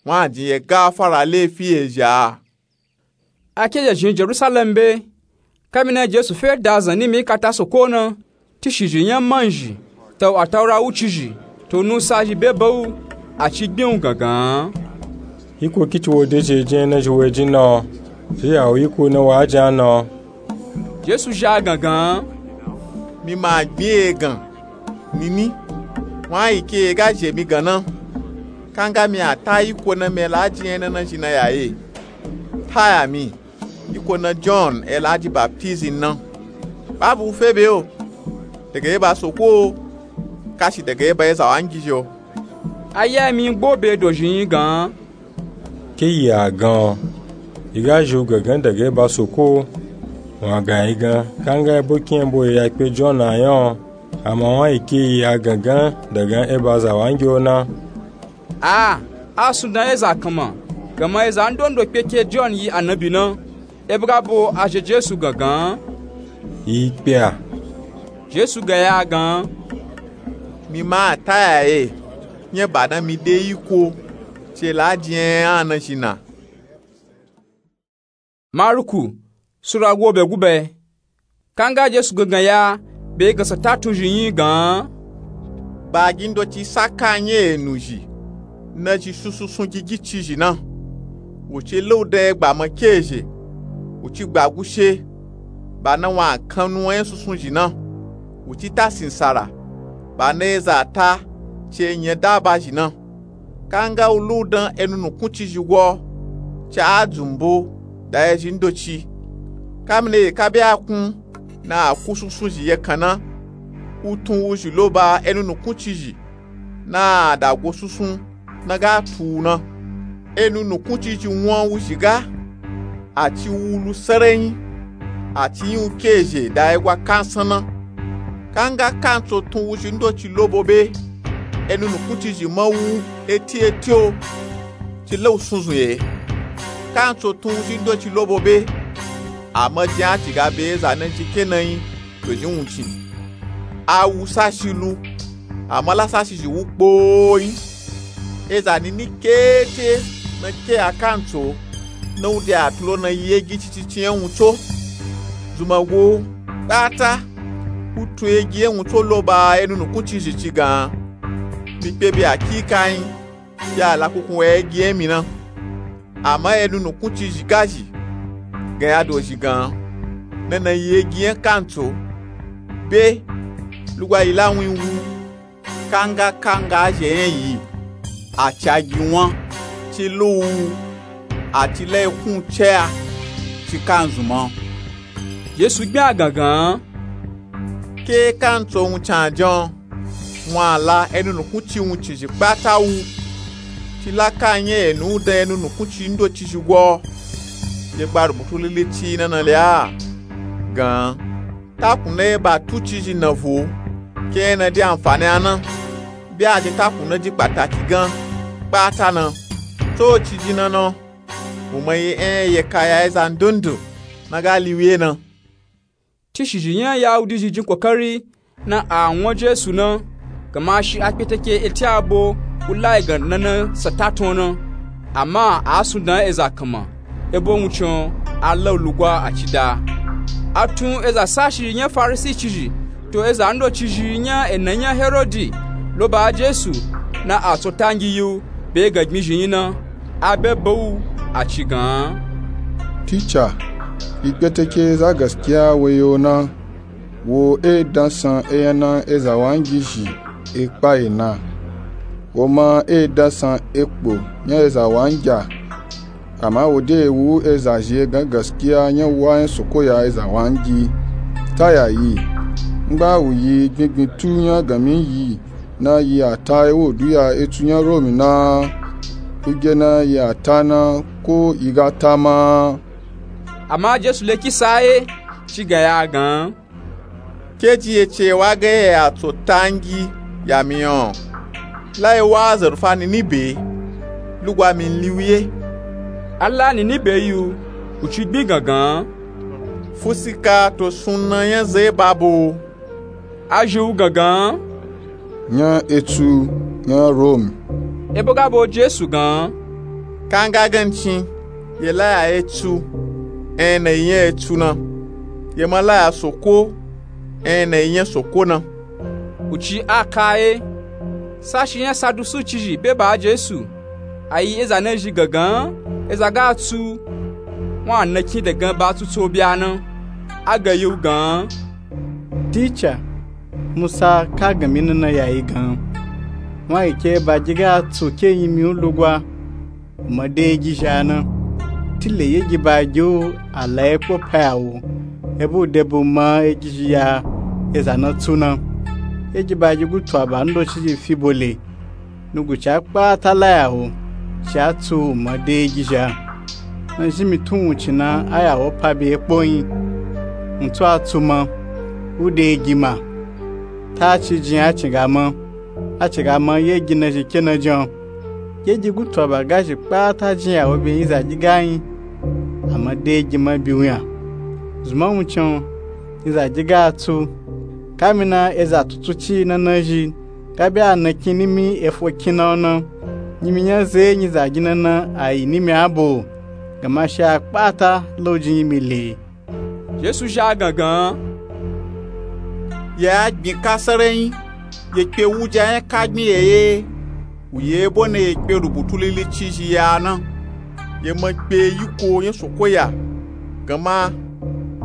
wun a jin ye gafara lefi ye zhi a. A ke zhe zhin jerusalem be. Kamina jesu fe da zan ni mi kata soko na, tishizhi nya manzhi to ataura wu ci zhi, To nusa zhi be ba wu, a ci gbin wu gangan. Iko kici wo de zhi e jin e na zhi wo e jin na o? Zhi ya wu iko na wa jin a na o? Jesu zhi a gangan. Mi ma gbin e gan. Nini, wa yi ke e ga zhi e mi gan na. Kanga mi a ta iko na mi e la jin e na na zhi na ya e. Ta ya mi. Iko na John e la ji baptism na. Ba bu fe be o. Daga e ba soko o. Kashi daga e ba e za wa ngi zhi o. A ya mi gbo be do zhi yin gan. Ke yi a gan o. Yi ga zhi wu gangan daga e ba soko o. Wa gan yi gan. Kanga e bo kin e bo yi ya kpe John a yan o. Ama wa yi ke yi a gangan daga e ba za wa ngi o na. A, a sundan eza kanma, gama eza ndondo kpe ke John yi anabi na, e ba ga bo a zhe Jesu gangan. Yi kpe a. Jesu ga ya gan. Mi ma a ta ya e, nya ba na mi de iko, ce la jin e a na zhi na. Maruku, Sura go be gube. Kanga Jesu gangan ya, be ga sa ta tun zhi yin gan. Ba gi ndoci sa ka nya enu zhi, na zhi sunsun sun gigi ci zhi na. Wu ci laudan e gba ma ke zhe, wu ci gba gushe, ba na wa kan nu wan nya sunsun zhi na. Wu ci ta sinsara, ba na eza ta, ce nya daba zhi na. Kanga wu laudan enu nukun ci zhi go, ca a dzumbo da ezhi ndoci. Kamina yi ka be a kun na a ku sunsun zhi ye kan na, u tun wu zhi lo ba enu nukun ci zhi na a da go sunsun na ga tu wu na. Enu nukun ci zhi wan wu zhi ga, a ci wu lu sarayin, a ci yin wu ke zhe da egwa kansan na. Kanga kantso tun wu zhi ndoci lo bo be, enu nukun ci zhi ma wu eti eti o, ci la wu sunzun ye. Kantso tun wu zhi ndoci lo bo be, a ma jin a ci ga be eza na ji ke na yin to zhi wuncin. A wu sashi lu, a ma la sashi zhi wu kpoo yin. Eza nini kete na ke a kantso, na wu de a tulo na yi egi cici ci nya wunco. Zuma go, kpata, u tun egi nya wunco lo ba enu nukun ci zhi ci gan. Mi kpe be a ki ka yin, be a la kunkun wa egi nya mi na. Ama enu nukun ci zhi ga zhi, gan ya do zhi gan. Na na yi egi nya kantso, be, lugwa yi la wun wu. Kanga kanga a zhe nya yi, a ca gi wan, ci lu wu, a ci la yi kun ce a, ci kan zun ma. Jesu gbin a gangan. Ke kantso wun can jan, wan a la enu nukun ci wun ci zhi kpata wu. Ci la ka nya enu dan enu nukun ci ndoci zhi go. Ye gba rubutu lili ci na na le a gan. Takun na ye ba tu ci zhi na vo, ke nya na de anfani a na. Be a de takun na ji kpataki gan, kpata na. Tso ci ji na na, u ma yi nya ye ka ya eza ndondo na ga liwi ye na. Ci shi zhi nya Yahudi zhi jin kokari na a wan Jesu na, gama shi a kpeteke eti a bo u la yi gan na na sa ta tun na. Ama a sundan eza kanma, ebo wuncin a la u lugwa a ci da. A tun eza sashi nya Farisi ci zhi, to eza ndoci zhi nya ena nya Herodi, lo ba Jesu, na a tso ta ngi yi u, be ga gbin zhi yin na, a be ba wu, a ci gan. Tica, yi kpeteke za gaskiya we yo na. Wo e dansan enya na eza wa ngi zhi e kpa yi na. Wo ma e dansan ekpo nya eza wa ngi a. Ama wo de wu eza zhi e gan gaskiya nya wa nya soko ya eza wa ngi. Ta ya yi. Ngba wu yi gbingbin tu nya gami yi na yi a ta ewo du ya etu nya Romi na. Uge na yi a ta na ko yi ga ta ma. Ama Jesu le kisa ye, ci ga ya gan. Ke ji ye ce wa ga ye a tso ta ngi ya mi o. La ye wa azarfa nini be, lugwa mi liwi ye. A la nini be yi u, u ci gbin gangan. Fusika to sunna nya ze ba bo. A zhi u gangan. Nya etu, nya Romi. Ebo ga bo Jesu gan. Kanga gancin, ye la ya etu, enya na yi nya etu na. Ye ma la ya soko, enya na yi nya soko na. U ci a ka ye. Sashi nya sadusi cizhi be ba jesu, a yi eza nazhi gangan eza ga tsu, wun a nakin dagan ba tsutso bya na. A gan yi wu gan, ticha, musa ka gan mi nana ya yi gan, wun a yi ke ba gi ga tsu ke yi mi wu lugwa, u ma de yi gizhi a na. Tile yi gi ba gi wu a la yi kpo pa ya wo, e bo u de bo ma yi gizhi ya eza na tsu na. Yi gi ba gi gutu a ba ndo cizhi fi bo le, nuguci a kpata la ya wo, ci a tsu u ma de yi gizhi a. Na zhi mi tun wuncin na a ya wo pa be kpo yin. Wun tsu a tsu ma, u de yi gi ma. Ta ci jin a cin ga ma, a cin ga ma yi gi nazhi ke na jan. Yi gi gutu a ba ga zhi kpata jin ya wo be yin za gi ga yin, a ma de yi gi ma bi wu nya. Zun ma wuncin yin za gi ga tsu, ka mi na eza tutu ci na nazhi ga be a nakin nimi efo kin na wo na, nimi nya ze yin za gi na na a yi nimi a bo, gama shi a kpata la u jin yi mi le. Jesu zhi a gangan, ya gbin ka sarayin, ye kpe wuja nya ka gbin ye ye, wu ye bo na ye kpe rubutu lili cizhi ya na. Ye ma kpe yiko nya soko ya, gama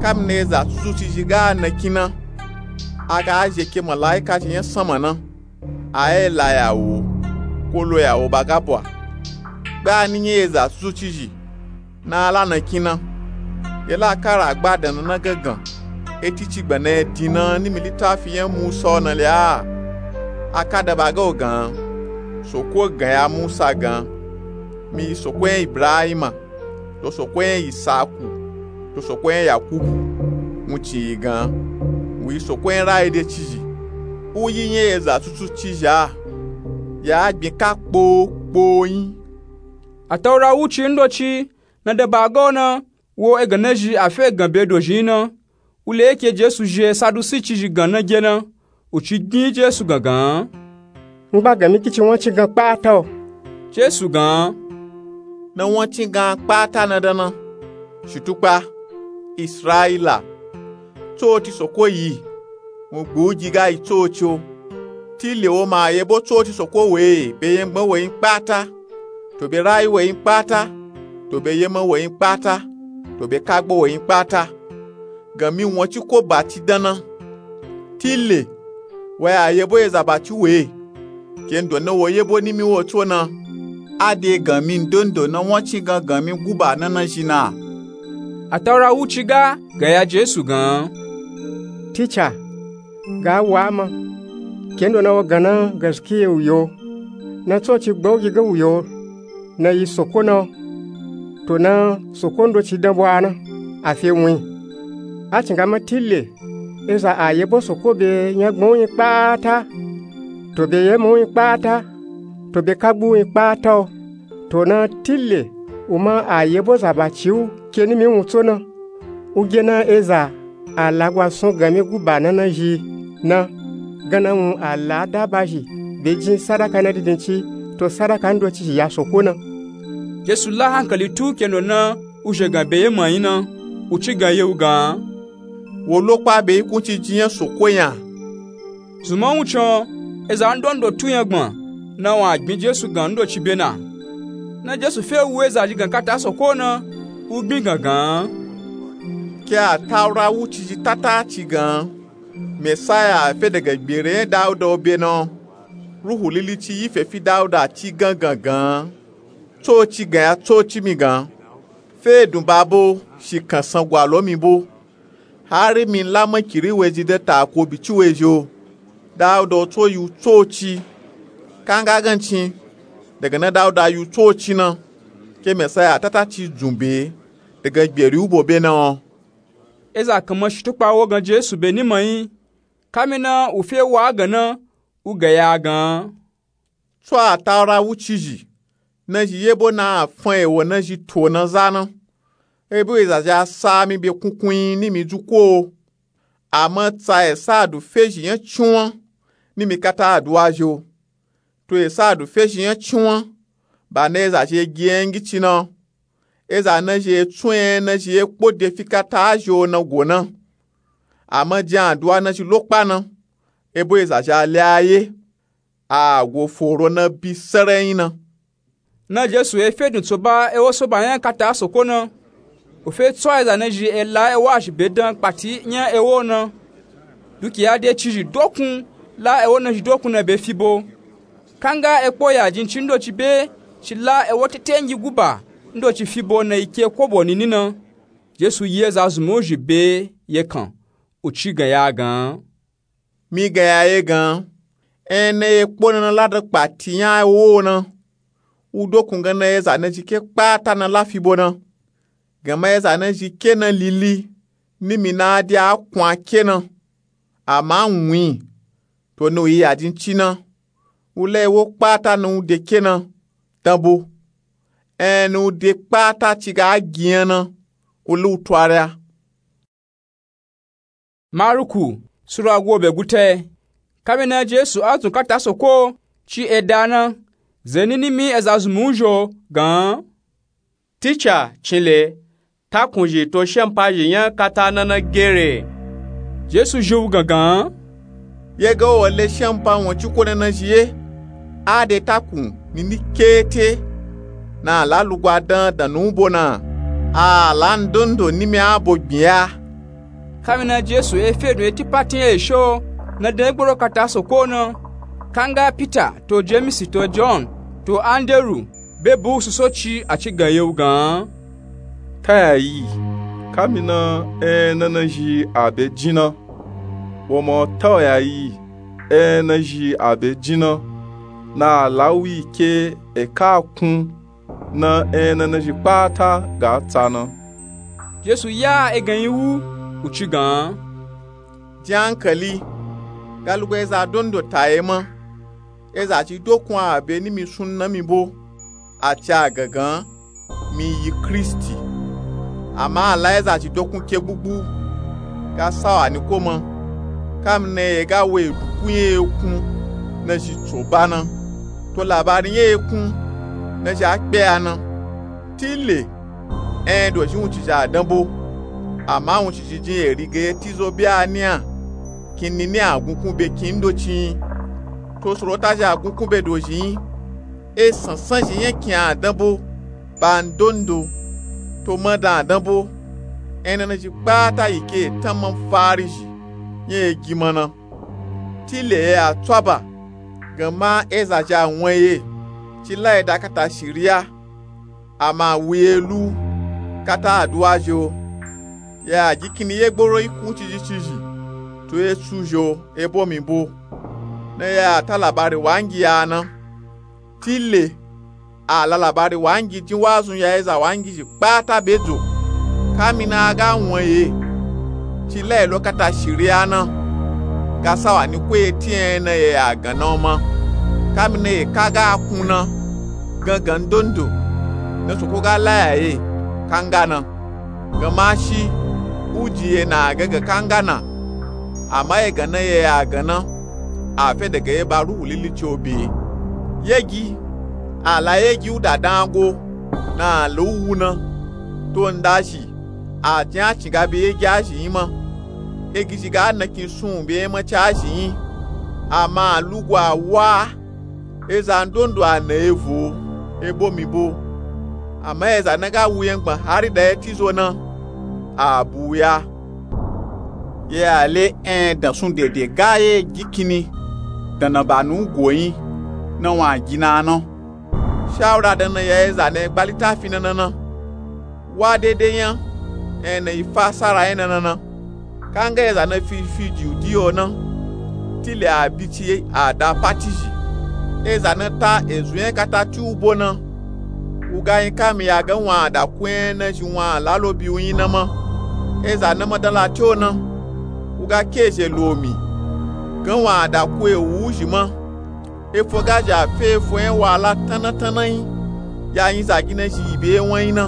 ka mi na eza tutu cizhi ga nakin na, a ga zhi ke malaika zhi nya sanma na, a yi la ya wo, ko lo ya wo ba ga bwa. Gba ni nya eza tutu cizhi na a la nakin na. Ye la kara gba dan na na gangan, eti ci gbana ye din na nimi litafi nya musa wo na le a. A ka da ba ga wo gan, soko gan ya musa gan, mi yi soko nya ibrahima, to soko nya isaku, to soko nya yakubu. Wuncin yi gan, wu yi soko nya rayi de cizhi, u yi nya eza tutu cizhi a, ya gbin ka kpo kpo yin. Ataura wuci ndoci na da ba ga wo na, wo egan nazhi a fe gan be dozhin na. Wu le yi ke jesu zhi sadusi cizhi gan na ge na, u ci gbin jesu gangan, ngba gan mi ki ci wancin gan kpata o? Jesu gan, na wancin gan kpata na dan na, shitukpa, israila, tsoci soko yi, wun gbu gi ga yi tsoci o. Tile wo ma a yebo tsoci soko we be yengban wo yin kpata, to be rayi wo yin kpata, to be yema wo yin kpata, to be kagbo wo yin kpata. Gan mi wanci ko bati dan na. Tile, wa ya yebo eza bati we, kendo na wo yebo nimi wo tso na. A de gan mi ndondo na wancin gan gan mi guba na nazhi na. Ataura wuci ga gan ya jesu gan, ticha, ga wa ma, kendo na wo gan na gaskiya wu yo, na tsoci gba u gi ga wu yo, na yi soko na wo, to na soko ndoci dan bwa na, a fe wun yin. A cin ga ma tile, eza a yebo soko be nyagban wu yin kpata, to be yema wu yin kpata, to be kagbu wu yin kpata o, to na tile, u ma a yebo za baci wu ke nimi wun tso na. U ge na eza a lagwa sun gan mi guba na nazhi na, gan na wun a la daba zhi be jin sadaka na dindin ci, to sadaka ndoci zhi ya soko na. Jesu la hankali tu kendo na u zhe gan be yema yin na, u ci gan ye wu gan, wo lo kpa be yi kunci jin nya soko nya. Zun ma wuncin eza ndondo tu nyagban na wun a gbin jesu gan ndoci be na. Na jesu fe wu eza zhi gan kata soko na, u gbin gangan, ke ataura wuci zhi tata ci gan, mesaya a fe daga gbere nya dauda wo be na wo, ruhu lili ci yi fe fi dauda ci gan gangan. Tsoci gan ya tsoci mi gan, fe dun ba bo, shi kan san gwa lo mi bo. Hari mi la makiri wezhi dan tako bici wezhi o. Dauda wo tso yi wu tsoci. Kanga gancin, daga na dauda yi wu tsoci na, ke mesaya tata ci dzun be daga gberi wu bo be na wo. Eza kan ma shitukpa wo gan jesu be ni ma yin, kami na u fe wa gan na, u gan ya gan. Tso ataura wuci zhi, nazhi yebo na a fan ewo nazhi to na za na. Ebo eza zhi a sa mi be kunkun yin nimi dzuko o. Ama tsa esa a du fe zhi nya cinwan nimi kata aduwa zhi o. To esa a du fe zhi nya cinwan, ba na eza zhi e gi nya ngici na wo. Eza nazhi e tsun nya nazhi e kpo de fi kata a zhi o na go na. Ama jin aduwa nazhi lo kpa na, ebo eza zhi a le a ye. a go foro na bi sarayin na. Na Jesu e fe dun tsoba ewo soba nya kata soko na. U fe tso eza na zhi e la ewo azhi be dan kpati nya ewo na. Dukiya de ci zhi dokun la ewo na zhi dokun na be fibo. Kanga e kpo ya jin ci ndo ci be ci la ewo tete ngi guba ndo ci fibo na ike kobo nini na. Jesu yi eza zunmu zhi be ye kan u ci gan ya gan. Mi gan ya ye gan, en na ye kpo na na la dan kpati nya ewo na. U dokun gan na eza na zhi ke kpata na la fibo na. Gan ma eza na zhi ke na lili ni mi na de a kun a ke na. Ama wun yi to na u yi ya jin ci na. U la ewo kpata na u de ke na dan bo. En na u de kpata ci ga gi yan na u la u twarya. Maruku sura go be gute. Kami na Jesu azun kata soko ci e da na. Zeni ni mi eza zunmu zho gan. Ticha cin le, takun zhi to shempa zhi nya kata na na gere. Jesu zhi u gan gan. Ye ga wo le shempa won ci ko na na zhi ye. A de takun nini kete na a la lugwa dan dan nu bo na. A la ndondo ni mi a bo gbin ya. Kami na Jesu e fe dun e ti pati ye sho na dan e gboro kata soko na. Kanga Pita to Jemisi to Jon to Anderu be bu suso ci a ci gan ye u gan. Ta ya yi, kami na en na na zhi a be jin na. Wo ma ta ya yi, en na zhi a be jin na. Na a la u yi ke e ka kun na en na na zhi kpata ga tsa na. Jesu ya e gan yi wu u ci gan. Jin ankali, ga lugwa eza dondo ta ye ma. Eza ci dokun a be ni mi sun na mi bo, a ci a gan gan mi yi Kristi. Ama a la eza ci dokun ke gbugbu ga sa wa ni ko ma. Kami na ye ga wo edukun ye ekun na zhi tsoba na. To labari ye ekun na zhi a kpe ya na. Tile en dozhi wun ci zhi a dan bo. Ama wun ci zhi jin eri ga ye ti zo be a ni a. Kin ni ni a gunkun be kin ndo ci yi. To soro ta zhi a gunkun be dozhi yi. E sansan zhi nya kin a dan bo. Ba ndondo to ma dan a dan bo. En na na zhi kpata yi ke e tan ma fari zhi nya e gi ma na. Tile ye a tswaba gan ma eza zhi a wan ye ci la ye da kata shiriya. Ama wu ye lu kata aduwa zho. Ya gi kini ye gboro ikun cizhi cizhi to esu zho ebo mi bo. Na ya ta labari wangi ya na. Tile a la labari wangi jin wazun ya eza wangi zhi kpata be dzo. Kami na a ga wan ye ci la ye lo kata shiriya na. Ga sa wa ni ko ye ti en na ye a gan na o ma. Kami na ye ka ga kun na. Gan gan ndondo na soko ga la ya ye kanga na. Gan ma shi u ji ye na a gan gan kanga na. Ama ye gan na ye a gan na. A fe daga ye ba ruhu lili ci o be. Ye gi a la ye gi u da dan go na a la u wu na. To nda zhi a jin a cin ga be ye gi a zhi yi ma. Ye gi zhi ga na kin sun be ye ma ci a zhi yi. Ama a lugu a wa. Eza ndondo a na evo ebo mi bo. Ama eza na ga wu yangban hari da ye ti zo na a bu ya. Ye a le en dan sun dede ga ye gi kini dan na ba nu go yi na wa gi na na. Shawura dan na ya eza na ye gba litafi na na na. Wa dede nya en na yi fasara nya na na na. Kanga eza na fi fi judiyo na. Tile a bi ci a da pati zhi. Eza na ta ezu nya kata ti u bo na. U ga yi kami ya gan wa a da ku en na zhi wa a la lo bi u yi na ma. Eza na ma dan la ti o na. U ga ke zhe lo mi gan wa a da ku ewu u zhi ma. Efo ga zhi a fe efo nya wa a la tan na tan na yi. Ya yin zagi na zhi yi be wan yi na.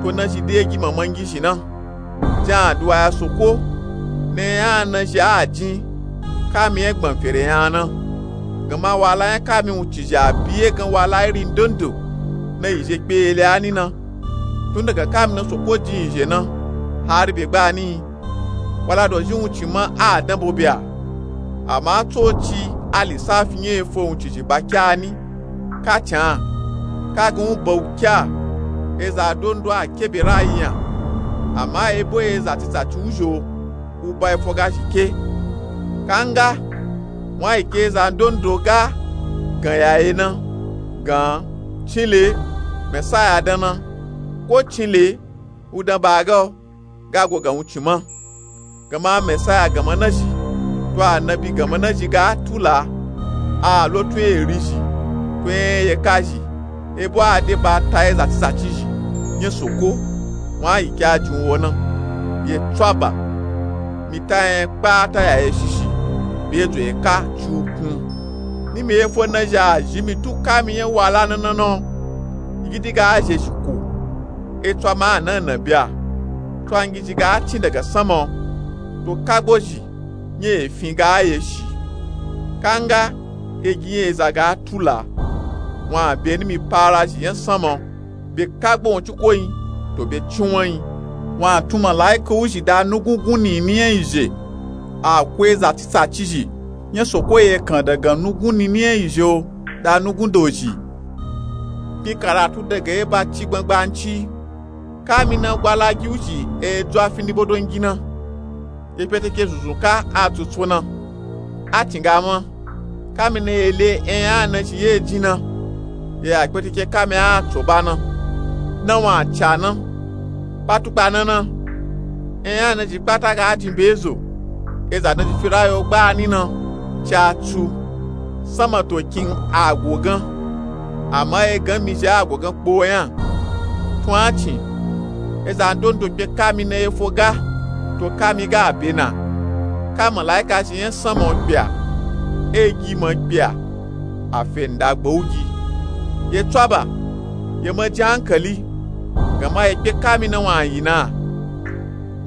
To na zhi de gi mamangi zhi na. Jin aduwa ya soko na nya na zhi a jin kami nya gban fere nya na. Gan ma wa a la nya kami wun ci zhi a bi ye gan wa a la iri ndondo na yi zhe kpe ele a ni na. Tun daga kami na soko jin yi zhe na hari be gba ni yi. Wa a la dozhi wun ci ma a dan bo be a. Ama tso ci A lisafi nya efo wuncizhi ba kya ni? Ka can, ka gan u ba u kya? Eza ndondo a kebe rayi nya. Ama ebo eza tsitsatsi wuzhi o, u ba efo ga zhi ke. Kanga, wa yi ke eza ndondo ga gan ya ye na, gan, cinle, Mesaya dan na, ko cinle, u dan ba ga o, ga go gan wuncin ma. Gama Mesaya ganma nazhi, to anabi ganma nazhi ga tula, a lo tun eri zhi, tun ye ka zhi, ebo a de ba ta eza tsitsatsi zhi, nya soko, wa yi ke a jin u wo na. Ye tswaba, mi ta nya kpata ya ye shishi, be dzo ye ka ci u kun. Ni mi efo nazhi a zhi mi tu kami nya wala na na na o, yi gidi ga zhe shi ko. Etswa ma a na na bya, tswa ngizhi ga cin daga sanma o, to kagbo zhi, nya efin ga ye shi. Kanga, egi nya eza ga tula, wa be ni mi para zhi nya sanma o, be kagbo wun ci ko yin, to be cinwan yin. Wa tun malaika wuzhi da nugun gun nini nya izhe, a ko eza tsitsatsi zhi, nya soko ye kan daga nugun nini nya izhe o, da nugun dozhi. Kpin karatu daga ye ba ci gbangbanci. Kami na gwalagi wuzhi e dzo a fi ni bodo ngi na. Ye kpeteke zunzun ka a tsutsu na. A tinga ma. Kami na ye le enya nazhi ye jin na. Ye a kpeteke kami a tso ba na. Na wa ca na. Kpatukpa na na. Enya nazhi kpata ga jin be zo. Eza nazhi fi rayi o gba ni na. Ca tsu. Sanma to kin a go gan. Ama ye gan mi zhi a go gan kpo nya. Tun a cin, eza ndondo kpe kami na ye fo ga, to kami ga be na. Ka malaika zhi nya sanma o kpe a, egi ma kpe a, a fe ndagba u gi. Ye tswaba, ye ma jin ankali, gama ye kpe kami na wa yi na.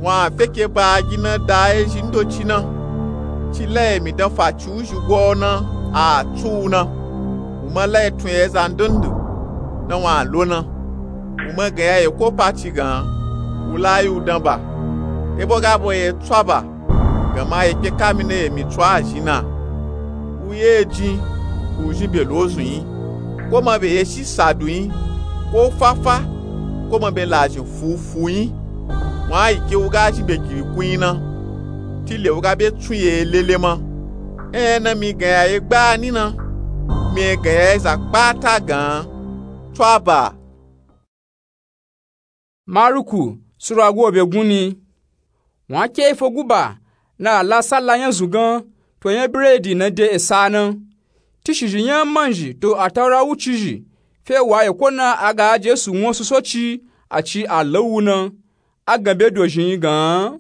Wa feke ba gi na da ye zhi ndoci na, ci la ye mi dan fa ci wuzhi go na, a tsu u na. U ma la ye tun ye eza ndondo, na wa lo na. U ma gan ya ye ko pa ci gan, u la yi u dan ba. Ebo ga bo ye tswaba, gama ye kpe kami na ye mi tsu a zhi na. U ye jin, u zhin be lo zun yin. Ko ma be ye shi sadu yin, ko fafa, ko ma be lazhin fufu yin. Wa yi ke u ga zhin be giri kun yin na. Tile u ga be tsun ye lele ma. Enya na mi gan ya ye gba ni na. Mi e gan ya ye za kpata gan. Tswaba. Maruku sura go be gun ni. Wa ke ifo guba na a la sala nya zun gan, to nya biredi na de esa na. Tishizhi nya manzhi to Ataura wucizhi fe wa ye ko na a ga Jesu won susoci a ci a la u na. A gan be dozhin yin gan.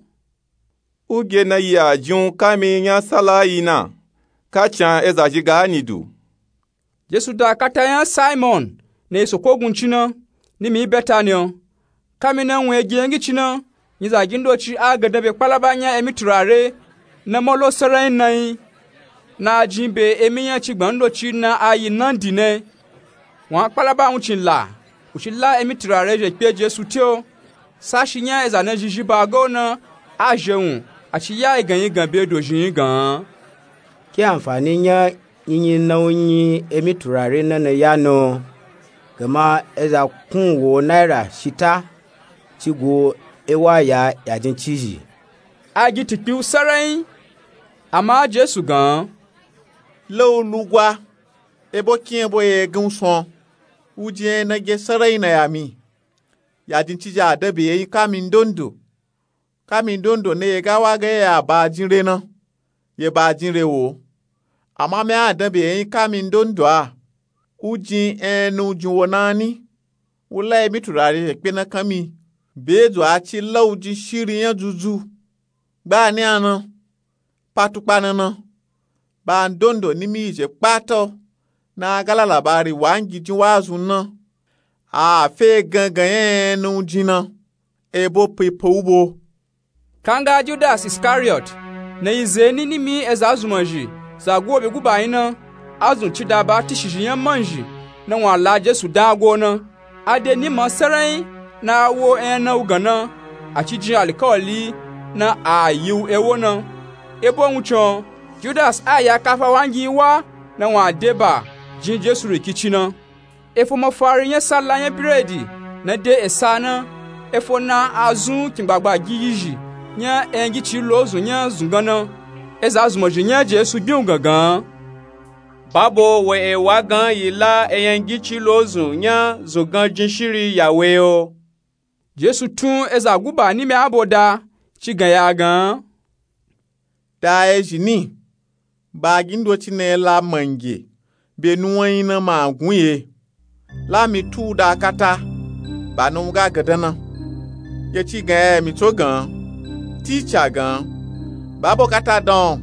U ge na yi a jin u kami nya sala yi na, ka can eza zhi ga ni du. Jesu da kata nya Simon na yi soko gun ci na, ni mi Betani o. Kami na wun ye gi nya ngi ci na, nyizagi ndoci a gandan be kpalaba nya emi turare na ma lo saran yin na yin, na a jin be emi nya cigban ndoci na a yi nandi na. Wa kpalaba wuncin la, u ci la emi turare zhe kpe Jesu te o. Sashi nya eza na zhizhi ba ga u na, a zhe wun, a ci ya yi gan yi gan be dozhin yin gan. Ke anfani nya nyinyi na u nyi emi turare na na ya na o? Gama eza kun wo naira shita ci go ewa ya yajin cizhi. A gi tikpi u saran yin, ama Jesu gan. La u lugwa, ebo kin ebo ye gan u son. U jin enya na ge saran yin na ya mi. Yajin cizhi a da be ye yin kami ndondo. Kami ndondo na ye ga wa ga ye a ba jin re na, ye ba jin re wo. Ama mi a dan be ye yin kami ndondo a. U jin enya na u jin wo na ni. U la emi turare zhe kpe na kan mi. Be dzo a ci la u jin shiri nya dzudzu. Gba ni a na. Patukpa na na. Ba ndondo ni mi yi zhe kpata o, na a ga la labari wa ngi jin wa zun na. A fe gangan enya na u jin na. Ebo pipa u bo. Kanga Judas Iskariot, na yi zeni ni mi eza zunmanzhi za go be guba yin na, a zun ci da ba tishizhi nya manzhi, na wa la Jesu dan a go na. A de ni ma saran yin na a wo enya na u gan na, a ci jin alikawali na a yi u ewo na. Ebo wuncin o, Judas a ya kafa wangi wa na wun a de ba jin Jesu rikici na. Efo mafari nya salla nya biredi na de esa na, efo na a zun kingbagba giyizhi nya enyangicii lozun nya zungan na. Eza zunmazhi nya Jesu gbiun gangan. Babo we ewa gan yi la enyangicii lozun nya zungan jin shiri ya we yo. Jesu tun eza guba nimi abo da, ci gan ya gan. Da ezhi ni, ba gindoci na ela mange be nuwan yi na ma gun ye. La mi tu u da kata, ba na u ga gandan na. Ye ci gan ya mi tso gan, tica gan, ba bo kata dan o,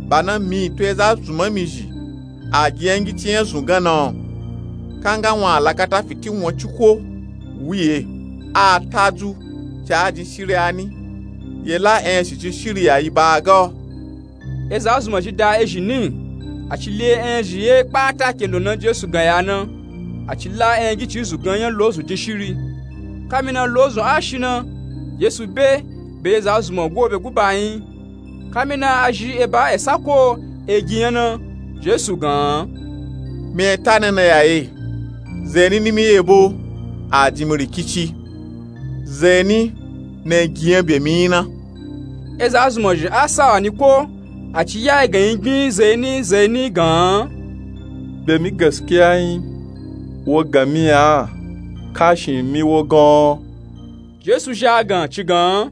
ba na mi to eza zunmami zhi a gi enyangicii nya zungan na o. Kanga wun a la kata fiti wun ciko wu ye, a ta dzu, ci a jin shiri a ni, ye la enyazhi jin shiri ya yi ba a ga o. Eza zunmazhi da ezhi ni, a ci le enyazhi ye kpata kendo na Jesu gan ya na, a ci la enyangicii zungan nya lozun jin shiri. Kamina lozun a shi na, Jesu be be eza zunmazhi guobe guba nyi. Kamina a zhi eba esa ko egi nya na, Jesu gan. Mi e ta na na ya ye, zeni nimi yebo a jin mi rikici, zeni na egi nya be mi nyi na. Eza zunmazhi a sawa ni ko, a ci ya egan yi gbin zeni zeni gan. Be mi gaskiya nyi, wo gan mi ya, kashin mi wo gan o. Jesu zha gan ci gan.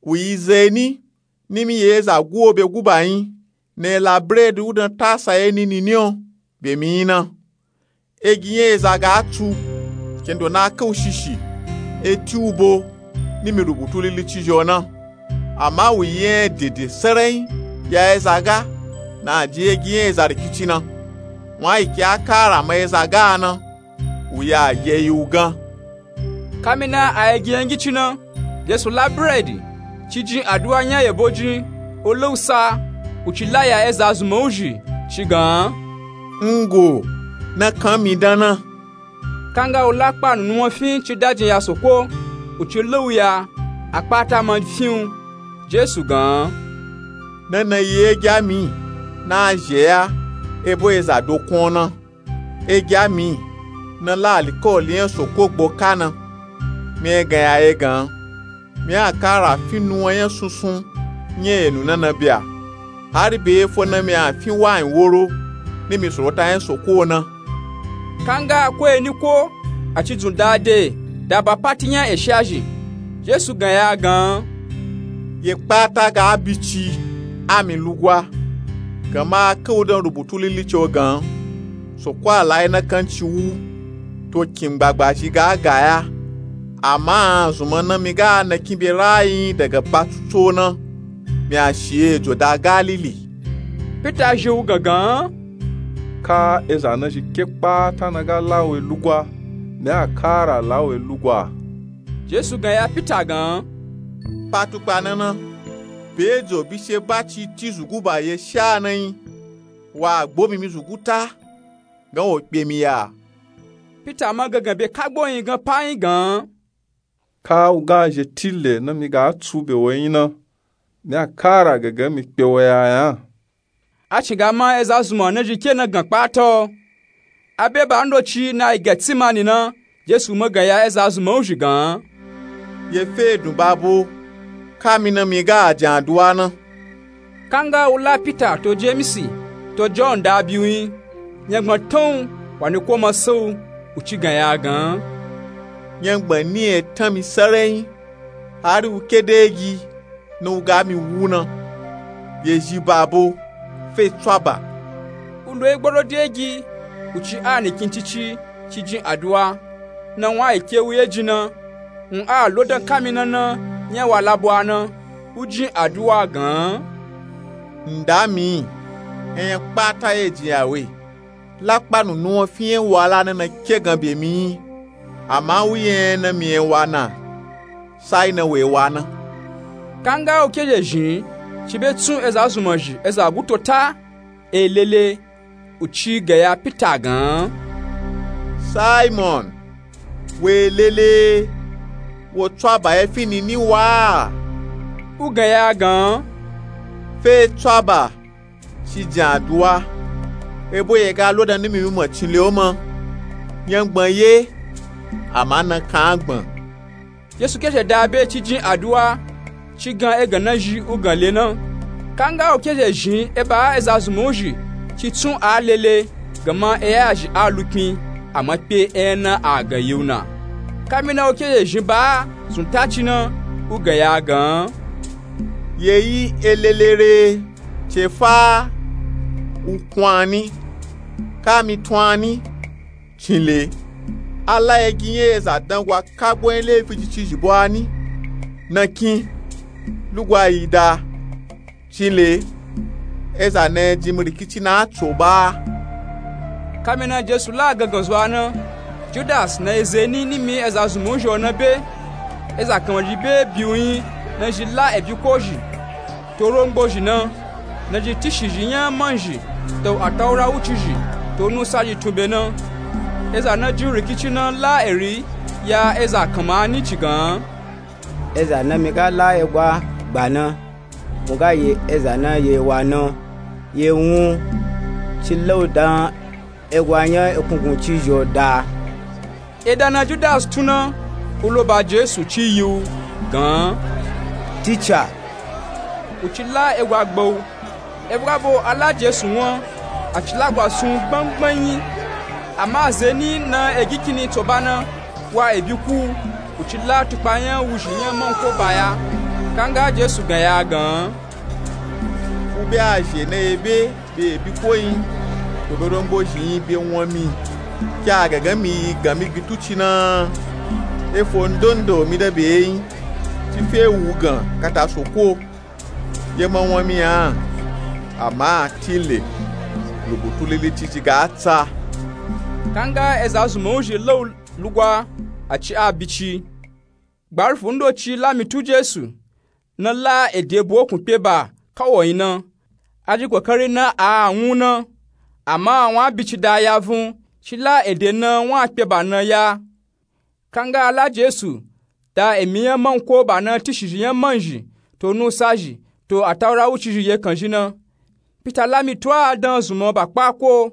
Wu yi zeni nimi ye eza guobe guba nyi na ela biredi u dan tasa ye nini ni o be mi nyi na. Egi nya eza ga tsu, kendo na a ka u shishi, e ti u bo nimi rubutu lilici zhi o na. Ama wu yi nya dede sarai ya eza ga na a jin egi nya eza rikici na. Wun a yi ke a kara ma eza ga na, wu ya ye yi u gan. Kamina a egi enyangicii na, Jesu la biredi, ci jin aduwa nya yebo jin, o la u sa, u ci la ya eza zunman u zhi, ci gan. Ngo, na kan mi dan na. Kanga u la kpanu nuwan fin ci dajin ya soko, u ci la u ya, a kpata ma fin u. Jesu gan. Na na yi egi a mi, na a zhe ya, ebo eza dokun o na. Egi a mi, na la alikawali nya soko gbo ka na. Mi e gan ya ye gan, mi a kara fin nuwan nya sunsun nya enu na na bia, hari be efo na mi a fin wayin woro nimi sorota nya soko na. Kanga ko eni ko, a ci dzun da de da ba pati nya esha zhi. Jesu gan ya gan. Ye kpata ga a bici a mi lugwa, gama a ka u dan rubutu lilici o gan. Soko a la yi na kanci wu, to kin gbagba zhi ga a ga ya. Ama a zunman na mi ga na kin be rayi daga ba tuto na, mi a shi ejo da Galili. Pita zhi u gangan. Ka eza na zhi ke kpata na ga la we lugwa, mi a kara la we lugwa. Jesu gan ya Pita gan. Pa tukpa na na, be ejo bishe ba ci ti zugu ba ye sha na nyi, wa gbo mi mi zugu ta, gan wo kpe mi ya. Pita ma gangan be kagbo nyi gan pa nyi gan. Ka u ga zhe tile na mi ga tsu be wo nyi na, mi a kara gangan mi kpe wo ya ya. A cin ga ma eza zunman na zhi ke na gan kpata o. A be ba ndoci na yi Getsimani na, Jesu ma gan ya eza zunman u zhi gan. Ye fe edun babo, ka mi na mi ga a jin aduwa na. Kanga u la Pita to Jemisi to Jon da biu nyi, nyangban tan u, wa ni ko ma sa u, u ci gan ya gan. Nyangban ni e tan mi sarai nyi, hari u ke de egi, na u ga mi wu na. Ye zhi babo, fe tswaba. U ndo yi gboro de egi, u ci a nikin cici, ci jin aduwa, na wun a yi ke u ye jin na, wun a lo dan kamina na nya wa labwa na, u jin aduwa gan. Nda mi, enya kpata ye jin ya we. Lakpanu nuwan fin ye wa la na na ke gan be mi nyi, ama u ye na mi ye wa na, sai na we wa na. Kanga u ke zhe zhin, ci be tsun eza zunman zhi eza guto ta, e lele, u ci gan ya Pita gan. Saimon, we lele, wo tswaba ye fin nini wa? U gan ya gan. Fe tswaba ci jin aduwa, ebo ye ga lo dan nimi mima cinle o ma. Nyangban ye, ama nakan agban. Jesu ke zhe da be ci jin aduwa, ci gan egan na zhi u gan le na. Kanga u ke zhe zhin e ba eza zunmun u zhi ci tsun a lele, gan ma e ya zhi a lukpin, ama kpe e na a gan yi u na. Kamina u ke zhe zhin ba zun ta ci na, u gan ya gan. Ye yi e lele re, ce fa u kun ani, ka mi tun ani. Cinle, a la egi nya eza dangwa kagbo nya lefi jicizhi bo ani. Na kin, lugwa yi da. Cinle, eza na e jin mi rikici na a tso ba. Kamina Jesu la gangan zwa na, Judas na eza ni nimi eza zunmun u zhi o na be. Eza kanmazhi be bi u yin na zhi la ebi ko zhi, to rongbo zhi na, na zhi tishizhi nya manzhi, to atawura wucizhi, to nusa zhi tun be na. Eza na jin u rikici na la eri ya eza kanma ani ci gan. Eza na mi ga la egwa gba na, u ga ye eza na ye wa na, ye wun, ci la u dan egwa nya ekungun cizhi o da. Eda na Judas tun na, u lo ba Jesu ci yi u gan. Tica. U ci la egwa gba u. Ebugabo a la Jesu wan, a ci lagwa sun u gbangban yin. Ama ze ni na egi kini tso ba na, wa ebi ku u, u ci la tukpa nya wuzhi nya manko ba ya. Kanga Jesu gan ya gan. U be a zhe na ye be be ebi ko yin, to be rongbo zhi yin be wan mi. Ki a gangan mi yi gan mi gin tu ci na, efo ndondo mi da be yin, ci fe wu gan kata soko. Ye ma wan mi a, ama tile, lubutu lili cizhi ga tsa. Kanga eza zunmun u zhi la u lugwa, a ci a bici. Gbarufu ndoci la mi tu Jesu, na la ede bo kun kpe ba ka wo yin na. A ji kokari na a wun na, ama wun a bici da ya vun, ci la ede na wun a kpe ba na ya. Kanga a la Jesu da emi nya manko ba na tishizhi nya manzhi, to nusa zhi, to atawura wucizhi ye kanzhi na. Pita la mi tu a dan zunmọ ba kpa ko.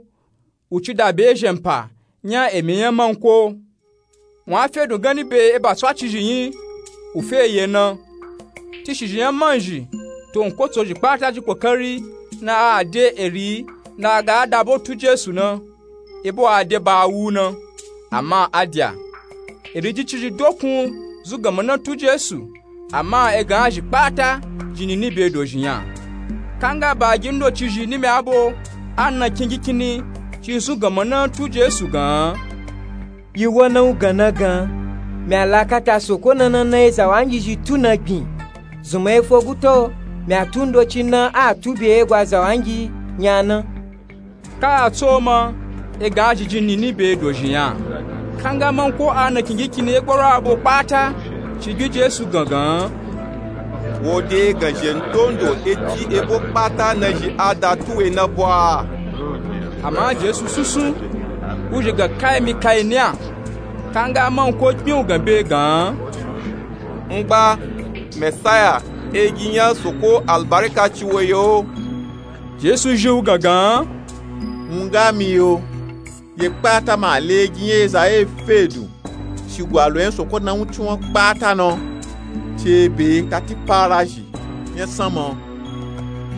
U ci da be zhenpa nya emi nya manko. Wun a fe dun ganni be eba tswacizhi yin, u fe ye na. Tishizhi nya manzhi, to nkotsozhi kpata ji kokari na a de eri na a ga a da bo tu Jesu na, ebo a de ba a wu na, ama a dya. Eri jicizhi dokun zun ganma na tu Jesu, ama egan a zhi kpata jin nini be dozhi nya. Kanga ba gi ndocizhi nimi abo a na kin gi kini ci zun ganma na tu Jesu gan. Yi wo na u gan na gan, mi a la kata soko na na na eza wangi zhi tu na gbin. Zunmọ efo guta o, mi a tu ndoci na a tu be egwa za wangi nya na. Ka a tso ma, egan a zhi jin nini be dozhi nya. Kanga manko a na kin gi kini egboro abo kpata ci bi Jesu gangan. Wo de egan zhe ndondo eti ebo kpata na zhi a da tu we na bwa. Ama Jesu sunsun, u zhi gan kaimi kaini a. Kanga manko kpin u gan be gan. Ngba, Mesaya, egi nya soko albarika ci wo yo. Jesu zhi u gangan. Wun ga mi yo. Ye kpata ma le egi nya eza e fe dun. Shigwalo nya soko na wun ci wan kpata na. Ci be ta ti para zhi nya sanmọ.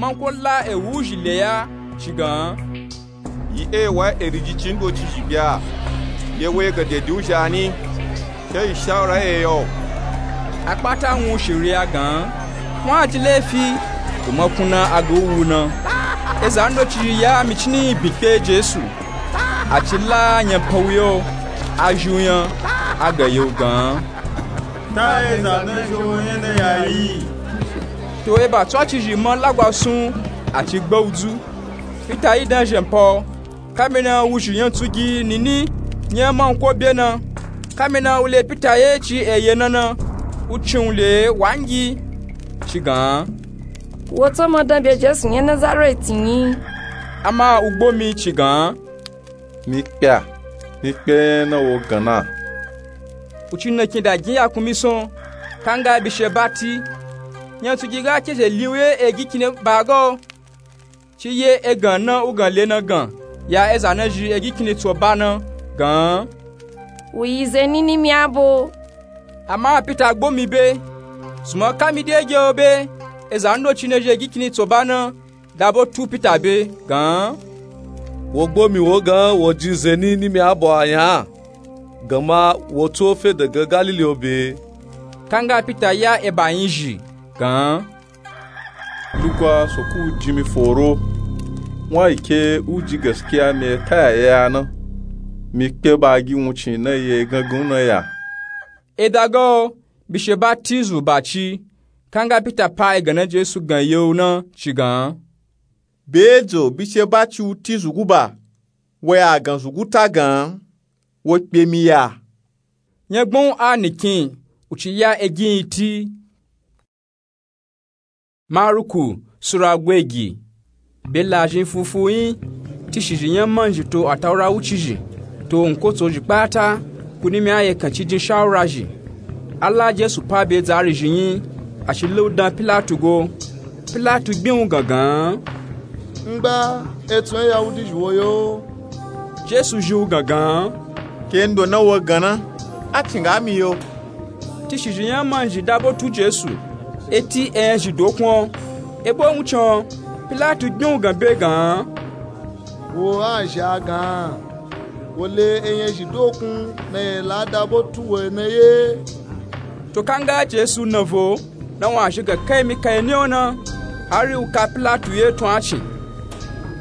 Manko la ewu zhi le ya ci gan. Yi e wa eri jici ndocizhi bya. Ye wo egan dedi u zha ni. Ke yi shawura ye yo. A kpata wun shiriya gan. Wun a ji lefi, u ma kun na a ga u wu na. Eza ndocizhi ya mi cini yi bi kpe Jesu. A ci la nyepan u yo, a zhi u nya, a gan ye u gan. Ta eza na zhi wo nya na ya yi. To eba tswacizhi ma lagwa sun, a ci gba u dzu. Pita yi dan zhenpa o. Kamina wuzhi nya tsugi nini nya manko bye na. Kamina u le Pita ye ci eye na na, u cin u le wangi, ci gan. Wo tso ma dan bye Jesu nya Nazareti nyi. Ama u gbo mi ci gan. Mi kpe a, mi kpe na wo gan na. U ci na kin da gin ya kun mi son, kanga bishe bati. nyatsugi ga ke ze liwye egikini ba ga o. Ci ye egan na ugan le na gan ya eza na zhi egikini tso ba na gan, u yi zeni nimi abo. Ama pita gbo mi be, suma ka mi de ge o be. Eza ndoci na zhi egikini tso ba na dabo tu pita be gan, wo gbo mi wo gan wo jin zeni nimi abo a nya, ganma wo tso fe dagan galili o be. Kanga pita ya eba yin zhi gan, lugwa soku u jin mi foro. Won a yi ke u ji gaskiya mi e ta ya ye a na. Mi kpe ba gi wuncin na ye gangan na ya. Eda ga o bishe ba tizu ba ci. Kanga pita pa egan na jesu gan ye u na ci gan, be e jo bishe ba ci u tizu guba, wo ya gan zugu ta gan, wo kpe mi ya. Nyagban u a nikin u ci ya egin yi ti. Maruku sura gwegi. Be lazhin fufu yin tishizhi nya manzhi to ataura wuci zhi to nkotso zhi kpata, ku nimi aye kan ci jin shawura zhi. Ala jesu pa be dzari zhi yin, a shi le u dan pilatu go. Pilatu gbin u gangan, ngba etsu nya yahudi zhi wo yo? Jesu zhi u gangan, ke ndo na wo gan na, a cin ga mi yo. Tishizhi nya manzhi dabo tu jesu eti enyazhi dokun o. Ebo wuncin o pilatu gbin u gan be gan, wo a zha gan, wo le enyazhi dokun na ye la dabo tu wo na ye. To kanga jesu na vo na wun a zhi ga kai mi kai ni o na, hari u ka pilatu ye tun a cin.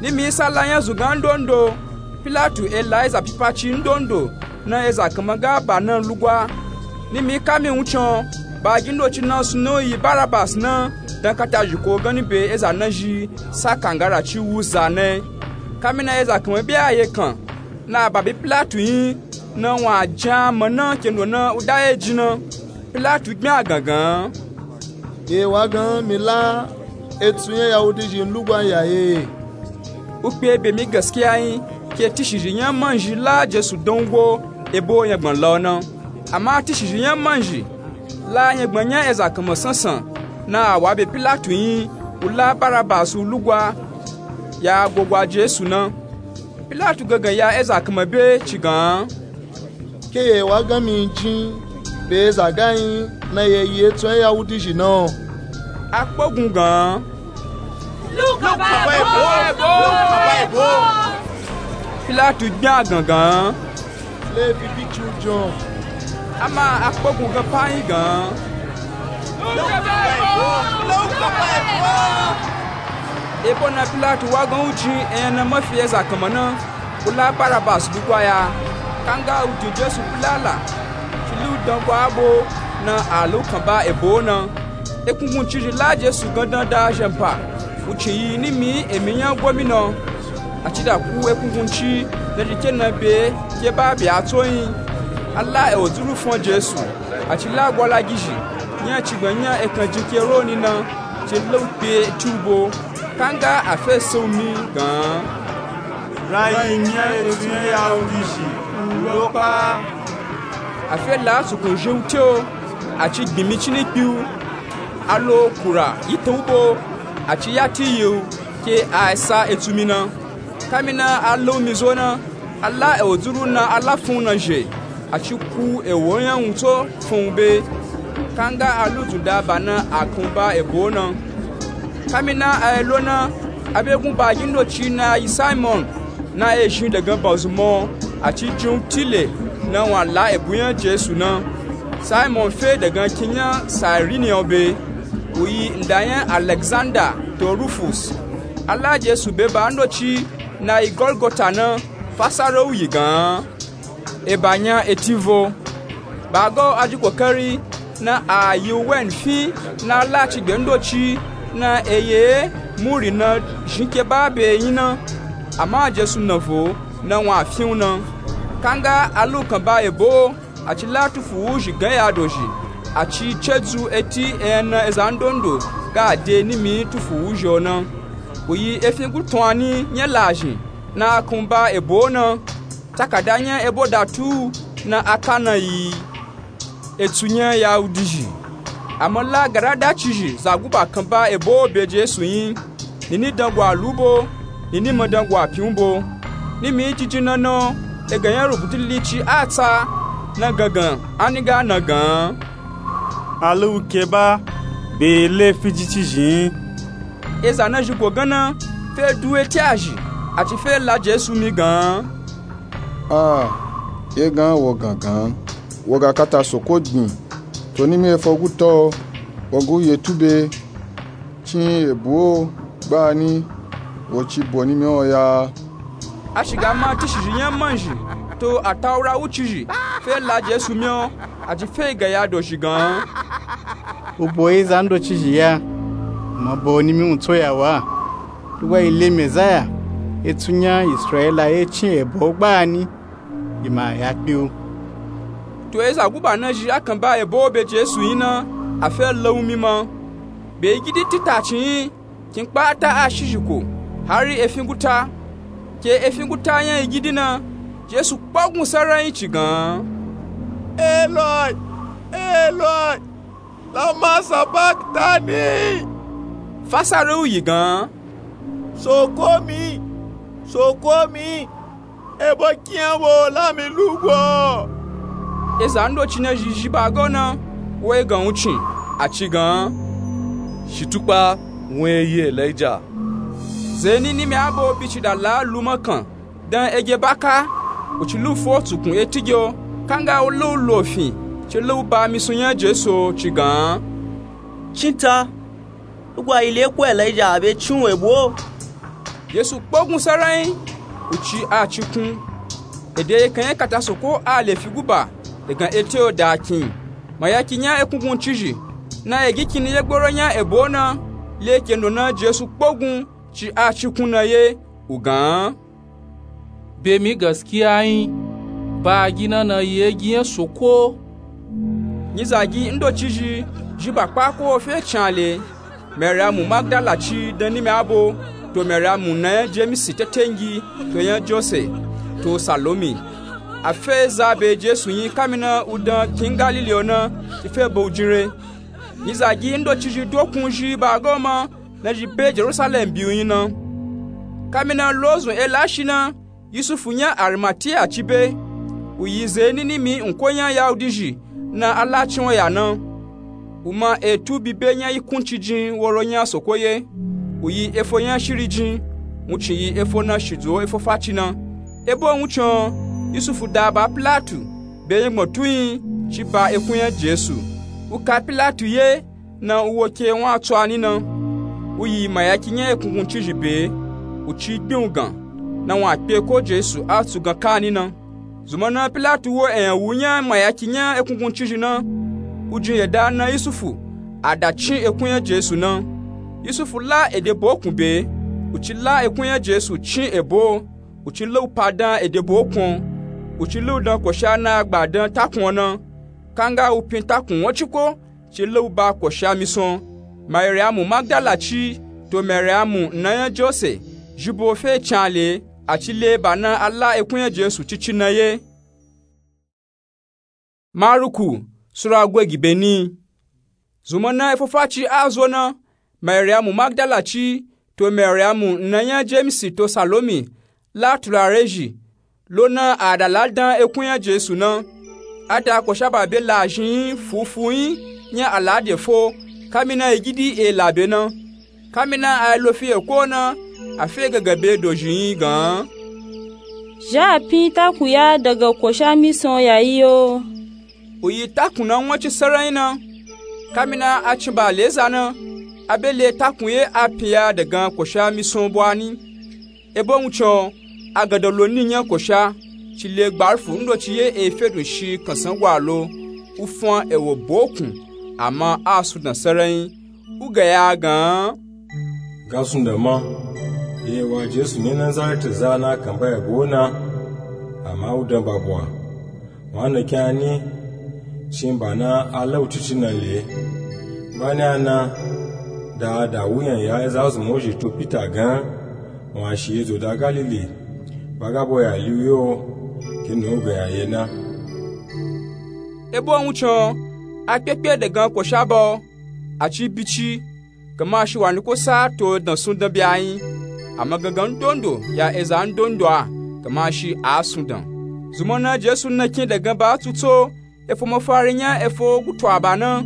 Nimi sa la nya zugan ndondo, pilatu e la eza pipaci ndondo na eza kanma ga ba na lugwa. Nimi ka mi wuncin o, ba gi ndoci na sunu yi barabas na, dan kata zhiko gani be eza na zhi sa kangara ci wu za na. Ka mi na eza kanma be a ye kan na a ba be pilatu yin, na wun a jin a ma na ke ndo na u da ye jin na. Pilatu gbin a gangan, ye wa gan mi la etsu nya yahudi zhi lugwa ya ye? U kpe be mi gaskiya yin ke tishizhi nya manzhi la jesu dan u go ebo nyagban la o na. Ama tishizhi nya manzhi la nyagban nya eza kanma sansan na a wa be pilatu yin, u la barabas u lugwa ya gogwa jesu na. Pilatu gangan ya eza kanma be ci gan, ke ye wa gan mi jin be eza ga yin na ye yi etsu nya yahudi zhi na o? A kpogun gan, lu u kan ba ebo. Pilatu gbin a gangan, le fi bi ci u jon. Ama a kpogun gan pa yin gan, lu u kan ba ebo. Ebo na pilatu wa gan u jin enya na ma fi eza kanma na, u la barabas lugwa ya. Kanga u jin jesu pilala, ci lu dan gwa abo na a lu u kan ba ebo na. Ekunguncizhi la jesu gandan da zhenpa, u cin yi nimi emi nya gomina o. A ci da ku ekungunci na zhi ke na be ke ba be a tso yin. A la ewo dzuru fun jesu, a ci la gwalagizhi nya cigban nya ekan jin ke roni na, ci la u kpe ci u bo. Kanga a fe se u mi gan, rayi nya etsu nya yahudi zhi u lo pa. A fe la sukun zhi u te o, a ci gbin mi cini kpi u. A lo kura yi tan u bo, a ci ya ti yi u ke a sa etsu mi na. Ka mi na a la u mi zo na, a la ewo dzuru na a la fun u na zhe, a ci ku ewo nya wun tso fun u be. Kanga a lu dzun da ba na a kan u ba ebo na. Ka mi na a ye lo na, a be gun ba gi ndoci na yi simon, na ye zhin dagan banzuma o, a ci jin u tile na wun a la ebu nya jesu na. Simon fe dagan kin nya sairini o be, u yi nda nya alexanda to rufus. A la jesu be ba ndoci na yi golgota na, fasara u yi gan, eba nya eti vo. Ba ga o a ji kokari na a yi u wen fin na a la cigbe ndoci na eye muri na zhin ke ba be yin na. Ama jesu na vo na wun a fin u na. Kanga a lu u kan ba ebo o, a ci la tufu wuzhi gan ya dozhi, a ci ce dzu eti enya na eza ndondo ga de nimi tufu wuzhi o na. U yi efin gutuani nya lazhin na a kan u ba ebo o na. Takada nya ebo da tu u na a ka na yi etsu nya yahudi zhi. Ama la garada cizhi zaguba kanba ebo be Jesu nyi, nini dangwa lu bo, nini ma dangwa pyin bo. Nimi jinjin na na, egan nya rubutu lili ci a tsa, na gangan a ni ga na gan, a lu ke ba, be le fiji cizhi nyi. Eza na zhi go gan na fe du eti a zhi, a ci fe la Jesu mi gan, a, ye gan wo gangan, wo ga kata soko gbin. To nimi efo guta, wo gu ye tube, cin ebo gbani, wo ci bo nimi o ya. A shiga ma tishizhi nya manzhi to ataura wu cizhi fe la Jesu mi o, a ci fe ga ya do zhi gan, u bo yi zan do cizhi ya, ma bo nimi u tso ya wa. Lugwa yi le Mezaya, etsu nya Israila ye cin ebo gbani, yi ma ya kpe u. To eza guba na zhi a kanba ebo be Jesu nyi na, a fe la u mi ma. Be yigidi tita ci nyi, kin kpata a shizhi ko, hari efin guta. Ke efin guta nya yigidi na, Jesu kpogun saranyi ci gan, Eloi, Eloi, lama sabaktani? Fasara u yi gan, Soko mi, soko mi, ebo kiyan wo la mi lu go? Eza ndoci na zhi zhi ba ga u na, wo yi gan wucin, a ci gan, shi tukpa, wun e yi Elija. Zeni nimi abo bi ci da la lu makan dan ege baka, u ci lu fo tsukun eti ge o, kanga u la u lo fin, ci la u ba misun nya Jesu o, ci gan, cinta, lugwa yi le ko Elija a be cin u ebo. Jesu kpogun saranyi, u ci a cikun. Ede ye kan ye kata soko a le fi guba, egan eti o da kin. Mayaki nya ekungun cizhi na egi kini ye gboro nya ebo na, le kendo na Jesu kpogun ci a cikun na ye, u gan, be mi gaskiya nyi, ba gi na na yi egi nya soko. Nyizagi ndoci zhi, zhi ba kpa ko fe can le, Mariamu Magdala ci dan nimi abo, to Mariamu na nya Jemisi tetengi, to nya Jose, to Salomi. A fe za be Jesu nyi kamina u dan kin Galili o na, ci fe ba u jin re. Nyizagi ndoci zhi dokun zhi ba ga u ma, na zhi be Jerusalem bi u nyi na. Kamina lozun e la shi na, Yusufu nya Arimatiya ci be, u yi zeni nimi nko nya Yahudi zhi na a la cin o ya na. U ma etu bi be nya yikun ci jin woro nya soko ye, u yi efo nya shiri jin, wuncin yi efo na shidzo efo faci na. Ebo wuncin o, Yusufu da ba Pilatu, be nya gbon tu nyi, ci ba ekun nya Jesu. U ka Pilatu ye, na u wo ke wun a tso a ni na. U yi mayaki nya ekungun cizhi be, u ci gbin u gan, na wun a kpe ko Jesu a tsu gan ka a ni na. Zunmọ na Pilatu wo eyan wu nya mayaki nya ekungun cizhi na, u jin yeda na Yusufu, a da cin ekun nya Jesu na. Yusufu la ede bo kun be, u ci la ekun nya Jesu cin ebo, u ci la u pa dan ede bo kun, u ci la u dan kosha na gba dan takun o na. Kanga u pin takun won ciko, ci la u ba kosha misan. Mariamu Magdala ci, to Mariamu na nya Jose, zhi bo fe can le, a ci le ba na a la ekun nya Jesu cici na ye. Maruku, Sura gwe gi be ni. Zunmọ na efo faci a zo na, Mariamu Magdala ci, to Mariamu na nya Jemisi to Salomi, la turare zhi, lo na a da la dan ekun nya Jesu na. A da kosha ba be la zhin fufu nyi nya alade fo, kamina yigidi e la be na. Kamina a lo fi eko na, a fe gangan be dozhi nyi gan, zha a pin takun ya daga kosha misan ya yi o. U yi takun na won ci saranyi na. Kamina a cin ba le za na, a be le takun ye a pin ya daga kosha misan bo a ni. Ebo wuncin o, a gada lo ni nya kosha, ci le gbarufu ndoci ye e fe dun shi kansan gwa lo, u fan ewo bo kun, ama a sun dan saranyi. U ga ya gan, ga sun dan ma, ye wa Jesu ni Nazareti za na kan ba ebo na, ama u dan ba bwa. Wa na kya ni, cin ba na a la u cici na le. Ba ni a na, da a da wuyan ya eza zunmọ zhi to Pita gan, wa shi ye zo da Galili, ba ga bo ya li u yo, kinu u ga ya ye na. Ebo wuncin o, a kpekpe daga kosha ba o, A ci bici, gama shi wa ni ko sa to dan sun dan bya yin. Ama gangan ndondo ya eza ndondo a, gama shi a sun dan. Zuma na jesu na kin da gan ba tuto efo mafari nya efo gutu aba na.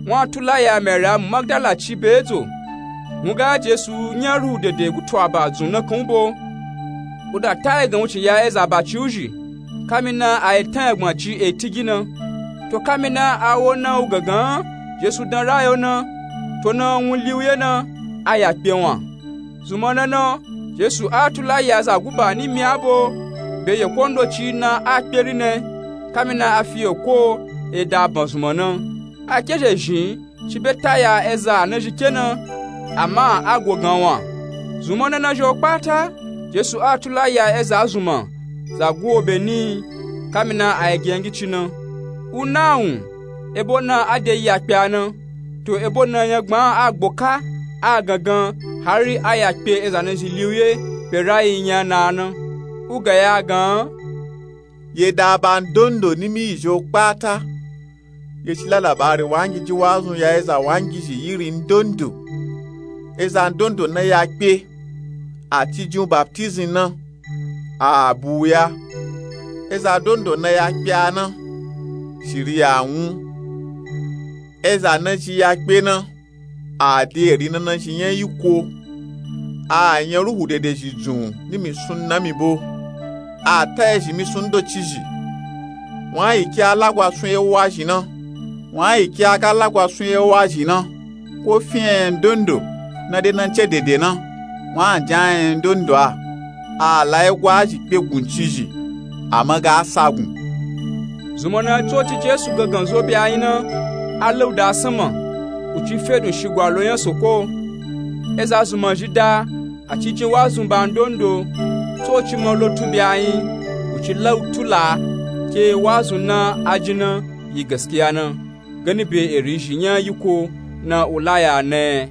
Wun a tula ya mary amu magdala ci be edzo. Wun ga jesu nya ruhu dede gutu aba dzun na kan u bo. U da ta egan wucin ya eza ba ci u zhi, kamina a yi tan egbon ci e tigi na. To kamina a wo na u gangan jesu dan rayo na, to na wun li u ye na, a ya kpe wan. Zuma na na jesu a tula ya za guba ni mi a bo, be ye kondo ci na a kpe ri ne. Kamina a fi ye ko e da ban zuma na. A ke zhe zhin ci be ta ya eza na zhi ke na, ama a go gan wan. Zuma na na zhi o kpata jesu a tula ya eza zuma za gu wo be ni. Kamina a yi gi yan gi ci na, u na wun, ebo na a de yi ya kpe a na, to ebo na yan gban a gbo ka, a gangan hari a ya kpe eza na zhi li u ye be rayi nya na a na. U ga ya gan ye da ba ndondo ni mi yi zhi o kpata. Ye ci la labari wangiji wazun ya eza wangiji yiri ndondo. Eza ndondo na ya kpe, a ci jin u baptizin na, a bu u ya. Eza ndondo na ya kpe a na, shiri ya wun. Eza na ci ya kpe na, a de eri na na zhi nya yi ko. A nya ruhu dede zhi dzun ni mi sun na mi bo. A ta ezhi mi sun ndo ci zhi. Wun a yi ke a lagwa sun ye wa zhi na. Wun a yi ke a ga lagwa sun ye wa zhi na, ko fin enya ndondo na de na ce dede na, wun a jan enya ndondo a. A la ye gwa zhi kpe gun ci zhi, ama ga sa gun. Zuma na tsoci jesu gangan zo be a yin na, a lauda a sama, u ci fe dun shigwa lo nya soko. Eza zuma zhi da, a ci jin wazun ba ndondo. Tsoci ma lo tu be a yin, u ci lau tula ke wazun na a jin na yi gaskiya na, gani be eri zhi nya yi ko na u la ya ne.